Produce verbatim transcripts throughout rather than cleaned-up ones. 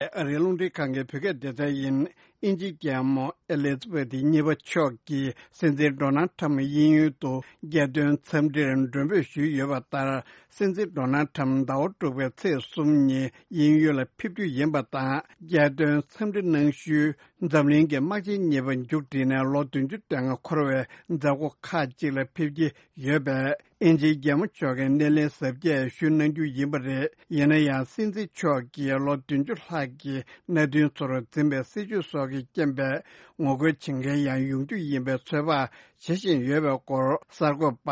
ཨ་རིའི་རླུང་འཕྲིན་ཁང་གི་བོད་སྐད་སྡེ་ཚན་ཡིན། དབྱིན་ཇིའི་རྒྱལ་མོ་ཨེ་ལི་ཛ་བེ་ཐི་གཉིས་པ་མཆོག་གིས་སྲིད་འཛིན་ཌོ་ནལ་ཁྲམ་གཡས་གཡོན་དུ་རྒྱལ་དོན་འཚམས་འདྲིར་མགྲོན་འབོད་ཞུས་ཡོད་པ་ལྟར། སྲིད་འཛིན་ཌོ་ནལ་ཁྲམ་ཟླ་བ་དྲུག་པའི་ཚེས་གསུམ་ཉིན་གཡས་གཡོན་ལ་ཕེབས་རྒྱུ་ཡིན་པ་དང་། རྒྱལ་དོན་འཚམས་འདྲི་གནང་ཤུལ་འཛམ་གླིང་གི་དམག་ཆེན་གཉིས་པ་མཇུག་བསྒྲིལ་ནས་ལོ་བདུན་ཅུ་དོན་ལྔ་འཁོར་བའི་མཛད་སྒོ་ཁག་ཅིག་ལ་ཕེབས་ཀྱི་ཡོད་པས། དབྱིན་ཇིའི་རྒྱལ་མོ་མཆོག་གིས་སྣེ་ལེན་གཟབ་རྒྱས་ཞུ་གནང་རྒྱུ་ཡིན་པ་རེད། ཡིན་ན་ཡང་། སྲིད་འཛིན་མཆོག་གིས་ལོ་བདུན་ཅུ་ལྷག་གི་མནའ་མཐུན་ཚོར་འཛིན་པའི་སྲིད་བྱུས་སོགས་ཀྱི་རྐྱེན་པས། ངོ་རྒོལ་བྱེད་མཁན་ཡང་ཡོང་རྒྱུ་ཡིན་པའི་ཚོད་དཔག་བྱེད་བཞིན་ཡོད་པའི་སྐོར། གསར་འགོད་པ་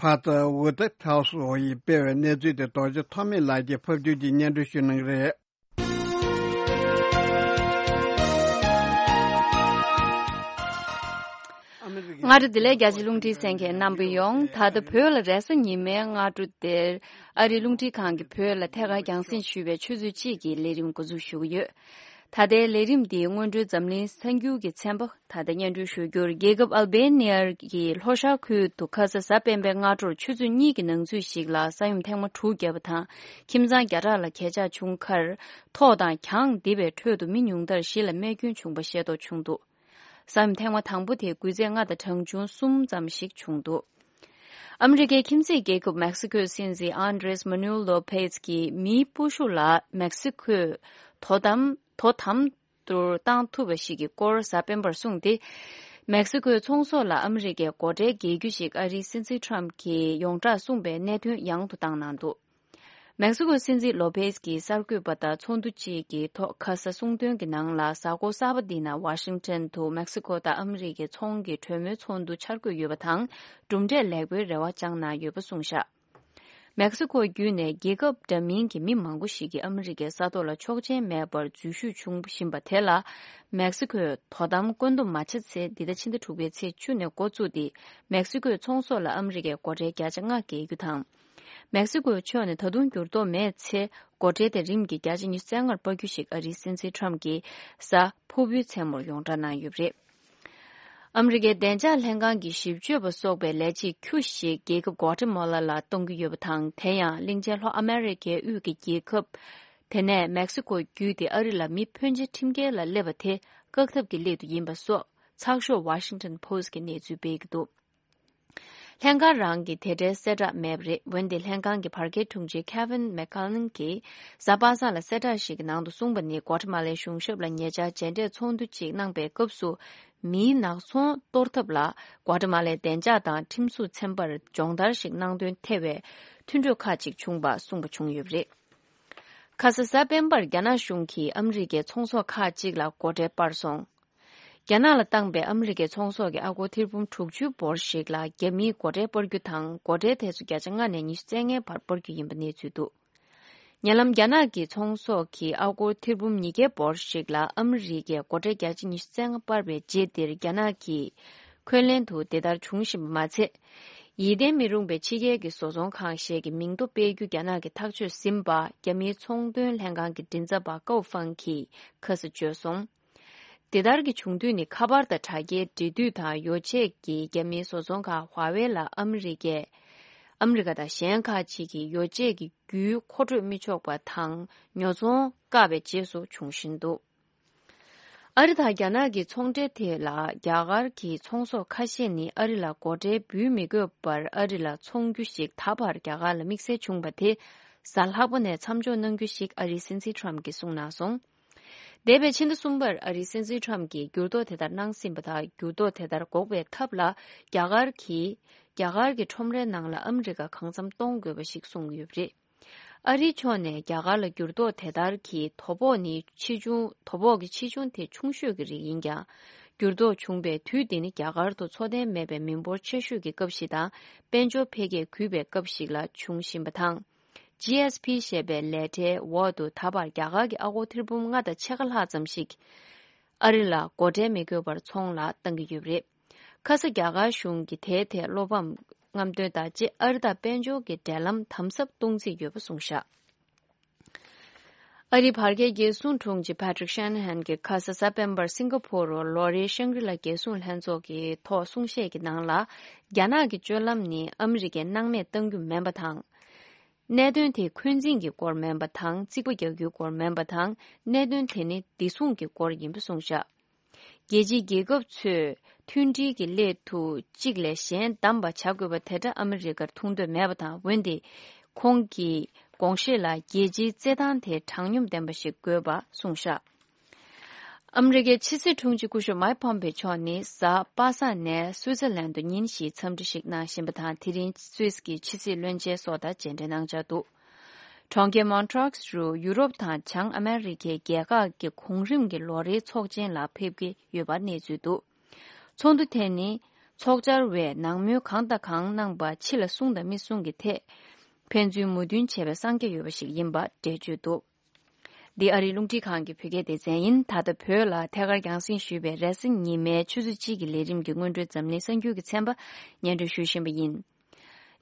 ཕ་ཏར་ཝུ་ཏེ་ཐའོ་སི་ཡིས་སྤེལ་བའི་གནས་ཚུལ་དེ། རྡོ་རྗེ་ཐོགས་མེད་ལགས་ཀྱིས་ཕབ་བསྒྱུར་གྱིས་སྙན་སྒྲོན་ཞུ་གནང་གི་རེད། སྔ་དྲོ་བདེ་ལེགས། རྒྱ་ཆེ་རླུང་འཕྲིན་གསན་མཁན་རྣམ་པ་ཡོངས། ད་ལྟ་བོད་ལ་རེས་གཟའ་ཉི་མའི་སྔ་དྲོ་དེར་ཨ་རིའི་རླུང་འཕྲིན་ཁང་གིས་བོད་ལ་ཐད་ཀར་རྒྱང་སྲིང་ཞུས་པའི་ཆུ་ཚོད་གཅིག་གི་ལས་རིམ་འགོ་འཛུགས་ཞུ་གི་ཡོད། ད་ལྟའི་ལས་རིམ་འདིའི་སྔོན་འགྲོའི་འཛམ་གླིང་གསར་འགྱུར་གྱི་ཚན་པ་ད་ལྟ་སྙན་སྒྲོན་ཞུ་རྒྱུར། རྒྱལ་ཁབ་ཨལ་བེ་ནི་ཡ་གི་ལྷོ་ཤར་ཁུལ་དུ་ཁ་ས་གཟའ་སྤེན་པའི་སྔ་དྲོར་ཆུ་ཚོད་གཉིས་ཀྱི་ནང་ཚུད་ཞིག་ལ་ས་ཡོམ་ཐེངས་མ་དྲུག་བརྒྱབ་པ་དང་། ཁྱིམ་ཚང་བརྒྱ་ཕྲག་ལ་གས་ཆག་བྱུང་ཁར། ཐོག་དང་གྱང་རྡིབ་པའི་ཁྲོད་དུ་མི་ཉུང་མཐར་བཞི་ལ་རྨས་སྐྱོན་བྱུང་པ་ཤེས་རྟོགས་བྱུང་འདུག་ས་ཡོམ་ཐེངས་མ་དང་པོ་དེ་སྒུལ་ཚད་ལྔ་དང་གྲངས་ཆུང་གསུམ་ཙམ་ཞིག་བྱུང་འདུག་ཨ་མི་རི་ཀའི་ཁྱིམ་མཚེས་རྒྱལ་ཁབ་མེག་སི་ཁོའི་སྲིད་འཛིན་ཨན་ཌྲེས་མ་ནུའལ་ལོ་པེས་ཀྱིས་མིའི་སྤོ་ཤུགས་ལ་མེག་སི་ཁོས་དོ་དམ་དོ་དམ་དུ་བཏང་ཐུབ་པ་ཞིག་གི་སྐོར་གཟའ་སྤེན་པར་གསུངས་ཏེ། མེག་སི་ཁོའི་ཚོང་ཟོག་ལ་ཨ་མི་རི་ཀས་སྒོ་ཁྲལ་འགེལ་རྒྱུ་ཞིག་ཨ་རིའི་སྲིད་འཛིན་ཁྲམ་གྱིས་ཡོངས་གྲགས་གསུངས་པའི་གནད་དོན་ཡང་དུ་བཏང་གནང་འདུག་མེག་སི་ཁོའི་སྲིད་འཛིན་ལོ་པེས་ཀྱིས་གསར་འགོད་པ་དང་ཚོགས་འདུ་གཅིག་གི་ཐོག་ཁ་ས་གསུངས་དོན་གྱི་ནང་ལ། གཟའ་འཁོར་གསར་པ་འདི་ན་ཝ་ཤིང་ཊོན་དུ་མེག་སི་ཁོ་དང་ཨ་མི་རི་ཀའི་ཚོང་གི་གྲོས་མོལ་ཚོགས་འདུ་འཆར་འགོད་ཡོད་པ་དང་། གྲུབ་འབྲས་ལེགས་པོའི་རེ་བ་བཅངས་གནང་ཡོད་པ་གསུངས་བཞག་མེག་སི་ཁོ་བརྒྱུད་ནས་རྒྱལ་ཁབ་འདྲ་མིན་གྱི་མི་མང་པོ་ཞིག་གིས་ཨ་མི་རི་ཀའི་ས་ཐོག་ལ་ཆོག་མཆན་མེད་པར་འཛུལ་ཞུགས་བྱུང་བཞིན་པ་དེ་ལ། མེག་སི་ཁོས་དོ་དམ་བཀོད་འདོམས་མ་བྱས་ཚེ། འདི་ཟླ་ཕྱི་ཟླ་དྲུག་པའི་ཚེས་བཅུ་ནས་འགོ་བཙུགས་ཏེ། མེག་སི་ཁོའི་ཚོང་ཟོག་ལ་ཨ་མི་རི་ཀས་སྒོ་ཁྲལ་བརྒྱ་ཆ་ལྔ་འགེལ་རྒྱུ་དང་། མེག་སི་ཁོའི་ཕྱོགས་ནས་ད་དུང་འགྱུར་ལྡོག་མེད་ཚེ། སྒོ་ཁྲལ་དེ་རིམ་གྱིས་བརྒྱ་ཆ་ཉི་ཤུ་རྩ་ལྔར་སྤར་རྒྱུ་ཞིག་ཨ་རིའི་སྲིད་འཛིན་ཁྲམ་གྱིས་གཟའ་ཕུར་བུའི་མཚན་མོར་ཡོངས་གྲགས་གནང་ཡོད་པ་རེད། ཨ་མི་རི་ཀའི་བདེ་འཇགས་ལྷན་ཁང་གི་ཞིབ་དཔྱོད་པ་སོགས་པའི་ལས་བྱེད་ཁྱུ་ཞིག་རྒྱལ་ཁབ་གོ་ཏེ་མ་ལ་ལ་གཏོང་གི་ཡོད་པ་དང་། དེ་ཡང་གླིང་ཆེན་ལྷོ་ཨ་མེ་རི་ཁའི་དབུས་ཀྱི་རྒྱལ་ཁབ་དེ་ནས་མེག་སི་ཁོ་བརྒྱུད་དེ་ཨ་རི་ལ་མི་ཕོན་ཆེ་ཁྲིམས་འགལ་ལ་སླེབས་པ་དེ་བཀག་ཐབས་ཀྱི་སླད་དུ་ཡིན་པ་སོགས་ཚགས་ཤོག་Washington Post་གིས་གནས་ཚུལ་སྤེལ་གྱི་འདུག་ལྷན་ཁང་རང་གིས་དེ་འདྲའི་གསལ་བསྒྲགས་མེད་པ་རེད། འོན་ཏེ་ལྷན་ཁང་གི་བར་བརྒལ་དྲུང་ཆེ་Kevin McCullough་གིས་གཟའ་པ་སངས་ལ་གསལ་བསྒྲགས་ཤིག་གི་ནང་དུ་གསུངས་པ་ནི། གོ་ཏ་མ་ལའི་གཞུང་ཞབས་ལ་ཉེ་ཆར་མཇལ་འཕྲད་ཚོགས་འདུ་གཅིག་གནང་པའི་སྐབས་སུ། མིའི་ནག་ཚོང་གཏོར་ཐབས་ལ་གོ་ཏ་མ་ལའི་བདེ་འཇགས་དང་ཁྲིམས་བཟོ་ཚན་པར་སྦྱོང་བརྡར་ཞིག་གནང་དོན་ཐེ་བའི་མཐུན་གྲོས་ཁག་ཅིག་བྱུང་པ་གསུངས་པ་བྱུང་ཡོད་པ་རེད། ཁ་ས་གཟའ་སྤེན་པར་རྒྱ་ནག་གཞུང་གིས་ཨ་མི་རི་ཀའི་ཚོང་ཟོག་ཁག་ཅིག་ལ་སྒོ་ཁྲལ་སྤར་སོང་། རྒྱ་ནག་ལ་བཏང་པའི་ཨ་མི་རི་ཀའི་ཚོང་ཟོག་གི་ཨ་སྒོར་ཐེར་འབུམ་དྲུག་ཅུ་འབོར་ཞིག་ལ་རྒྱ་མིས་སྒོ་ཁྲལ་སྤར་རྒྱུ་དང་། སྒོ་ཁྲལ་དེ་ཚོ་བརྒྱ་ཆ་ལྔ་ནས་ཉི་ཤུ་རྩ་ལྔའི་བར་སྤར་རྒྱུ་ཡིན་པ་གནས་ཚུལ་འདུག་ཉེ་ལམ་རྒྱ་ནག་གི་ཚོང་ཟོག་གི་ཨ་སྒོར་ཐེར་འབུམ་ཉིས་བརྒྱ་འབོར་ཞིག་ལ་ཨ་མི་རི་ཀས་སྒོ་ཁྲལ་བརྒྱ་ཆ་ཉི་ཤུ་རྩ་ལྔ་སྤར་བའི་རྗེས་འདིར། རྒྱ་ནག་གིས་འཁོན་ལན་དུ་དེ་ལྟར་འབྱུང་བཞིན་པ་མ་ཚད། ཡིད་བརྟན་མི་རུང་བའི་ཕྱི་རྒྱལ་གྱི་བཟོ་ཚོང་ཁང་ཞིག་གི་མིང་ཐོ་སྤེལ་རྒྱུ་རྒྱ་ནག་གིས་ཐག་གཅོད་ཟིན་པ། རྒྱ་མིའི་ཚོང་དོན་ལྷན་ཁང་གི་མགྲིན་ཚབ་པ་ཀའོ་ཧྥང་གིས་ཁ་སང་བརྗོད་སོང་། དེ་ལྟར་གྱི་བྱུང་དུས་ནི། ཁ་པར་དང་དྲ་རྒྱའི་འབྲེལ་མཐུད་དང་ཡོ་ཆས་ཀྱི་རྒྱ་མིའི་བཟོ་ཚོང་ཁང་ཧྭ་ཝེ་ལ་ཨ་མི་རི་ཀས། ཨ་མི་རི་ཀ་དང་གཞན་ཁག་ཅིག་གིས་ཡོ་ཆས་ཀྱི་རྒྱུའི་མཁོ་སྤྲོད་མི་ཆོག་པ་དང་ཉོ་ཚོང་བཀག་པའི་རྗེས་སུ་འབྱུང་བཞིན་འདུག་ཨ་རི་དང་རྒྱ་ནག་གི་ཚོང་འབྲེལ་ཐད་ལ་རྒྱ་གར་གྱི་ཚོང་ཟོག་ཁ་ཤས་ནི་ཨ་རི་ལ་སྒོ་ཁྲལ་འབུལ་མི་དགོས་པར་ཨ་རི་ལ་འཚོང་རྒྱུ་ཞིག་ད་བར་རྒྱ་གར་ལ་དམིགས་བསལ་བྱུང་བ་དེ་གཟའ་ལྷག་པ་ནས་མཚམས་འཇོག་གནང་རྒྱུ་ཞིག་ཨ་རིའི་སྲིད་འཛིན་ཁྲམ་གྱིས་གསུངས་གནང་སོང་། འདས་པའི་ཕྱི་ཟླ་གསུམ་པར་ཨ་རིའི་སྲིད་འཛིན་ཁྲམ་གྱིས་འགྱུར་ལྡོག་དེ་ལྟར་གནང་ཟིན་པ་དང་། འགྱུར་ལྡོག་དེ་ལྟར་འགོག་པའི་ཐབས་ལ་རྒྱ་གར་གྱིས་རྒྱ་གར་གྱི་ཁྲོམ་རའི་ནང་ལ་ཨ་མི་རི་ཀ་གང་འཚམ་གཏོང་དགོས་པ་ཞིག་གསུངས་ཡོད་པ་རེད། ཨ་རིའི་ཕྱོགས་ནས་རྒྱ་གར་ལ་འགྱུར་ལྡོག་དེ་ལྟར་གྱི་དོ་ཕོག་ནི་ཆེ་ཆུང་དོ་ཕོག་གི་ཆེ་ཆུང་དེ་ཆུང་ཤོས་ཀྱི་རིགས་ཡིན་ཀྱང་། འགྱུར་ལྡོག་བྱུང་པའི་དུས་དེ་ནི་རྒྱ་གར་དུ་འཚོ་རྟེན་མེད་པའི་མི་འབོར་ཆེ་ཤོས་ཀྱི་སྐབས་ཤིག་དང་། དཔལ་འབྱོར་འཕེལ་རྒྱས་རྒུད་པའི་སྐབས་ཤིག་ལ་འབྱུང་བཞིན་པ་དང་། ཇི་ཨེས་ཕི་ཞེས་པའི་ལས་གྲྭའི་འོག་ཏུ་ད་བར་རྒྱ་གར་གྱི་ཨ་སྒོར་ཐེར་འབུམ་ལྔ་དང་ཕྱེད་ཀ་ལྷག་ཙམ་ཞིག་ཨ་རི་ལ་སྒོ་ཁྲལ་མི་དགོས་པར་ཚོང་ལ་བཏང་གི་ཡོད་པ་རེད། ཁ་ས་རྒྱ་གར་གཞུང་གིས་དེའི་ཐད་བློ་ཕམ་རྔམ་སྟོན་དང་བཅས་ཨ་རི་དང་དཔལ་འབྱོར་གྱི་འབྲེལ་ལམ་དམ་ཟབ་གཏོང་རྩིས་ཡོད་པ་གསུངས་བཞག་ཨ་རིའི་བར་བརྒལ་རྒྱལ་སྲུང་དྲུང་ཆེ་Patrick Shanahan་གྱིས་ཁ་ས་གཟའ་སྤེན་པར་སིང་ག་ཕོར་རུ་ལོ་རེའི་ཤང་གྲི་ལ་རྒྱལ་སྲུང་ལྷན་ཚོགས་ཀྱི་ཐོག་གསུང་བཤད་ཀྱི་ནང་ལ། རྒྱ་ནག་གི་སྤྱོད་ལམ་ནི་ཨ་མི་རི་ཀས་སྣང་མེད་གཏང་རྒྱུ་མིན་པ་དང་། གནད་དོན་དེ་འཁོན་འཛིན་གྱི་སྐོར་མིན་པ་དང་། རྩིག་པ་རྒྱག་རྒྱུའི་སྐོར་མིན་པ་དང་། གནད་དོན་དེ་ནི་བདེ་སྲུང་གི་སྐོར་ཡིན་པ་གསུངས་བཞག་རྒྱལ་སྤྱིའི་རྒྱལ་ཁབ་ཚོས་མཐུན་སྒྲིལ་གྱི་སླད་དུ་གཅིག་ལས་གཞན་བདམས་པ་བྱ་དགོས་པ་དེ་འདྲ་ཨ་མི་རི་ཀར་ཐུག་འདོད་མེད་པ་དང་། འོན་ཏེ་ཁོང་གི་དགོངས་བཞེད་ལ་རྒྱལ་སྤྱིའི་རྩེད་ཐང་དེ་དྲང་སྙོམས་ལྡན་པ་ཞིག་དགོས་པ་གསུངས་བཞག་ཨ་མི་རི་ཀའི་ཕྱི་སྲིད་དྲུང་ཆེ་སྐུ་ཞབས་མཱིག་ཕོམ་པེ་མཆོག་ནི་གཟའ་པ་སངས་ནས་སུའི་ཙེར་ལན་དུ་ཉིན་བཞིའི་འཚམས་འདྲི་ཞིག་གནང་བཞིན་པ་དང་། དེ་རིང་སུད་སི་གི་ཕྱི་སྲིད་བློན་ཆེན་སོགས་དང་མཇལ་འཕྲད་གནང་འཆར་འདུག་གྲོང་ཁྱེར་མོན་ཊྲོགས་རུ་ཡུ་རོབ་དང་བྱང་ཨ་མེ་རི་ཁའི་རྒྱལ་ཁག་གི་གོང་རིམ་གྱི་ལོ་རེའི་ཚོགས་ཆེན་ལ་ཕེབས་ཀྱི་ཡོད་པ་གནས་ཚུལ་འདུག་ཚོགས་འདུ་དེ་ནི་ཚོགས་བཅར་བས་ནང་མོལ་གང་དང་གང་གནང་པ་ཕྱི་ལ་གསུང་དང་མི་གསུང་གི་ཐད་ཕན་ཚུན་མོས་མཐུན་བྱས་པའི་གསང་རྒྱ་ཡོད་པ་ཞིག་ཡིན་པ་འགྲེལ་བརྗོད་འདུག་འདི་ཨ་རིའི་རླུང་འཕྲིན་ཁང་གི་བོད་སྐད་སྡེ་ཚན་ཡིན། ད་ལྟ་བོད་ལ་ཐད་ཀར་རྒྱང་སྲིང་ཞུས་པའི་རེས་གཟའ་ཉི་མའི་ཆུ་ཚོད་གཅིག་གི་ལས་རིམ་གྱི་སྔོན་འགྲོའི་འཛམ་གླིང་གསར་འགྱུར་གྱི་ཚན་པ་སྙན་སྒྲོན་ཞུ་བཞིན་པ་ཡིན།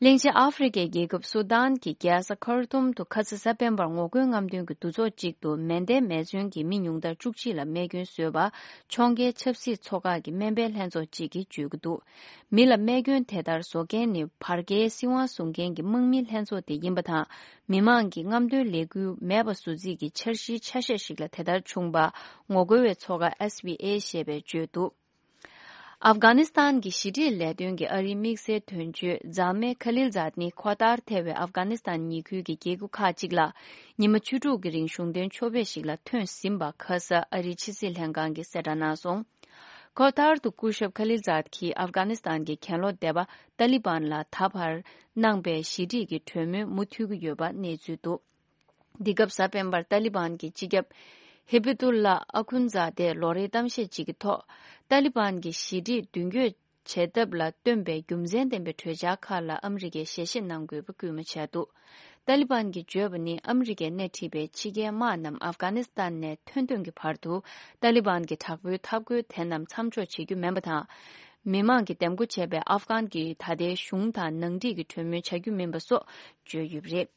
གླིང་ཆེན་ཨ་ཧྥེ་རི་ཁའི་རྒྱལ་ཁབ་སུ་དཱན་གྱི་རྒྱལ་ས་ཁར་ཏུམ་དུ་ཁ་ས་གཟའ་སྤེན་པར་ངོ་རྒོལ་རྔམ་སྟོན་གྱི་འདུ་ཚོགས་གཅིག་ཏུ་མེ་མདའི་མེ་མཚོན་གྱིས་མི་ཉུང་མཐར་བཅུ་གཅིག་ལ་རྨས་སྐྱོན་བཟོས་པ་ཕྱོགས་འགལ་ཆབ་སྲིད་ཚོགས་ཁག་གི་སྨན་པའི་ལྷན་ཚོགས་གཅིག་གིས་བརྗོད་ཀྱི་འདུག་མི་ལ་རྨས་སྐྱོན་དེ་ལྟར་བཟོ་མཁན་ནི་བར་བརྒལ་སྲིད་དབང་བཟུང་མཁན་གྱི་དམག་མིའི་ལྷན་ཚོགས་དེ་ཡིན་པ་དང་། མི་མང་གི་རྔམ་སྟོན་ལས་འགུལ་མེད་པ་བཟོ་རྩིས་ཀྱི་འཆར་གཞིའི་ཆ་ཤས་ཤིག་ལ་དེ་ལྟར་བྱུང་བ་ངོ་རྒོལ་བའི་ཚོགས་ཁག་ཨེས་བྷི་ཨེ་ཞེས་པས་བརྗོད་འདུག་ཨབ་གྷ་ནི་སི་ཐན་གྱི་ཞི་འགྲིག་ལས་དོན་གྱི་ཨ་རིའི་དམིགས་བསལ་དོན་གཅོད་ཛཱ་མེ་ཁ་ལིལ་ཛཱད་ནི་ཁོ་ཐར་ཐེ་བའི་ཨབ་གྷ་ནི་སི་ཐན་ཉེ་ཁུལ་གྱི་རྒྱལ་ཁབ་ཁག་ཅིག་ལ་ཉི་མ་བཅུ་དྲུག་གི་རིང་གཞུང་དོན་ཕྱོགས་ཕེབས་ཤིག་ལ་ཐོན་ཟིན་པ་ཁ་ས་ཨ་རིའི་ཕྱི་སྲིད་ལྷན་ཁང་གིས་གསལ་བསྒྲགས་གནང་སོང་། ཁོ་ཐར་དུ་སྐུ་ཞབས་ཁ་ལིལ་ཛཱད་ཀྱིས་ཨབ་གྷ་ནི་སི་ཐན་གྱི་གྱེན་ལོག་སྡེ་པ་ཏཱ་ལི་བན་ལ་ད་བར་གནང་པའི་ཞི་འགྲིག་གི་གྲོས་མོལ་མུ་མཐུད་ཀྱི་ཡོད་པ་གནས་ཚུལ་འདུག་འདི་སྐབས་གཟའ་སྤེན་པར་ཏཱ་ལི་བན་གྱི་སྤྱི་ཁྱབ་ཧི་བི་ཏུ་ལ་ཨ་ཁུན་ཛཱ་དེས་ལོ་རེའི་གཏམ་བཤད་ཅིག་གི་ཐོག་ཏཱ་ལི་བན་གྱིས་ཞི་འགྲིག་མདུན་སྐྱོད་བྱེད་ཐབས་ལ་བཏོན་པའི་རྒྱུ་མཚན་ལྡན་པའི་གྲོས་འཆར་ཁག་ལ་ཨ་མི་རི་ཀས་ཞལ་བཞེས་གནང་དགོས་པ་སྐུལ་མ་བྱས་འདུག་ཏཱ་ལི་བན་གྱིས་བརྗོད་པ་ནི་ཨ་མི་རི་ཀས་སྣེ་ཁྲིད་པའི་ཕྱི་རྒྱལ་དམག་རྣམས་ཨབ་གྷ་ནི་སི་ཐན་ནས་ཐོན་ཐོན་གྱི་བར་དུ་ཏཱ་ལི་བན་གྱི་དྲག་པོའི་འཐབ་རྒོལ་དེ་རྣམས་མཚམས་འཇོག་བྱེད་རྒྱུ་མིན་པ་དང་། མི་མང་གིས་འདེམས་བསྐོ་བྱས་པའི་ཨབ་གྷན་གྱི་ད་ལྟའི་གཞུང་དང་ནང་འགྲིག་གི་གྲོས་མོལ་བྱ་རྒྱུ་མིན་པ་སོགས་བརྗོད་ཡོད་པ་རེད།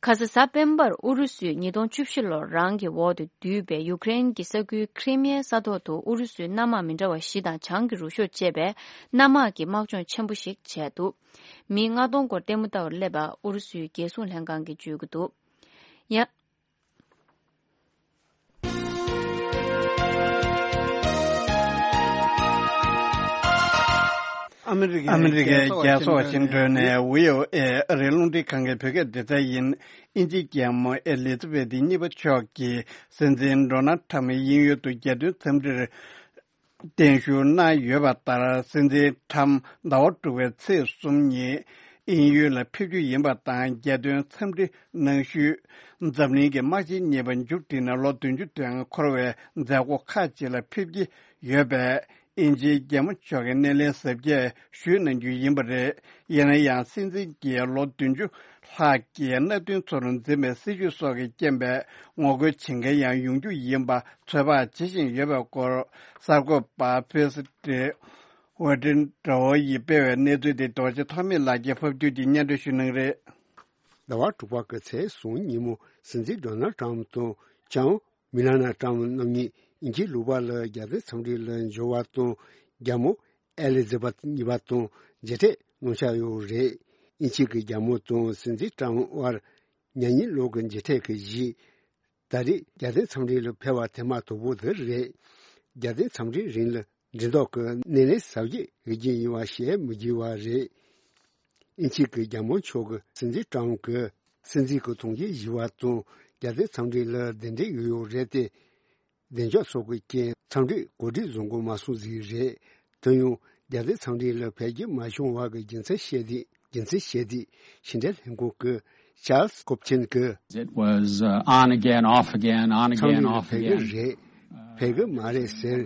ཁ་ས་གཟའ་སྤེན་པར་ཨུ་རུ་སུས་ཉིས་སྟོང་བཅུ་བཞི་ལོར་རང་གི་འོག་ཏུ་བསྡུས་པའི་ཡུཀ་རེན་གྱི་ས་ཁུལ་ཁྲི་མེའི་ས་ཐོག་ཏུ་ཨུ་རུ་སུའི་གནམ་དམག་མི་འདྲ་བ་བཞི་དང་བྱང་གི་རུ་ཤོག་ཅེས་པའི་གནམ་དམག་གི་དམག་སྦྱོང་ཆེན་པོ་ཞིག་བྱས་འདུག་མི་ལྔ་སྟོང་སྐོར་ལྟད་མོ་ལྟ་བར་སླེབས་པ་ཨུ་རུ་སུའི་རྒྱལ་སྲུང་ལྷན་ཁང་གིས་བརྗོད་ཀྱི་འདུག་ཡང་། ཨ་མི་རི་ཀའི་རྒྱལ་ས་ཝ་ཤིང་ཊོན་ནས་བྷི་ཨོ་ཨེ་ཨ་རིའི་རླུང་འཕྲིན་ཁང་གི་བོད་སྐད་སྡེ་ཚན་ཡིན། དབྱིན་ཇིའི་རྒྱལ་མོ་ཨེ་ལི་ཛ་བེ་ཐི་གཉིས་པ་མཆོག་གིས་སྲིད་འཛིན་ཌོ་ནལ་ཁྲམ་གྱི་དབྱིན་ཡུལ་དུ་རྒྱལ་དོན་འཚམས་འདྲིར་བརྟན་བཞུགས་གནང་ཡོད་པ་ལྟར། སྲིད་འཛིན་ཁྲམ་ཟླ་བ་དྲུག་པའི་ཚེས་གསུམ་ཉིན་དབྱིན་ཡུལ་ལ་ཕེབས་རྒྱུ་ཡིན་པ་དང་། རྒྱལ་དོན་འཚམས་འདྲི་གནང་ཤུལ། འཛམ་གླིང་གི་དམག་ཆེན་གཉིས་པ་མཇུག་སྒྲིལ་ནས་ལོ་བདུན་ཅུ་དོན་ལྔ་འཁོར་བའི་མཛད་སྒོ་ཁག་ཅིག་ལ་ཕེབས་ཀྱི་ཡོད་པས། དབྱིན་ཇིའི་རྒྱལ་མོ་མཆོག་གི་སྣེ་ལེན་གཟབ་རྒྱས་ཞུས་གནང་རྒྱུ་ཡིན་པ་རེད། ཡིན་ན་ཡང་སྲིད་འཛིན་གྱིས་ལོ་བདུན་ཅུ་ལྷག་གི་མནའ་མཐུན་ཚོར་འཛིན་པའི་སྲིད་བྱུས་སོགས་ཀྱི་རྐྱེན་པས་ངོ་རྒོལ་བྱེད་མཁན་ཡང་ཡོང་རྒྱུ་ཡིན་པ་ཚོད་དཔག་བྱེད་བཞིན་ཡོད་པའི་སྐོར། གསར་འགོད་པ་ཕེ་སི་ཏྲི་ཝེ་ཏྲིན་ཏྲོ་ཡིས་སྤེལ་བའི་གནས་ཚུལ་དེ་རྡོ་རྗེ་ཐོགས་མེད་ལགས་ཀྱིས་ཕབ་སྒྱུར་གྱིས་སྙན་སྒྲོན་ཞུ་གནང་གི་རེད། ཟླ་བ་དྲུག་པ་གི་ཚེས་གསུམ་ཉིན་མོ་སྲིད་འཛིན་ཌོ་ནལ་ཏྲམ་དང་ལྕམ་མི་ལ་ན་ཏྲམ་རྣམ་གཉིས་དབྱིན་ཇིའི་ལུང་པ་ལ་རྒྱལ་དོན་འཚམས་འདྲི་ལ་འབྱོར་བ་དང་། རྒྱལ་མོ་ཨེ་ལི་ཛ་བེཐ་གཉིས་པ་དང་མཇལ་འཕྲད་གནང་འཆར་ཡོད་རེད། དབྱིན་ཇི་གི་རྒྱལ་མོ་དང་སྲིད་འཛིན་ཏྲམ་དབར་ཉེ་ཉིན་ལོ་གི་མཇལ་འཕྲད་ཀྱི་གཞི། ད་རེས་རྒྱལ་དོན་འཚམས་འདྲི་ལ་ཕེབས་པ་དེ་མ་དོ་པོ་དེ་རེད། རྒྱལ་དོན་འཚམས་འདྲིའི་རིང་ལ་འགྲེམས་ཐོག་གི་སྣེ་ལེན་གཟབ་རྒྱས་ཡོད་རྒྱུ་ཡིན་པ་བཤད་མི་དགོས་པ་རེད། དབྱིན་ཇི་གི་རྒྱལ་མོ་མཆོག་གིས་སྲིད་འཛིན་ཏྲམ་གྱི་སྲིད་འཛིན་གྱི་གྲོང་ཁྱེར་བཞི་པ་དང་རྒྱལ་དོན་འཚམས་འདྲི་ལ་གདན་འདྲེན་ཡོད་ཡོད་རེད་དེ། བདེ་འཇགས་སོགས་ཀྱི་རྐྱེན་འཚམས་འདྲི་གོ་སྒྲིག་བཟོ་འགོ་མ་སོང་ཟིག་རེད། དེ་ཡང་རྒྱལ་དོན་འཚམས་འདྲི་ལ་ཕེབས་རྒྱུ་མ་བྱུང་བ་གི་རྒྱུ་མཚན་བཤད་དུས། རྒྱུ་མཚན་བཤད་དུས་ཕྱི་འབྲེལ་ལྷན་ཁང་གི་ཅཱལ་སི་ཀོབ་ཆིན་གྱིས། It was, uh, on again, off again, on again, འཚམས་འདྲི་ལ་off ཕེབས་ཀྱི་རེད། ཕེབས་ཀྱི་མ་རེད་ཟེར།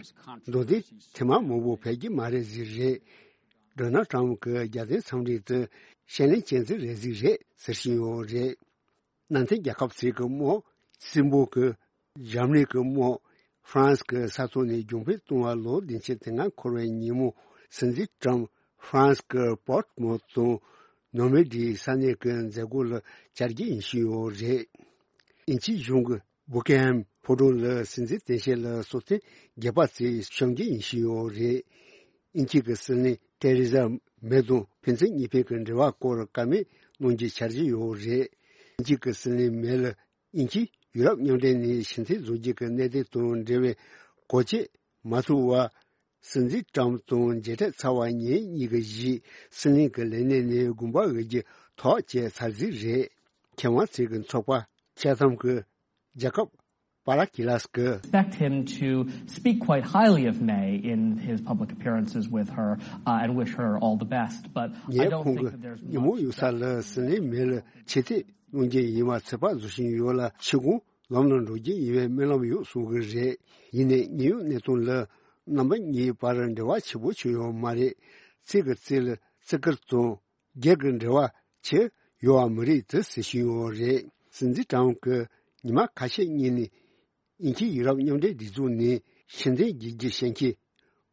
མདོ་འདི་ཐེངས་མ་མང་པོ་ཕེབས་ཀྱི་མ་རེད་ཟིག་རེད། ཌོ་ནལ་ཏྲམ་གྱི་རྒྱལ་དོན་འཚམས་འདྲི་དེ་ཞན་ལན་ཅན་ཟིག་རེད་ཟིག་རེད་ཟེར་བཞིན་ཡོད་རེད། ནང་བསྟན་རྒྱལ་ཁབ་ཟིག་གི་དམག་སྲིན་པོ་གི། འཇར་མ་ནི་གི་དམག་ཧྥ་རན་སི་གི་ས་ཐོག་ནས་རྒྱུན་སྤེལ་བཏང་བ་ལོ་བདུན་ཅུ་དོན་ལྔ་འཁོར་བའི་ཉིན་མོ་སྲིད་འཛིན་ཏྲམ་ཧྥ་རན་སི་གི་པོར་ཊི་མོ་དང་ནོར་མན་ཌི་ས་གནས་ཀྱི་མཛད་སྒོ་ལ་བཅར་རྒྱུ་ཡིན་བཞིན་ཡོད་རེད། དབྱིན་ཇིའི་གཞུང་གི་བྷུ་ཀིང་ཧམ་ཕོ་བྲང་ལ་སྲིད་འཛིན་གདན་ཞུ་ལ་སྲོག་ཐེངས་བརྒྱད་པ་ཙམ་བཤམས་རྒྱུ་ཡིན་བཞིན་ཡོད་རེད། དབྱིན་ཇི་གི་སྲིད་བློན་ཐེ་རེ་ཟ་མེ་དང་ཕན་ཚུན་གཉིས་ཕན་གྱི་འབྲེལ་བ་སྐོར་བཀའ་མོལ་ གནང་རྒྱུའི་འཆར་གཞི་ཡོད་རེད། དབྱིན་ཇི་གི་སྲིད་བློན་མེ་ལ་དབྱིན་ཇི་ཡུ་རོབ་མཉམ་འབྲེལ་ནས་ཕྱིར་འཐེན་བཟོ་རྒྱུ་གི་གནད་དོན་དང་འབྲེལ་བའི་གོ་རྒྱུ་མ་ཐོབ་བར། སྲིད་འཛིན་ཀྲམ་དང་མཇལ་འཕྲད་ཚར་བ་ཉིན་གཉིས་ཀྱི་རྗེས་སྲིད་བློན་གྱི་ལས་གནས་ནས་དགོངས་པ་འོས་རྒྱུ་ཐག་བཅད་ཚར་ཟིག་རེད། མཁས་དབང་ཚོས་ཀྱི་ཚོགས་པ་ཅཱ་ཐམ་གྱི་རྒྱལ་ཁབ་པ་ར་ཁི་ལཱས་ཀྱི། Expect him to speak quite highly of May in his public appearances with her, uh, and wish her all the best. But I ངས་don't ཁོང་think གི་that there's ཉིན་མོ་much ཡོད་ས་that ལ་སྲིད་བློན་མེ་ལ་ཕྱིར་འཐེན་གནང་རྒྱུ་ཡིན་པ་ཚོད་དཔག་བཟོ་བཞིན་ཡོད་ལ། ཕྱི་དགོང་ལམ་ལ་འགྲོ་རྒྱུ་ཡིན་པའི་སྨོན་ལམ་ཡོད་གསུང་གི་རེད། ཡིན་ནའི་དངོས་ཡོད་གནས་སྟངས་ལ་རྣམ་པ་གཉིས་བར་འབྲེལ་བ་ཆེ་པོ་ཆགས་ཡོད་མ་རེད། རྩེ་གི་རྩེ་ལ་བརྩི་བཀུར་དང་སྒེར་གྱི་འབྲེལ་བ་ཆེ་ཡོད་པ་མི་རིགས་དེ་ཟེར་བཞིན་ཡོད་རེད། སྲིད་འཛིན་ཀྲམ་གྱིས་ཉི་མ་ཁ་ཤས་སྔོན་ནས་དབྱིན་ཇི་ཡུ་རོབ་མཉམ་འབྲེལ་སྒྲིག་འཛུགས་ནས་ཕྱིར་འཐེན་བགྱིད་རྒྱུ་ཞུ་མཁན་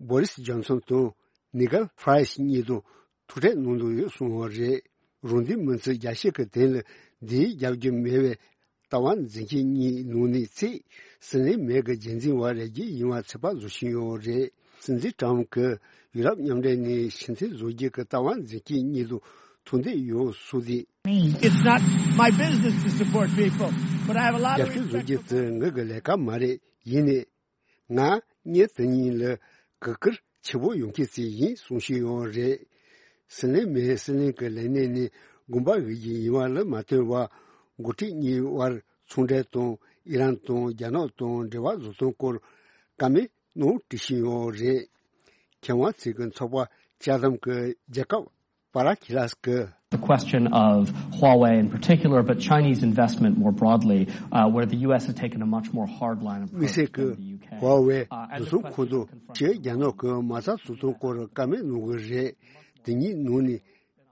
བོ་རིས་ཇོན་སོན་དང་ནི་གལ་ཧྥ་རེ་ཤི་གཉིས་དང་ཐུག་འཕྲད་གནང་འདོད་ཡོད་གསུངས་པ་རེད། རང་འདོད་མི་ཚེ་རྒྱ་ཤེས་ཀྱི་དོན་ལ་འདིའི་རྒྱབ་རྒྱུ་མེད་པའི་ལྟ་བ་འཛིན་མཁན་གཉིས་ནང་ནས་གཅིག་སྲིད་བློན་མེ་གི་རྗེས་འཛིན་པ་རེད་རྒྱུ་ཡིན་པ་ཚོད་དཔག་བཟོ་བཞིན་ཡོད་རེད། སྲིད་འཛིན་ཀྲམ་གྱིས་ཡུ་རོབ་མཉམ་འབྲེལ་ནས་ཕྱིར་འཐེན་བཟོ་རྒྱུ་གི་ལྟ་བ་འཛིན་མཁན་གཉིས་དང་ཐུག་འདོད་ཡོད་གསུངས་ཏེ། It's not my business to support people, but I have a lot of རྒྱབ་སྐྱོར་བཟོ་རྒྱུ་དེ་ངའི་གི་ལས་ཀ་མ་རེད། ཡིན་ནའི། ང་ཉིན་དེ་ཉིན་ལ་གུས་བཀུར་ཆེ་པོ་ཡོང་མཁན་ཞིག་ཡིན་གསུང་བཞིན་ཡོད་རེད། སྲིད་བློན་མེ་སྲིད་བློན་གྱི་ལས་གནས་ནས་དགོངས་པ་འོས་རྒྱུ་ཡིན་པ་ལ་མ་ལྟོས་པར་འགོ་ཁྲིད་གཉིས་དབར་ཚོང་འབྲེལ་དང་ཨི་རན་དང་རྒྱ་ནག་དང་འབྲེལ་བ་བཟོ་སྟངས་སྐོར་བཀའ་མོལ་གནང་བྲིས་བཞིན་ཡོད་རེད། མཁས་དབང་ཚོས་ཀྱི་ཚོགས་པ་ཅཱ་ཐམ་གྱི་རྒྱལ་ཁབ་པ་ར་ཁི་ལཱས་ཀྱི། The question of Huawei in particular, but Chinese investment more broadly, uh, where the U S has taken a much more hard line དམིགས་བསལ་གྱི་ཧྭ་ཝེ་བཟོ་ཚོང་ཁོངས་གཏོགས་ཕྱིའི་རྒྱ་ནག་གི་མ་རྩ་བཟོ་ཚོང་སྐོར་བཀའ་མོལ་གནང་གི་རེད། དེ་གཉིས་ནང་ནས་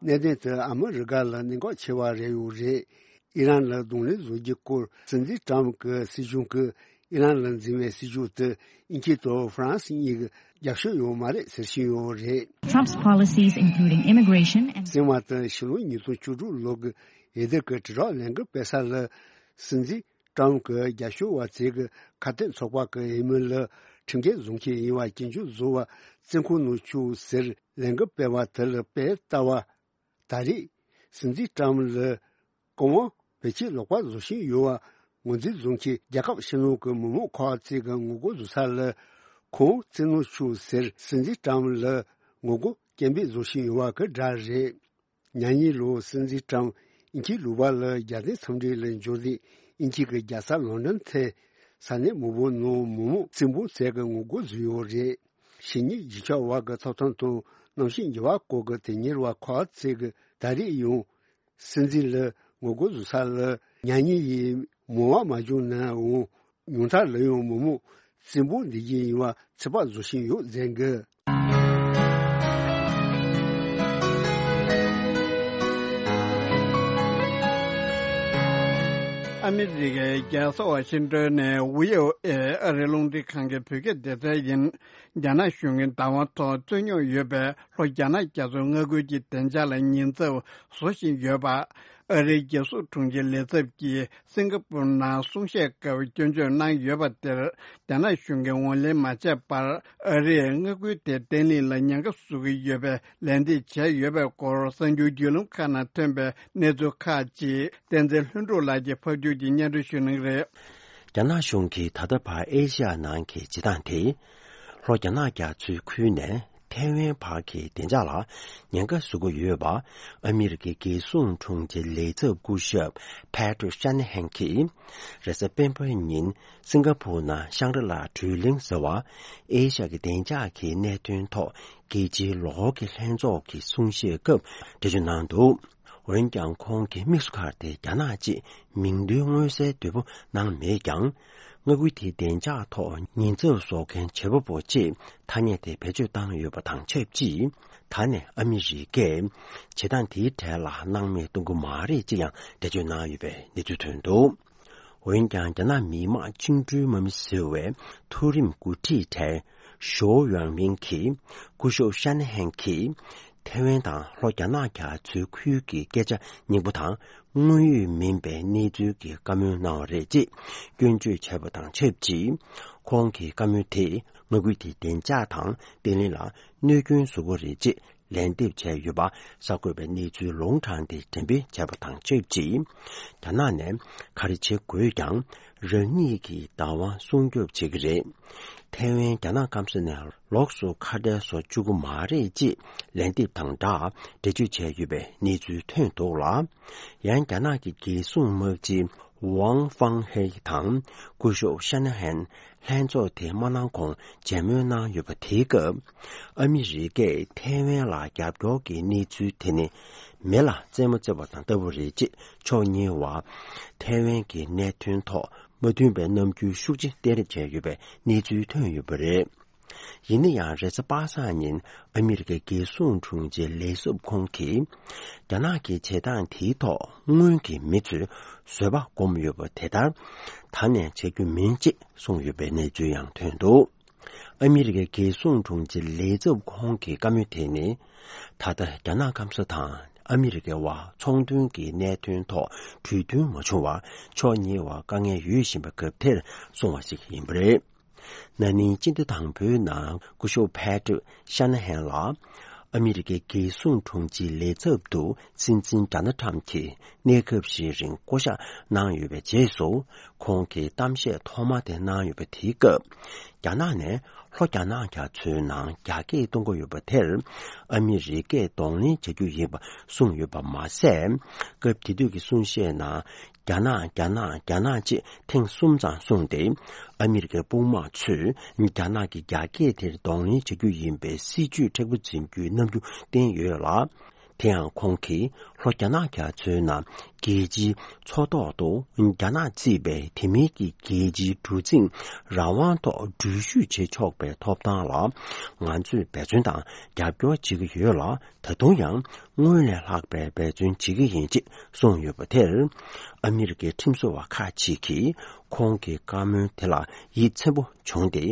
གནད་དོན་དེ་ཨ་མི་རི་ཀ་ལ་གནད་འགག་ཆེ་བ་རེད་ཡོད་རེད། ཨི་རན་ལ་གདོང་ལེན་བཟོ་རྒྱུའི་སྐོར་སྲིད་འཛིན་ཀྲམ་གྱི་སྲིད་གཞུང་གིས་ཨི་རན་ལ་འཛིན་པའི་སྲིད་ཇུས་དེ་དབྱིན་ཇི་དང་ཧྥ་རན་སི་གཉིས་ཀྱི་རྒྱབ་སྐྱོར་ཡོད་མ་རེད་ཟེར་བཞིན་ཡོད་རེད། Trump's policies, including immigration and སྲིད་དབང་དེ་ཕྱི་ལོ་ཉིས་སྟོང་བཅུ་དྲུག་ལོ་གི་འོས་བསྡུ་གི་དྲིལ་བསྒྲགས་ལས་འགུལ་སྤེལ་ས་ལ་སྲིད་འཛིན་ཀྲམ་གྱི་རྒྱབ་སྐྱོར་བ་ཚོས་ཀྱི་ཁ་གཏད་ཚོགས་པ་གི་འོས་མི་ལ་ཁྲིམས་འགལ་བཟོ་མཁན་ཡིན་པ་སྐྱོན་བརྗོད་བཟོ་བ་བཙོན་ཁང་ནང་བཅུག་ཟེར་ལས་འགུལ་སྤེལ་བ་དེ་ལ་དཔེ་ལྟ་བ། ད་རེས་སྲིད་འཛིན་ཀྲམ་ལ་བཀའ་དབང་བེད་སྤྱོད་ལོག་པ་བཟོ་བཞིན་ཡོད་པ་ངོས་འཛིན་བཟོ་མཁན་རྒྱལ་ཁབ་ཕྱི་ནང་གི་མི་མང་ཁག་ཅིག་གི་ངོ་རྒོལ་བཟོ་ས་ལ་ཁོང་བཙན་གནོན་བྱུང་ཟེར་སྲིད་འཛིན་ཀྲམ་ལ་ངོ་རྒོལ་སྐད་འབོད་བཟོ་བཞིན་ཡོད་པ་གི་སྒྲ་རེད། ཉེ་ཉིན་ལོ་སྲིད་འཛིན་ཀྲམ་དབྱིན་ཇིའི་ལུང་པ་ལ་རྒྱལ་སྟེང་འཚམས་འདྲི་ལ་འབྱོར་ཏེ་དབྱིན་ཇི་གི་རྒྱལ་ས་ལོན་ཌོན་ཐད་ས་གནས་མང་པོ་ནང་མི་མང་ཚོགས་འབུམ་ཚོགས་ཀྱི་ངོ་རྒོལ་བཟོས་ཡོད་རེད། ཕྱི་ཉིན་རྒྱུ་ཆ་བར་གྱི་ཐོབ་ཐང་དང་གནམ་གཤིས་འགྱུར་བ་སྐོར་གྱི་དོན་གཉེར་བ་ཁག་ཅིག་གིས་ད་རེས་ཡང་སྲིད་འཛིན་ལ་ངོ་རྒོལ་བཟོ་ས་ལ་ཉེ་ཉིན་ཡིན་མང་བ་མ་བྱུང་ནའང་ཉུང་མཐའ་ལ་ཡང་མི་མང་བཙན་པོ་འདི་བཞིན་ཡིན་པ་ཚོད་དཔག་བཟོ་བཞིན་ཡོད་ཟེར་གི། ཨ་མི་རི་ཀའི་རྒྱལ་ས་ཝ་ཤིང་ཏོན་ནས་ཝི་ཨོ་ཨེ་ཨ་རིའི་རླུང་འཕྲིན་ཁང་གི་བོད་སྐད་སྡེ་ཚན་ཡིན། རྒྱ་ནག་གཞུང་གིས་བདག་དབང་ཐོག་རྩོད་རྙོག་ཡོད་པའི་ལྷོ་རྒྱ་ནག་རྒྱ་མཚོའི་མངའ་ཁུལ་གྱི་བདེ་འཇགས་ལ་ཉེན་ཚབས་བཟོ་བཞིན་ཡོད་པ། ཨ་རིའི་རྒྱལ་སྲུང་དྲུང་ཆེའི་ལས་ཚབ་ཀྱིས་སིང་ག་པུར་ནང་གསུང་བཤད་སྐབས་སྐྱོན་བརྗོད་གནང་ཡོད་པ་དེར་རྒྱ་ནག་གཞུང་གིས་ངོས་ལེན་མ་བྱས་པར་ཨ་རིས་མངའ་ཁུལ་དེ་བརྟན་ལྷིང་ལ་ཉེན་ཁ་བཟོ་གི་ཡོད་པའི་ལན་འདེབས་བྱས་ཡོད་པའི་སྐོར་གསར་འགྱུར་བརྒྱུད་ལམ་ཁག་ནང་ཐོན་པའི་གནས་ཚུལ་ཁག་ཅིག་བསྟན་འཛིན་ལྷུན་གྲུབ་ལགས་ཀྱིས་ཕབ་སྒྱུར་གྱིས་སྙན་སྒྲོན་ཞུ་གནང་གི་རེད། རྒྱ་ནག་གཞུང་གིས་ད་ལྟ་བར་ཨེ་ཤ་ཡ་ནང་གི་བྱེད་སྟངས་དེ། ལྷོ་རྒྱ་ནག་རྒྱ་མཚོའི་ཁུལ་ནས་ཐའེ་ཝན་བར་གྱི་བདེ་འཇགས་ལ་ཉེན་ཁ་བཟོ་གི་ཡོད་པ། ཨ་མི་རི་ཀའི་རྒྱལ་སྲུང་དྲུང་ཆེ་ལས་ཚབ་སྐུ་ཞབས་Patrick Shanahan གྱིས་རེས་གཟའ་སྤེན་པའི་ཉིན་སིང་ག་པུར་ནང་ཤང་རི་ལ་གྲོས་གླེང་ཟེར་བ། ཨེ་ཤ་ཡ་གི་བདེ་འཇགས་ཀྱི་གནད་དོན་ཐོག་རྒྱལ་སྤྱིའི་ལོ་འཁོར་གྱི་ལྷན་ཚོགས་ཀྱི་གསུང་བཤད་སྐབས་འགྲེལ་བརྗོད་གནང་འདུག་འོན་ཀྱང་ཁོང་གིས་དམིགས་སུ་བཀར་ཏེ་རྒྱ་ནག་ཅེས་མིང་འདོན་མངོན་གསལ་དོད་པོ་གནང་མེད་ཀྱང་། མངའ་ཁུལ་དེའི་བདེ་འཇགས་ཐོག་ཉེན་ཚབས་བཟོ་མཁན་བྱེད་པ་པོ་ཅེས་ཐ་སྙད་དེ་བེད་སྤྱོད་བཏང་ཡོད་པ་དང་ཆབས་ཅིག་ད་ནས་ཨ་མི་རི་ཀས་བྱེད་སྟངས་དེའི་གྲས་ལ་སྣང་མེད་གཏོང་གི་མ་རེད་ཅེས་ཡང་འགྲེལ་བརྗོད་གནང་ཡོད་པའི་གནས་ཚུལ་ཐོན་འདུག་འོན་ཀྱང་རྒྱ་ནག་མི་དམངས་བཅིངས་འགྲོལ་དམག་མི་ཟེར་བའི་མཐོ་རིམ་འགོ་ཁྲིད་གྲས་ཞའོ་ཡང་མིང་གིས་སྐུ་ཞབས་ཤ་ན་ཧན་གྱིས་ཐེ་ཝན་དང་ལྷོ་རྒྱ་ནག་རྒྱ་མཚོའི་ཁུལ་གྱི་སྐད་ཆ་རྙིང་པ་དང་དངོས་ཡོད་མིན་པའི་གནས་ཚུལ་གྱི་བཀའ་མོལ་གནང་བ་རེད་ཅེས་སྐྱོན་བརྗོད་བྱས་པ་དང་ཆབས་ཅིག་ཁོང་གི་བཀའ་མོལ་དེས་མངའ་ཁུལ་དེའི་བདེ་འཇགས་དང་བརྟན་ལྷིང་ལ་གནོད་སྐྱོན་བཟོ་གི་རེད་ཅེས་ ལན་འདེབས་བྱས་ཡོད་པ་གསར་འགོད་པའི་གནས་ཚུལ་ལུང་དྲངས་ཏེ་འགྲེམས་སྤེལ་བྱས་པ་དང་ཆབས་ཅིག་རྒྱ་ནག་ནས་ག་རེ་བྱེད་དགོས་ཀྱང་རང་ཉིད་ཀྱི་བདག་དབང་སྲུང་སྐྱོབ་བྱེད་ཀྱི་རེད། ཐའེ་ཝན་རྒྱ་ནག་སྐམ་ས་ནས་ལོགས་སུ་ཁ་བྲལ་བཟོ་བཅུག་གི་མ་རེད་ཅེས་ལན་འདེབས་དང་སྦྲགས་འགྲེལ་བརྗོད་བྱས་ཡོད་པའི་གནས་ཚུལ་ཐོན་འདུག་ལ། ཡང་རྒྱ་ནག་གི་རྒྱལ་སྲུང་དམག་སྤྱི་ཝང་ཧྥང་ཧེ་དང་སྐུ་ཞབས་ཤ་ན་ཧན་ལྷན་ཚོགས་དེ་མ་གནང་གོང་མཇལ་མོལ་གནང་ཡོད་པ་དེའི་སྐབས། ཨ་མི་རི་ཀས་ཐའེ་ཝན་ལ་རྒྱབ་སྐྱོར་གྱི་གནས་ཚུལ་དེ་ནི་མེ་ལ་རྩེད་མོ་རྩེ་བ་དང་ལྟ་བུ་རེད་ཅེས་ཕྱོགས་གཉིས་བར་ཐའེ་ཝན་གྱི་གནད་དོན་ཐོག་མ་མཐུན་པའི་རྣམ་འགྱུར་ཤུགས་ཆེ་སྟོན་རེས་བྱས་ཡོད་པའི་གནས་ཚུལ་ཐོན་ཡོད་པ་རེད། ཡིན་ན་ཡང་རེས་གཟའ་པ་སངས་ཉིན་ཨ་མི་རི་ཀའི་རྒྱལ་སྲུང་དྲུང་ཆེ་ལེ་ཙབ་ཁོང་གིས། རྒྱ་ནག་གི་བྱེད་སྟངས་དེའི་ཐོག་སྔོན་གྱི་མི་ཚོས་བཟོད་པ་སྒོམ་ཡོད་པ་དེ་ལྟར་ད་ནས་བྱ་རྒྱུ་མིན་ཅེས་གསུངས་ཡོད་པའི་གནས་ཚུལ་ཡང་ཐོན་འདུག་ཨ་མི་རི་ཀའི་རྒྱལ་སྲུང་དྲུང་ཆེ་ལེ་ཙབ་ཁོང་གི་བཀའ་མོལ་དེ་ནི། ད་ལྟ་རྒྱ་ནག་སྐམ་ས་དང་ཨ་མི་རི་ཀའི་བར་ཚོང་དོན་གྱི་གནད་དོན་ཐོག་གྲོས་མཐུན་མ་བྱུང་བར་ཕྱོགས་གཉིས་བར་དཀའ་ངལ་ཡོད་བཞིན་པའི་སྐབས་དེར་གསུངས་པ་ཞིག་ཡིན་པ་རེད། ན་ནིང་སྤྱི་ཟླ་དང་པོའི་ནང་སྐུ་ཞབས་ཕེ་ཏྲིག་ཤ་ན་ཧན་ལགས་ཨ་མི་རི་ཀའི་རྒྱལ་སྲུང་དྲུང་ཆེའི་ལས་ཚབ་ཏུ་སྲིད་འཛིན་ཌོ་ནལ་ཊམ་གྱིས་གནས་སྐབས་ཤིག་རིང་བསྐོ་གཞག་གནང་ཡོད་པའི་རྗེས་སུ། ཁོང་གིས་གཏམ་བཤད་ཐོག་མ་དེ་གནང་ཡོད་པ་དེའི་སྐབས། རྒྱ་ནག་ནས་ལྷོ་རྒྱ་ནག་རྒྱ་མཚོའི་ནང་རྒྱ་སྐྱེད་གཏོང་གི་ཡོད་པ་དེར། ཨ་མི་རི་ཀས་གདོང་ལེན་བྱ་རྒྱུ་ཡིན་པ་གསུངས་ཡོད་པ་མ་ཟད། སྐབས་དེ་དུས་ཀྱི་གསུང་བཤད་ནང་། རྒྱ་ནག་རྒྱ་ནག་རྒྱ་ནག་ཅེས་ཐེངས་གསུམ་ཙམ་གསུངས་ཏེ། ཨ་མི་རི་ཀའི་དཔུང་དམག་ཚོས་རྒྱ་ནག་གི་རྒྱ་སྐད་དེར་གདོང་ལེན་བྱ་རྒྱུ་ཡིན་པའི་སྲིད་ཇུས་མཁྲེགས་པོ་འཛིན་རྒྱུའི་རྣམ་འགྱུར་བསྟན་ཡོད་ལ། དེ་ཡང་ཁོང་གིས་ལྷོ་རྒྱ་ནག་རྒྱ་མཚོའི་ནང་རྒྱལ་སྤྱིའི་མཚོ་ཐོག་ཏུ་རྒྱ་ནག་གཙོས་པའི་དེ་མིན་གྱི་རྒྱལ་སྤྱིའི་གྲུ་གཟིངས་རང་དབང་ཐོག་འགྲུལ་བཞུད་བྱེད་ཆོག་པའི་ཐོབ་ཐང་ལ་ང་ཚོས་འབད་བརྩོན་དང་རྒྱབ་སྐྱོར་བྱེད་ཀྱི་ཡོད་ལ། ད་དུང་ཡང་སྔོན་ལས་ལྷག་པའི་འབད་བརྩོན་བྱེད་ཀྱི་ཡིན་ཅེས་གསུངས་ཡོད་པ་དེར། ཨ་མི་རི་ཀའི་ཁྲིམས་བཟོ་བ་ཁག་ཅིག་གིས་ཁོང་གི་བཀའ་མོལ་དེ་ལ་ཡིད་ཚིམ་པོ་བྱུང་སྟེ།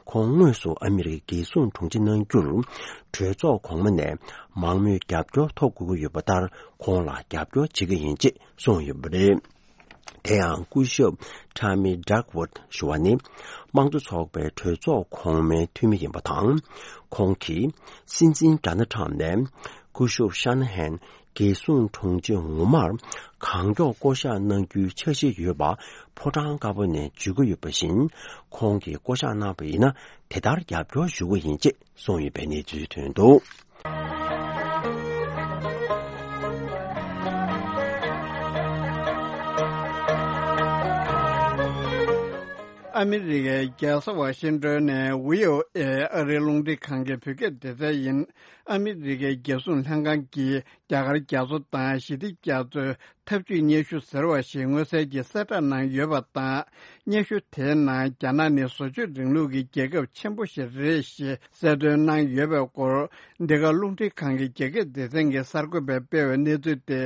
ཁོང་དངོས་སུ་ཨ་མི་རི་ཀའི་རྒྱལ་སྲུང་དྲུང་ཆེ་གནང་རྒྱུར། གྲོས་ཚོགས་གོང་མ་ནས་མང་མོས་རྒྱབ་སྐྱོར་ཐོབ་དགོས་ཀྱི་ཡོད་པ་ལྟར། ཁོང་ལ་རྒྱབ་སྐྱོར་བྱེད་ཀྱི་ཡིན་ཅེས་གསུངས་ཡོད་པ་རེད། དེ་ཡང་སྐུ་ཞབས་ཁྲ་མི་ཌག་ཝུཌ་ཞུ་བ་ནི། དམངས་གཙོ་ཚོགས་པའི་གྲོས་ཚོགས་གོང་མའི་འཐུས་མི་ཡིན་པ་དང་། ཁོང་གིས་སྲིད་འཛིན་ཌོ་ནལ་ཊམ་ནས་སྐུ་ཞབས་ཤ་ན་ཧན་རྒྱལ་སྲུང་དྲུང་ཆེ་ངོ་མར་གང་མགྱོགས་བསྐོ་གཞག་གནང་རྒྱུའི་འཆར་གཞི་ཡོད་པ་ཕོ་བྲང་དཀར་པོ་ནས་བརྗོད་ཀྱི་ཡོད་པ་བཞིན། ཁོང་གིས་བསྐོ་གཞག་གནང་བ་ཡིན་ན་དེ་ལྟར་རྒྱབ་སྐྱོར་ཞུ་གི་ཡིན་ཅེས་གསུངས་ཡོད་པའི་གནས་ཚུལ་ཐོན་འདུག་ཨ་མི་རི་ཀའི་རྒྱལ་ས་ཝ་ཤིང་ཏོན་ནས་བྷི་ཨོ་ཨེ་ཨ་རིའི་རླུང་འཕྲིན་ཁང་གི་བོད་སྐད་སྡེ་ཚན་ཡིན། ཨ་མི་རི་ཀའི་རྒྱལ་སྲུང་ལྷན་ཁང་གིས་རྒྱ་གར་རྒྱ་མཚོ་དང་ཞི་བདེ་རྒྱ་མཚོའི་འཐབ་ཇུས་སྙན་ཞུ་ཟེར་བ་ཞིག་མངོན་གསལ་གྱིས་གསལ་བསྒྲགས་གནང་ཡོད་པ་དང་། སྙན་ཞུ་དེའི་ནང་རྒྱ་ནག་ནི་བཟོ་བཅོས་རིང་ལུགས་ཀྱི་རྒྱལ་ཁབ་ཆེན་པོ་ཞིག་རེད་ཞེས་གསལ་སྟོན་གནང་ཡོད་པའི་སྐོར། འདི་ག་རླུང་འཕྲིན་ཁང་གི་རྒྱ་སྐད་སྡེ་ཚན་གྱི་གསར་འགོད་པས་སྤེལ་བའི་གནས་ཚུལ་དེ།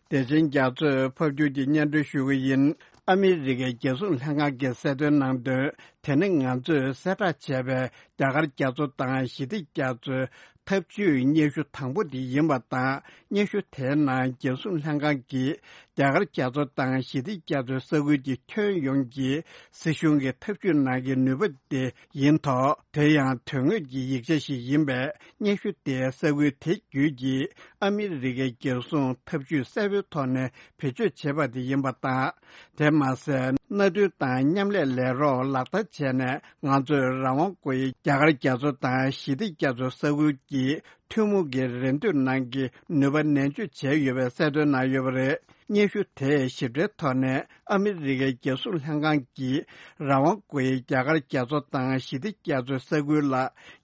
བདེ་ཆེན་རྒྱ་མཚོས་ཕབ་སྒྱུར་གྱིས་སྙན་སྒྲོན་ཞུ་གི་ཡིན། ཨ་མི་རི་ཀའི་རྒྱལ་སྲུང་ལྷན་ཁང་གིས་གསལ་སྟོན་གནང་དོན། དེ་ནི་ང་ཚོས་གསལ་བསྒྲགས་བྱས་པའི་རྒྱ་གར་རྒྱ་མཚོ་དང་ཞི་བདེ་རྒྱ་མཚོའི་འཐབ་ཇུས་སྙན་ཞུ་དང་པོ་དེ་ཡིན་པ་དང་། སྙན་ཞུ་དེའི་ནང་རྒྱལ་སྲུང་ལྷན་ཁང་གིས་རྒྱ་གར་རྒྱ་མཚོ་དང་ཞི་བདེ་རྒྱ་མཚོའི་ས་ཁུལ་གྱི་ཁྱོན་ཡོངས་ཀྱི་སྲིད་གཞུང་གི་འཐབ་ཇུས་ནང་གི་ནུས་པ་དེ་ཡིན་ཐོག་དེ་ཡང་དོན་དངོས་ཀྱི་ཡིག་ཆ་ཞིག་ཡིན་པས། སྙན་ཞུ་དེས་ས་ཁུལ་དེ་བརྒྱུད་ཀྱིས་ཨ་མི་རི་ཀའི་རྒྱལ་སྲུང་འཐབ་ཇུས་གསལ་པོའི་ཐོག་ནས་བེད་སྤྱོད་བྱས་པ་དེ་ཡིན་པ་དང་། དེ་མ་ཟད། མནའ་མཐུན་དང་མཉམ་ལས་ལས་རོགས་ལག་བསྟར་བྱས་ནས། ང་ཚོས་རང་དབང་དགོས་ཡའི་རྒྱ་གར་རྒྱ་མཚོ་དང་ཞི་བདེ་རྒྱ་མཚོའི་ས་ཁུལ་གྱི་ཐུན་མོང་གི་རེ་འདུན་ནང་གི་ནུས་པ་ནན་བརྗོད་བྱས་ཡོད་པའི་གསལ་སྟོན་གནང་ཡོད་པ་རེད། སྙན་ཞུ་དེས་ཞིབ་ཕྲའི་ཐོག་ནས་ཨ་མི་རི་ཀའི་རྒྱལ་སྲུང་ལྷན་ཁང་གིས་རང་དབང་དགོས་ཡའི་རྒྱ་གར་རྒྱ་མཚོ་དང་ཞི་བདེ་རྒྱ་མཚོའི་ས་ཁུལ་ལ་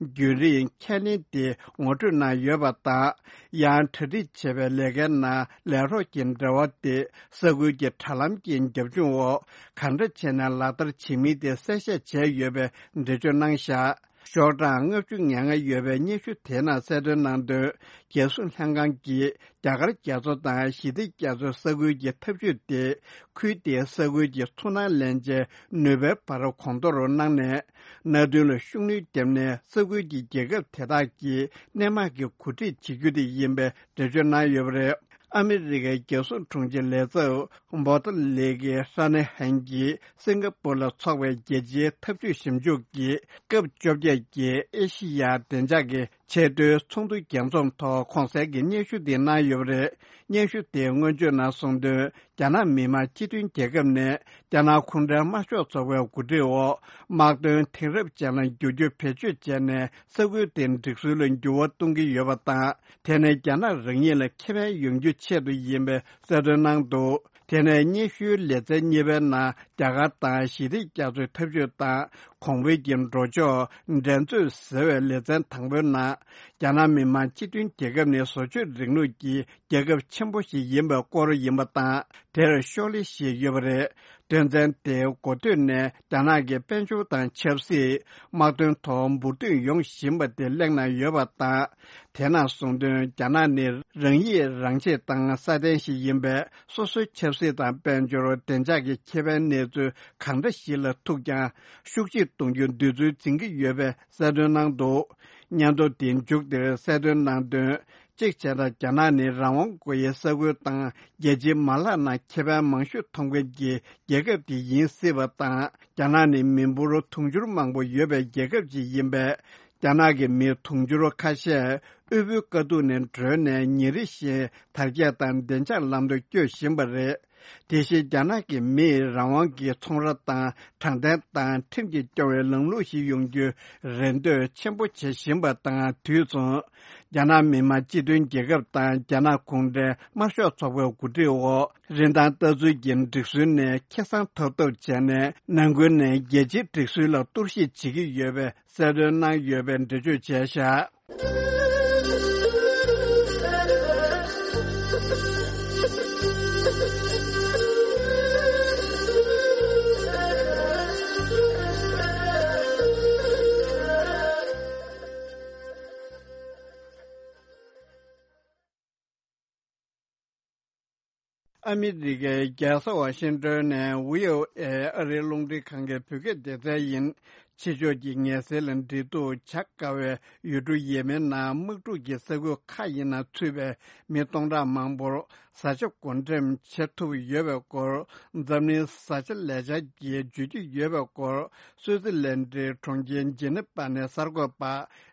རྒྱུན་རིང་ཁས་ལེན་དེ་ངོ་སྤྲོད་གནང་ཡོད་པ་དང་། ཡང་གྲ་སྒྲིག་བྱེད་པའི་ལས་ཀའི་ནང་ལས་རོགས་ཀྱི་འབྲེལ་བ་དེ་ས་ཁུལ་གྱི་དྲ་ལམ་གྱི་རྒྱབ་ལྗོངས་འོག་གང་འདྲ་བྱས་ནས་ལག་བསྟར་བྱེད་མིན་དེ་གསལ་བཤད་བྱས་ཡོད་པའི་འགྲེལ་བརྗོད་གནང་བཞག་ཤོག་གྲངས་ལྔ་བཅུ་ང་ལྔ་ཡོད་པའི་སྙན་ཞུ་དེའི་ནང་གསལ་སྟོན་གནང་དོན། རྒྱལ་སྲུང་ལྷན་ཁང་གིས་རྒྱ་གར་རྒྱ་མཚོ་དང་ཞི་བདེ་རྒྱ་མཚོའི་ས་ཁུལ་གྱི་འཐབ་ཇུས་དེ་ཁུལ་དེའི་ས་ཁུལ་གྱི་ཚོར་སྣང་ལེན་བྱའི་ནུས་པའི་བར་གོང་མཐོ་རུ་གནང་ནས། མནའ་མཐུན་ལ་ཤུགས་སྣོན་བརྒྱབ་ནས་ས་ཁུལ་གྱི་རྒྱལ་ཁབ་དེ་དག་གི་སྣེ་མང་གི་གོ་སྒྲིག་བྱེད་རྒྱུ་དེ་ཡིན་པའི་འགྲེལ་བརྗོད་གནང་ཡོད་པ་རེད། ཨ་མི་རི་ཀའི་རྒྱལ་སྲུང་དྲུང་ཆེ་ལས་ཚབ་བྷོ་ཏ་ལི་ཀི་ཧྲ་ནེ་ཧན་གྱིས་སིང་ག་པུར་ལ་འཚོགས་པའི་རྒྱལ་སྤྱིའི་འཐབ་ཇུས་ཞིབ་འཇུག་གི་སྐབས་བཅོ་བརྒྱད་ཀྱི་ཨེ་ཤི་ཡ་བདེ་འཇགས་ཀྱི་ ཆེས་མཐོའི་ཚོགས་འདུ་རྒྱས་འཛོམས་ཐོག་གོང་གསལ་གྱི་སྙན་ཞུ་འདི་གནང་ཡོད་པ་རེད། སྙན་ཞུ་དེའི་སྔོན་བརྗོད་ནང་གསུངས་དོན། རྒྱ་ནག་མི་དམངས་སྤྱི་མཐུན་རྒྱལ་ཁབ་ནས་རྒྱ་ནག་གུང་ཁྲན་དམར་ཤོག་ཚོགས་པའི་འགོ་ཁྲིད་འོག་དམག་དོན་དེང་རབས་ཅན་ལ་འགྱུར་རྒྱུ་བེད་སྤྱོད་བྱས་ནས་ས་ཁུལ་དེའི་སྒྲིག་སྲོལ་ལ་འགྱུར་བ་གཏོང་གི་ཡོད་པ་དང་། དེ་ནི་རྒྱ་ནག་རང་ཉིད་ལ་ཁེ་ཕན་ཡོང་རྒྱུའི་ཆེད་དུ་ཡིན་པའི་གསལ་སྟོན་གནང་འདུག་དེ་ནས་སྙན་ཞུའི་ལེ་ཚན་གཉིས་པའི་ནང་རྒྱ་གར་དང་ཞི་བདེ་རྒྱ་མཚོའི་འཐབ་ཇུས་དང་གོང་འཕེལ་གྱི་འགྲོ་ཕྱོགས་འགྲན་རྩོད་ཟེར་བའི་ལེ་ཚན་དང་པོའི་ནང་རྒྱ་ནག་མི་དམངས་སྤྱི་མཐུན་རྒྱལ་ཁབ་ནི་བཟོ་བཅོས་རིང་ལུགས་ཀྱི་རྒྱལ་ཁབ་ཆེན་པོ་ཞིག་ཡིན་པའི་སྐོར་ཡིན་པ་དང་། དེར་ཤོག་ལྷེ་ཞིག་ཡོད་པ་རེད། དོན་ཚན་དེའི་འགོ་སྟོད་ནས་རྒྱ་ནག་གི་དཔལ་འབྱོར་དང་ཆབ་སྲིད། དམག་དོན་ཐོག་འབུར་ཐོན་ཡོང་བཞིན་པ་དེ་གླེང་གནང་ཡོད་པ་དང་། དེ་ནང་གསུངས་དོན། རྒྱ་ནག་ནི་རང་ཡིད་རང་ཆེས་དང་སྲ་བརྟན་ཞིག་ཡིན་པས། སོ་སོའི་ཆབ་སྲིད་དང་དཔལ་འབྱོར་བདེ་འཇགས་ཀྱི་ཁེ་ཕན་གནས་ཚུལ་གང་འདྲ་ཞིག་ལ་ཐུག་ཀྱང་ཤུགས་ཆེ་གཏོང་རྒྱུ་འདོད་ཚུལ་འཛིན་གྱི་ཡོད་པའི་གསལ་སྟོན་གནང་འདུག་སྙན་ཐོ་དེའི་མཇུག་དེར་གསལ་སྟོན་གནང་དོན། གཅིག་བྱས་ན། རྒྱ་ནག་ནི་རང་དབང་དགོས་ཡའི་ས་ཁུལ་དང་རྒྱལ་སྤྱིའི་མ་ལག་ནང་ཁེ་ཕན་མང་ཤོས་ཐོབ་མཁན་གྱི་རྒྱལ་ཁབ་དེ་ཡིན་སྲིད་པ་དང་། རྒྱ་ནག་ནི་མི་འབོར་དུང་ཕྱུར་མང་པོ་ཡོད་པའི་རྒྱལ་ཁབ་ཅིག་ཡིན་པས། རྒྱ་ནག་གི་མི་དུང་ཕྱུར་ཁ་ཤས་དབུལ་པོའི་དཀའ་སྡུག་ནས་སྒྲོལ་ནས་ཉིན་རེ་བཞིན་དར་རྒྱས་དང་བདེ་འཇགས་ལམ་དུ་བསྐྱོད་བཞིན་པ་རེད། དེ་བཞིན་རྒྱ་ནག་གི་མིས་རང་དབང་གི་ཚོང་ར་དང་དྲང་བདེན་དང་ཁྲིམས་ཀྱིས་སྐྱོང་བའི་ལམ་ལུགས་ཤིག་ཡོང་རྒྱུའི་རེ་འདོད་ཆེན་པོ་བྱེད་བཞིན་པ་དང་དུས་མཚུངས། རྒྱ་ནག་མི་དམངས་སྤྱི་མཐུན་རྒྱལ་ཁབ་དང་རྒྱ་ནག་གུང་ཁྲན་དམར་ཤོག་ཚོགས་པའི་འགོ་ཁྲིད་འོག་རིན་ཐང་ལྟ་ཚུལ་གྱི་སྒྲིག་སྲོལ་ནས་ཁེ་བཟང་ཐོབ་ཐབས་བྱས་ནས་ནང་ཁུལ་ནས་རྒྱལ་སྤྱིའི་སྒྲིག་སྲོལ་ལ་གཏོར་བཤིག་བྱེད་ཀྱི་ཡོད་པའི་གསལ་སྟོན་གནང་ཡོད་པའི་འགྲེལ་བརྗོད་བྱས་བཞག་ཨ་མི་རི་ཀའི་རྒྱལ་ས་ཝ་ཤིང་ཏོན་ནས་བྷི་ཨོ་ཨེ་ཨ་རིའི་རླུང་འཕྲིན་ཁང་གི་བོད་སྐད་སྡེ་ཚན་ཡིན། ཕྱི་ཕྱོགས་ཀྱི་ངལ་སེལ་ལ་འབྲེལ་གཏུག་བྱ་དཀའ་བའི་ཡུལ་གྲུ་ཡེ་མེན་ནང་དམག་འཁྲུག་གི་ས་ཁུལ་ཁག་ཡིན་ན་ཚུད་པའི་མི་སྟོང་ཕྲག་མང་པོར་བཟའ་བཅའ་བགོ་འགྲེམས་བྱེད་ཐུབ་ཡོད་པའི་སྐོར། འཛམ་གླིང་བཟའ་བཅའ་ལས་འཆར་གྱིས་བརྗོད་ཀྱི་ཡོད་པའི་སྐོར། སུའུ་ཙི་ལན་ཌིའི་གྲོང་ཁྱེར་ཇི་ནི་པ་ནས་གསར་འགོད་པ་